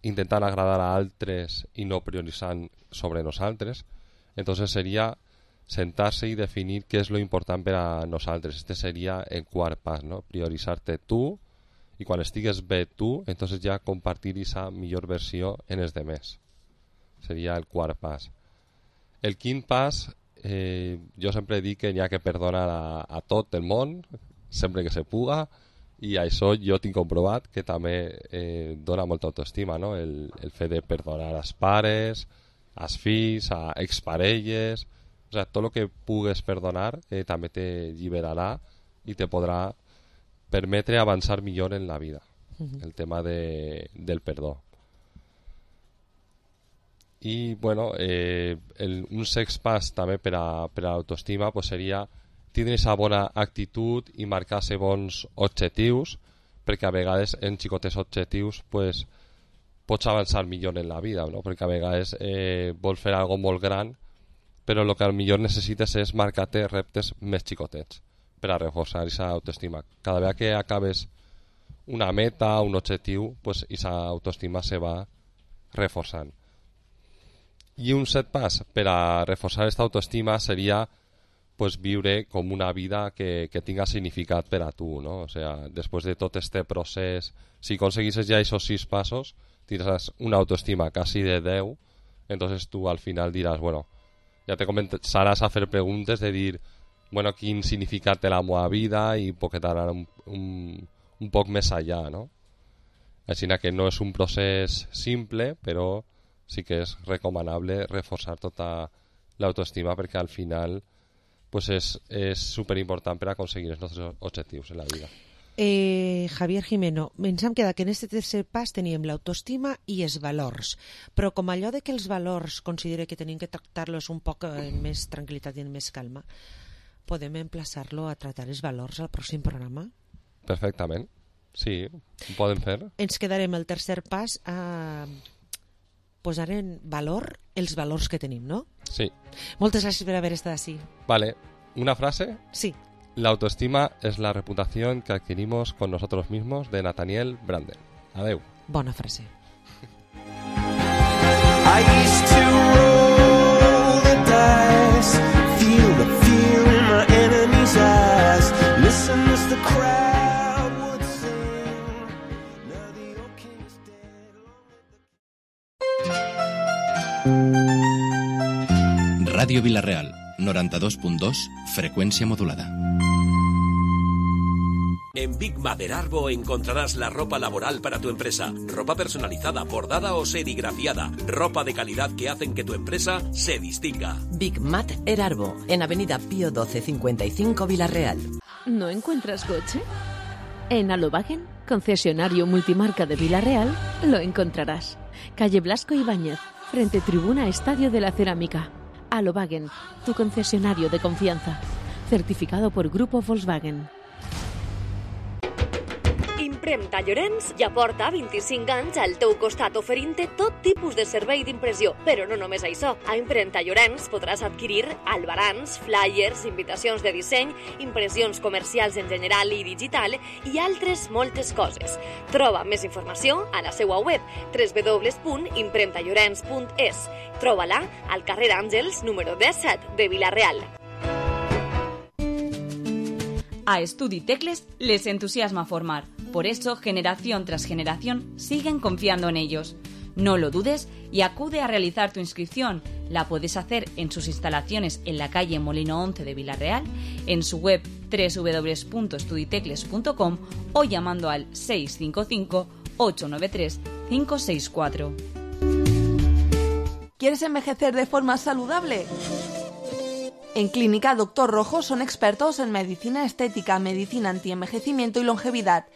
intentant agradar a altres i no prioritzant sobre nosaltres. Entonces seria sentar-se i definir què és lo important per a nosaltres. Este seria el quart pas, no? Prioritzar-te tu i quan estigues bé tu, entonces ja compartir aquesta millor versió en els demés. Seria el quart pas. El quint pas, eh, jo sempre dic que n'hi ha que perdonar a, a tot el món, sempre que se puga, i això jo tinc comprovat que també eh, dona molta autoestima, no? El, el fet de perdonar als pares, als fills, a exparelles, o sea, tot el que pugues perdonar eh, també te lliberarà i te podrà permetre avançar millor en la vida. Uh-huh. El tema de, del perdó. I, bueno, eh, el, un sext pas també per a, per a l'autoestima pues, seria tindre aquesta bona actitud i marcar-se bons objectius, perquè a vegades en xicotes objectius pues, pots avançar millor en la vida, no? Perquè a vegades eh, vols fer algo molt gran, però el que millor necessites és marcar-te reptes més xicotets per a reforçar aquesta autoestima. Cada vegada que acabes una meta, un objectiu, pues aquesta autoestima se va reforçant. I un set pas per a reforçar aquesta autoestima seria pues, viure com una vida que, que tinga significat per a tu, no? O sea, després de tot este procés, si aconseguisses ja aquests sis passos, tindràs una autoestima quasi de deu, entonces tu al final diràs, bueno, ja te començaràs a fer preguntes de dir, bueno, quin significat té la meva vida i poder anar un, un, un poc més allà, no? Així que no és un procés simple, però sí que és recomanable reforçar tota l'autoestima perquè al final pues és, és superimportant per aconseguir els nostres objectius en la vida. Eh, Javier Jimeno, ens hem quedat que en aquest tercer pas teníem l'autoestima i els valors, però com allò de que els valors considere que tenim que tractar-los un poc en més tranquil·litat i en més calma, podem emplaçar-lo a tractar els valors al pròxim programa? Perfectament, sí, ho podem fer. Ens quedarem el tercer pas a posar en valor els valors que tenim, no? Sí. Moltes gràcies per haver estat així. Vale, ¿una frase? Sí. La autoestima es la reputación que adquirimos con nosotros mismos, de Nathaniel Branden. Adeu. Bona frase. I used to roll the dice, feel the fear in my enemy's eyes, listen as the crowd would sing. Now the old king is dead. Radio Vilareal, noranta-dos punt dos, frecuencia modulada. En Big Mother Arbo encontrarás la ropa laboral para tu empresa, ropa personalizada, bordada o serigrafiada, ropa de calidad que hacen que tu empresa se distinga. Big Mother Arbo, en Avenida Pío doce cincuenta y cinco, Villarreal. ¿No encuentras coche? En Alobagen, concesionario multimarca de Villarreal, lo encontrarás. Calle Blasco Ibáñez, frente Tribuna Estadio de la Cerámica. Alobagen, tu concesionario de confianza. Certificado por Grupo Volkswagen. Impremta Llorenç ja porta vint-i-cinc anys al teu costat oferint-te tot tipus de servei d'impressió. Però no només això. A Impremta Llorenç podràs adquirir albarans, flyers, invitacions de disseny, impressions comercials en general i digital i altres moltes coses. Troba més informació a la seva web w w w punt impremta llorenç punt es. Troba-la al carrer Àngels número disset de Vila-real. A Estudi Tecles les entusiasma formar. Por eso, generación tras generación, siguen confiando en ellos. No lo dudes y acude a realizar tu inscripción. La puedes hacer en sus instalaciones en la calle Molino once de Vila-real, en su web w w w punto estuditecles punto com o llamando al seis cinco cinco, ocho nueve tres, cinco seis cuatro. ¿Quieres envejecer de forma saludable? En Clínica Doctor Rojo son expertos en medicina estética, medicina antienvejecimiento y longevidad.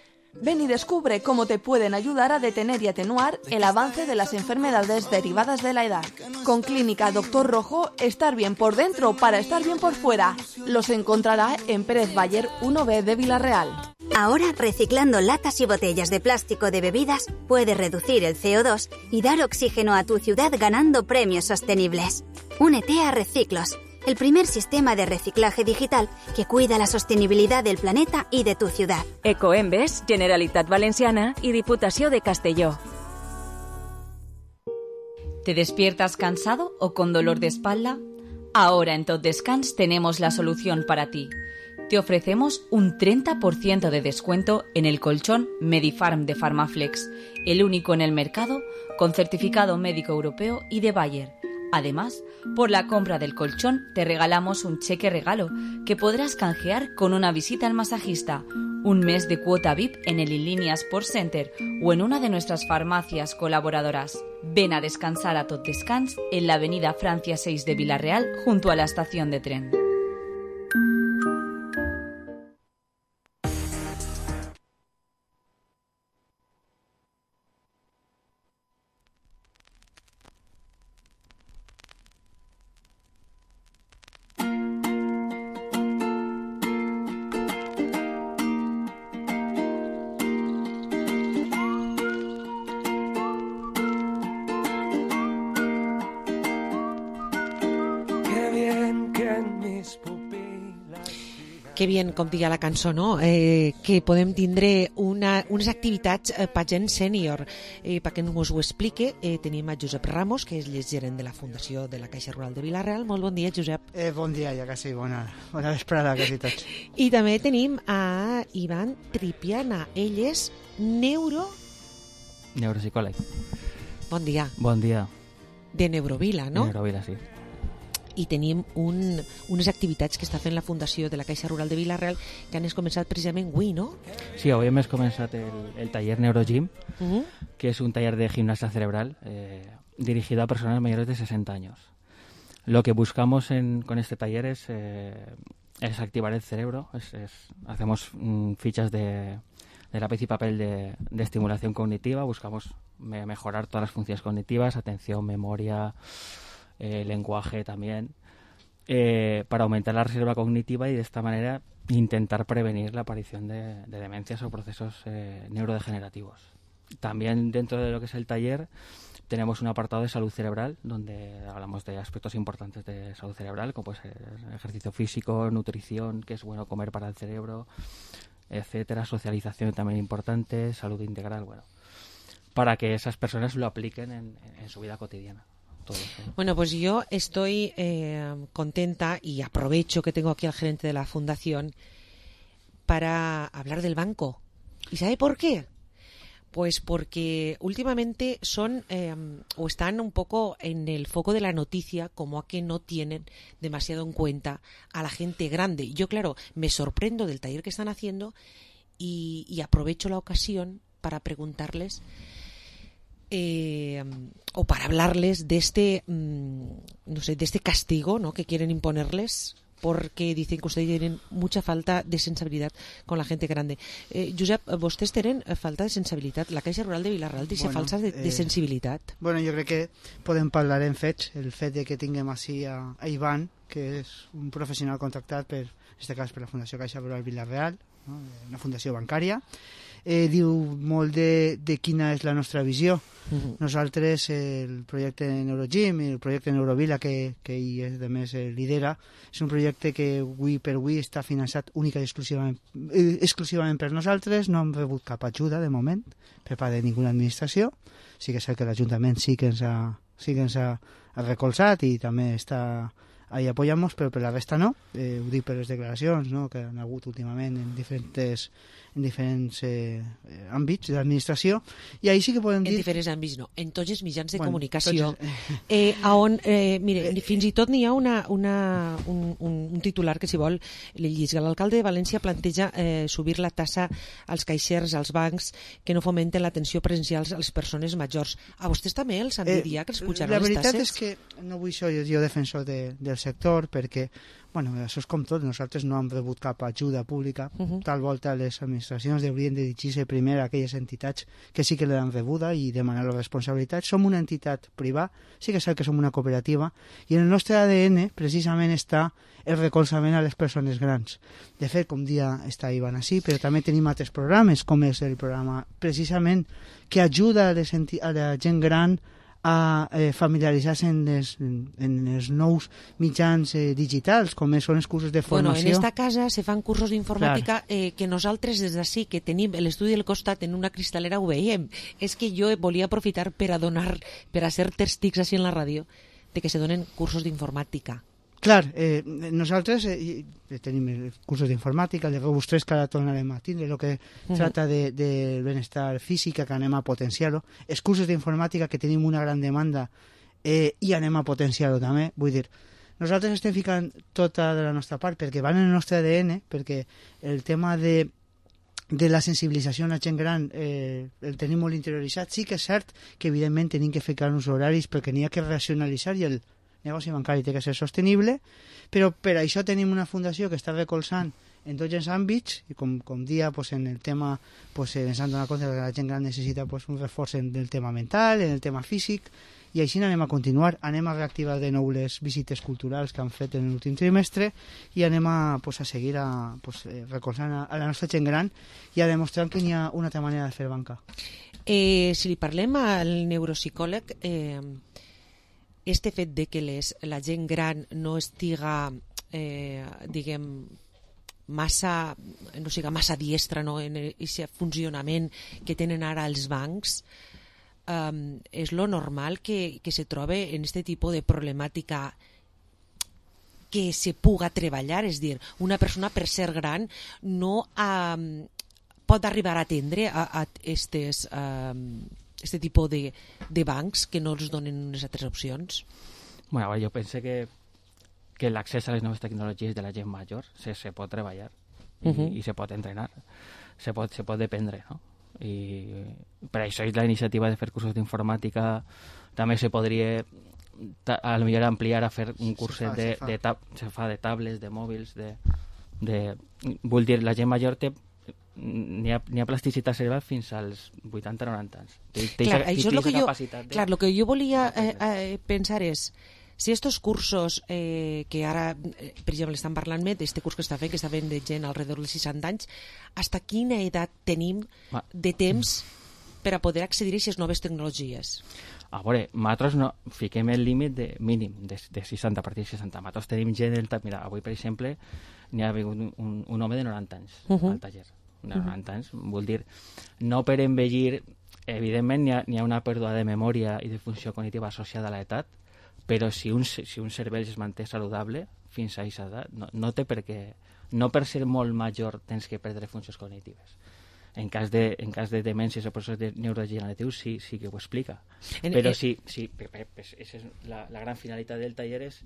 Ven y descubre cómo te pueden ayudar a detener y atenuar el avance de las enfermedades derivadas de la edad. Con Clínica Doctor Rojo, estar bien por dentro para estar bien por fuera. Los encontrará en Pérez Bayer uno B de Vila-real. Ahora, reciclando latas y botellas de plástico de bebidas, puedes reducir el C O dos y dar oxígeno a tu ciudad ganando premios sostenibles. Únete a Reciclos, el primer sistema de reciclaje digital que cuida la sostenibilidad del planeta y de tu ciudad. Ecoembes, Generalitat Valenciana y Diputació de Castelló. ¿Te despiertas cansado o con dolor de espalda? Ahora en Tot Descans tenemos la solución para ti. Te ofrecemos un treinta por ciento de descuento en el colchón Medifarm de Farmaflex, el único en el mercado con certificado médico europeo y de Bayer. Además, por la compra del colchón te regalamos un cheque regalo que podrás canjear con una visita al masajista, un mes de cuota V I P en el Inlínea Sports Center o en una de nuestras farmacias colaboradoras. Ven a descansar a Tot Descans en la avenida Francia seis de Vila-real junto a la estación de tren. Que bien, com diga la cançó, no? Eh, que podem tindre una, unes activitats eh, per gent sènior. Eh, perquè ens ho explique, eh, tenim a Josep Ramos, que és el gerent de la Fundació de la Caixa Rural de Vila-real. Molt bon dia, Josep. Eh, bon dia, ja quasi, bona, bona vesprada, quasi tots. I també tenim a Ivan Tripiana. Ell és neuro... Neuropsicòleg. Bon dia. Bon dia. De Neurovila, no? Neurovila, sí. i tenim un, unes activitats que està fent la Fundació de la Caixa Rural de Vila-real que han començat precisament avui, ¿no? Sí, hoy hemos comenzado el, el taller Neurogym, Uh-huh. que es un taller de gimnasia cerebral eh, dirigido a personas mayores de sesenta años. Lo que buscamos en, con este taller es, eh, es activar el cerebro. Es, es, hacemos mm, fichas de, de lápiz y papel de, de estimulación cognitiva. Buscamos me, mejorar todas las funciones cognitivas, atención, memoria, eh, lenguaje también, eh, para aumentar la reserva cognitiva y de esta manera intentar prevenir la aparición de, de demencias o procesos eh, neurodegenerativos. También dentro de lo que es el taller tenemos un apartado de salud cerebral donde hablamos de aspectos importantes de salud cerebral, como pues ejercicio físico, nutrición, que es bueno comer para el cerebro, etcétera, socialización también importante, salud integral, bueno, para que esas personas lo apliquen en, en su vida cotidiana. Todo eso. Bueno, pues yo estoy eh, contenta y aprovecho que tengo aquí al gerente de la fundación para hablar del banco. ¿Y sabe por qué? Pues porque últimamente son eh, o están un poco en el foco de la noticia como a que no tienen demasiado en cuenta a la gente grande. Yo, claro, me sorprendo del taller que están haciendo y, y aprovecho la ocasión para preguntarles eh, o para hablarles de este, mmm, no sé, de este castigo, ¿no?, que quieren imponerles, porque dicen que ustedes tienen mucha falta de sensibilitat con la gente grande. Eh, Josep, vostès tenen falta de sensibilitat. La Caixa Rural de Vila-real deixa bueno, falsa de, de sensibilitat. Eh, bueno, jo crec que podem parlar en fets. El fet de que tinguem així a, a Ivan, que és un professional contractat per, en aquest cas per la Fundació Caixa Rural Vila-real, no?, una fundació bancària, eh, diu molt de, de quina és la nostra visió. Uh-huh. Nosaltres, el projecte Neurogym i el projecte Neurovila, que, que ell de més lidera, és un projecte que avui per avui està finançat única i exclusivament, eh, exclusivament per nosaltres. No hem rebut cap ajuda de moment per part de ninguna administració. Sí que és cert que l'Ajuntament sí que ens ha, sí que ens ha, ha recolzat i també està ahí apoyamos, però per la resta no. Eh, ho dic per les declaracions, no?, que han hagut últimament en diferents en diferents eh, àmbits de l'administració, i ahí sí que podem dir... En diferents àmbits no, en tots els mitjans de bueno, comunicació, tots... eh, on, eh, mire, fins i tot n'hi ha una, una, un, un titular que, si vol, li llisga. L'alcalde de València planteja eh, subir la tassa als caixers, als bancs, que no fomenten l'atenció presencial a les persones majors. A vostès també els han dit ja que els pujaran les tasses? La veritat és que no vull ser jo defensor de, del sector, perquè bueno, això és com tot, nosaltres no hem rebut cap ajuda pública. Uh-huh. Tal volta les administracions haurien de dirigir-se primer a aquelles entitats que sí que l'han rebuda i demanar la responsabilitat. Som una entitat privada, sí que és cert que som una cooperativa, i en el nostre A D N precisament està el recolzament a les persones grans. De fet, com dia està Ivan així, però també tenim altres programes, com és el programa precisament que ajuda a, les enti- a la gent gran a eh, familiaritzar-se en, les, en, en els nous mitjans eh, digitals, com són els cursos de formació. Bueno, en esta casa se fan cursos d'informàtica eh, que nosaltres des d'ací, que tenim l'estudi del costat en una cristalera, ho veiem. És que jo volia aprofitar per a donar, per a ser testics així en la ràdio, de que se donen cursos d'informàtica. Clar, eh, nosaltres eh, tenim cursos d'informàtica, el de Rebus tres que ara tornarem a tindre, el que uh-huh. tracta de, de benestar física, que anem a potenciar-ho, els cursos d'informàtica que tenim una gran demanda eh, i anem a potenciar-ho també, vull dir, nosaltres estem ficant tota de la nostra part perquè van en el nostre A D N, perquè el tema de de la sensibilització a la gent gran eh, el tenim molt interioritzat. Sí que és cert que evidentment tenim que ficar uns horaris perquè n'hi ha que racionalitzar i el negoci bancari té que ser sostenible, però per això tenim una fundació que està recolzant en tots els àmbits, i com, com dia pues, en el tema, pues, ens han donat compte que la gent gran necessita pues, un reforç en el tema mental, en el tema físic, i així anem a continuar, anem a reactivar de nou les visites culturals que han fet en l'últim trimestre i anem a, pues, a seguir a, pues, recolzant a, a la nostra gent gran i a demostrar que hi ha una altra manera de fer banca. Eh, si li parlem al neuropsicòleg, eh, este fet de que les, la gent gran no estiga, eh, diguem, massa, no siga massa diestra, no, en aquest funcionament que tenen ara els bancs, um, és lo normal que, que se trobe en este tipus de problemàtica que se puga treballar, és dir, una persona per ser gran no um, pot arribar a atendre a, a estes... Um, este tipus de, de bancs que no els donen unes altres opcions? Bueno, yo pensé que que l'accés a les noves tecnologies de la gent major se, se pot treballar i, Uh-huh. i se pot entrenar, se pot, se pot dependre, no? I per això és la iniciativa de fer cursos d'informàtica. També se podria ta, a lo millor ampliar a fer un curset fa, de, se fa. de, tab, se fa de tablets, de mòbils, de, de... Vull dir, la gent major té n'hi ha, n'hi ha plasticitat cerebral fins als vuitanta noranta anys. Té, té Clar, esa- això és té lo que esa jo, capacitat de- clar, lo que jo volia eh, eh, pensar és si estos cursos eh, que ara, eh, per exemple, estan parlant més d'este curs que està fent, que està fent de gent alrededor dels seixanta anys, hasta quina edat tenim Ma- de temps per a poder accedir a aquestes noves tecnologies? A veure, nosaltres no, fiquem el límit de mínim de, de seixanta, a partir de seixanta. Nosaltres tenim gent del... ta- Mira, avui, per exemple, n'hi ha vingut un, un, un home de noranta anys Uh-huh. al taller. De noranta anys, vol dir, no per envellir, evidentment n'hi ha, n'hi ha una pèrdua de memòria i de funció cognitiva associada a l'edat, però si un, si un cervell es manté saludable fins a aquesta edat, no, no té per què... No per ser molt major tens que perdre funcions cognitives. En cas de, en cas de demències o processos de neurodegeneratius sí, sí que ho explica. En- Però eh, sí, sí, pe- pe- pues, esa és la, la gran finalitat del taller és,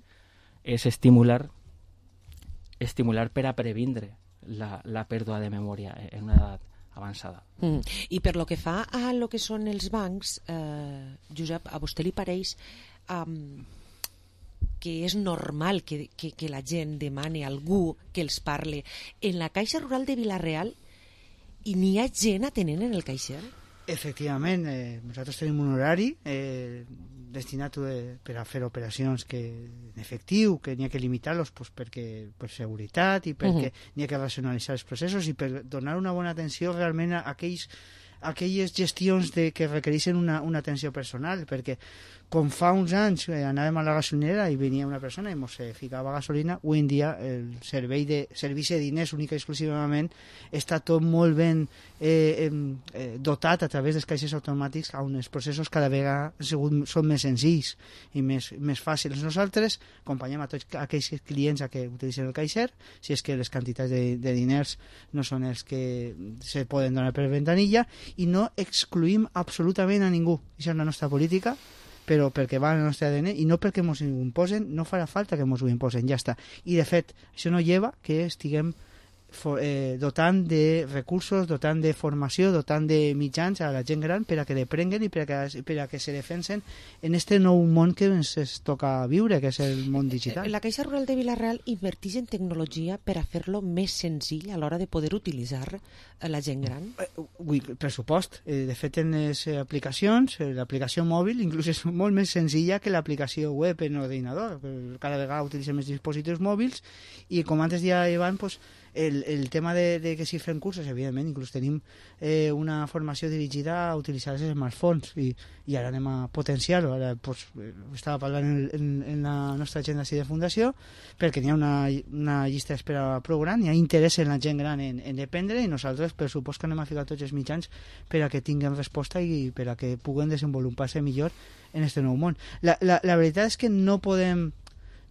és estimular estimular per a previndre la, la pèrdua de memòria en una edat avançada. Mm. I per lo que fa a lo que són els bancs, eh, Josep, a vostè li pareix um, que és normal que, que, que la gent demani a algú que els parle en la Caixa Rural de Vila-real i n'hi ha gent atenent en el caixer? Efectivament, eh, nosaltres tenim un horari eh, destinat eh, per a fer operacions que en efectiu, que n'hi ha que limitar-los pues, perquè, per seguretat i perquè Mhm. n'hi ha que racionalitzar els processos i per donar una bona atenció realment a aquells aquelles gestions de, que requereixen una, una atenció personal, perquè com fa uns anys eh, anàvem a la gasolinera i venia una persona i ens eh, ficava gasolina, avui en dia el servei de servici de diners única i exclusivament està tot molt ben eh, eh, dotat a través dels caixers automàtics, on els processos cada vegada segur, són més senzills i més, més fàcils. Nosaltres acompanyem a tots aquells clients a que utilitzen el caixer, si és que les quantitats de, de diners no són els que se poden donar per ventanilla, i no excluïm absolutament a ningú. Això és la nostra política, però perquè va al nostre A D N i no perquè ens ho imposen, no farà falta que ens ho imposen, ja està. I de fet, això no lleva que estiguem for, eh, dotant de recursos, dotant de formació, dotant de mitjans a la gent gran per a que deprenguen i per a que, per a que se defensen en este nou món que ens es toca viure, que és el món digital. La Caixa Rural de Vila-real inverteix en tecnologia per a fer-lo més senzill a l'hora de poder utilitzar eh, la gent gran? Ui, pressupost. Eh, de fet, en les eh, aplicacions, eh, l'aplicació mòbil inclús és molt més senzilla que l'aplicació web en ordinador. Cada vegada utilitzem més dispositius mòbils i, com antes deia Ivan, pues, el, el tema de, de que si fem cursos, evidentment, inclús tenim eh, una formació dirigida a utilitzar els smartphones i, i ara anem a potenciar-ho. Ara pues, estava parlant en, en, en la nostra agenda de fundació perquè n'hi ha una, una llista d'espera prou gran, hi ha interès en la gent gran en, en dependre, i nosaltres per supost que anem a ficar tots els mitjans per a que tinguin resposta i per a que puguen desenvolupar-se millor en este nou món. La, la, la veritat és que no podem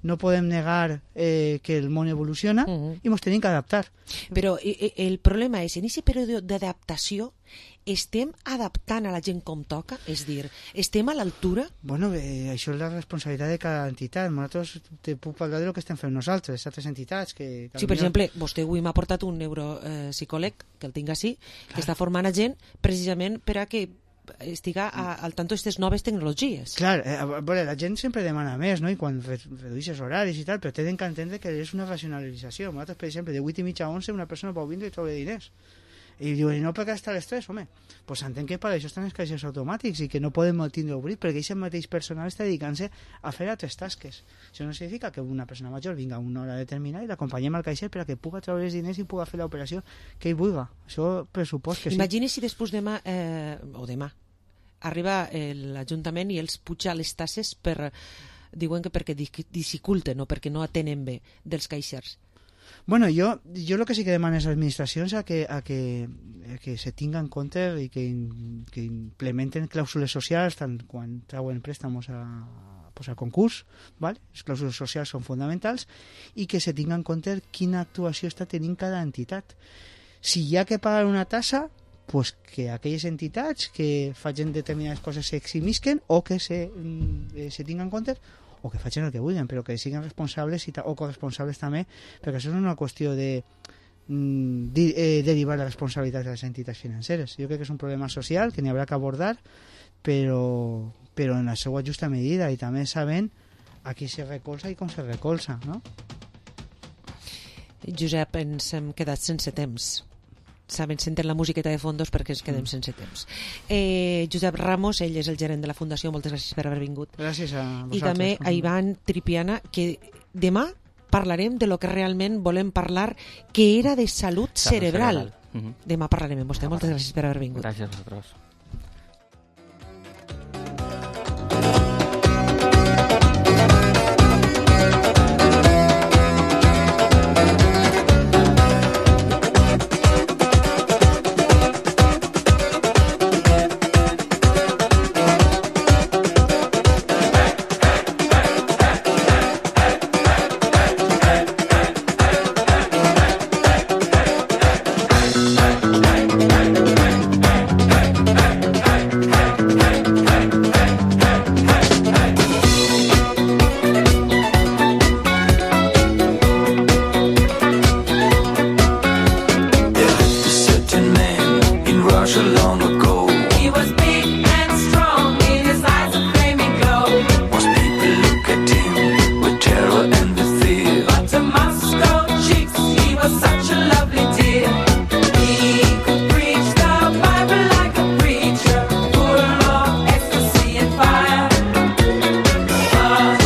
no podem negar eh, que el món evoluciona uh-huh. i ens tenim que adaptar. Però eh, el problema és, en aquest període d'adaptació estem adaptant a la gent com toca? És dir, estem a l'altura? Bueno, eh, això és la responsabilitat de cada entitat. Nosaltres te puc parlar de lo que estem fent nosaltres, altres entitats. Que, que sí, per exemple, vostè avui m'ha portat un neuropsicòleg, eh, que el tinc així, que està formant a gent precisament per a que estiga a, al tanto d'aquestes noves tecnologies. Clar, eh, a veure, la gent sempre demana més, no? I quan re redueixes horaris i tal, però tenen que entendre que és una racionalització. Nosaltres, per exemple, de vuit i mitja a onze una persona pot vindre i trobar diners. I diuen, no perquè està a les tres, home. Doncs pues entenc que per això estan els caixers automàtics i que no podem tindre obrit, perquè aquest mateix personal està dedicant-se a fer altres tasques. Això no significa que una persona major vinga a una hora determinada i l'acompanyem al caixer per a que puga treure els diners i puga fer l'operació que ell vulgui. Això pressupost que sí. Imagini si després demà, eh, o demà, arriba l'Ajuntament i els puja les tasses per, diuen que perquè dificulten o perquè no atenen bé dels caixers. Bueno, jo, jo el que sí que demano a les administracions a que, a que, a que se tinga en compte i que, que implementen clàusules socials tant quan trauen préstamos a, pues, a concurs, ¿vale? Les clàusules socials són fonamentals, i que se tinga en compte quina actuació està tenint cada entitat. Si hi ha que pagar una tassa, pues que aquelles entitats que facin determinades coses s'eximisquen o que se, eh, se tinguin en compte, o que facin el que vulguin, però que siguin responsables i ta, o corresponsables també, perquè això no és una qüestió de mm, di, eh, derivar la responsabilitat de les entitats financeres. Jo crec que és un problema social que n'hi haurà que abordar, però, però en la seva justa medida i també sabent a qui se recolza i com se recolza, no? Josep, ens hem quedat sense temps. Saben, senten la musiqueta de fondos perquè ens quedem Mm. sense temps. Eh, Josep Ramos, ell és el gerent de la Fundació, moltes gràcies per haver vingut. Gràcies a vosaltres. I també a Ivan Tripiana, que demà parlarem de lo que realment volem parlar, que era de salut Salut cerebral. cerebral. Mhm. Demà parlarem amb vostè. Moltes gràcies per haver vingut. Gràcies a vosaltres.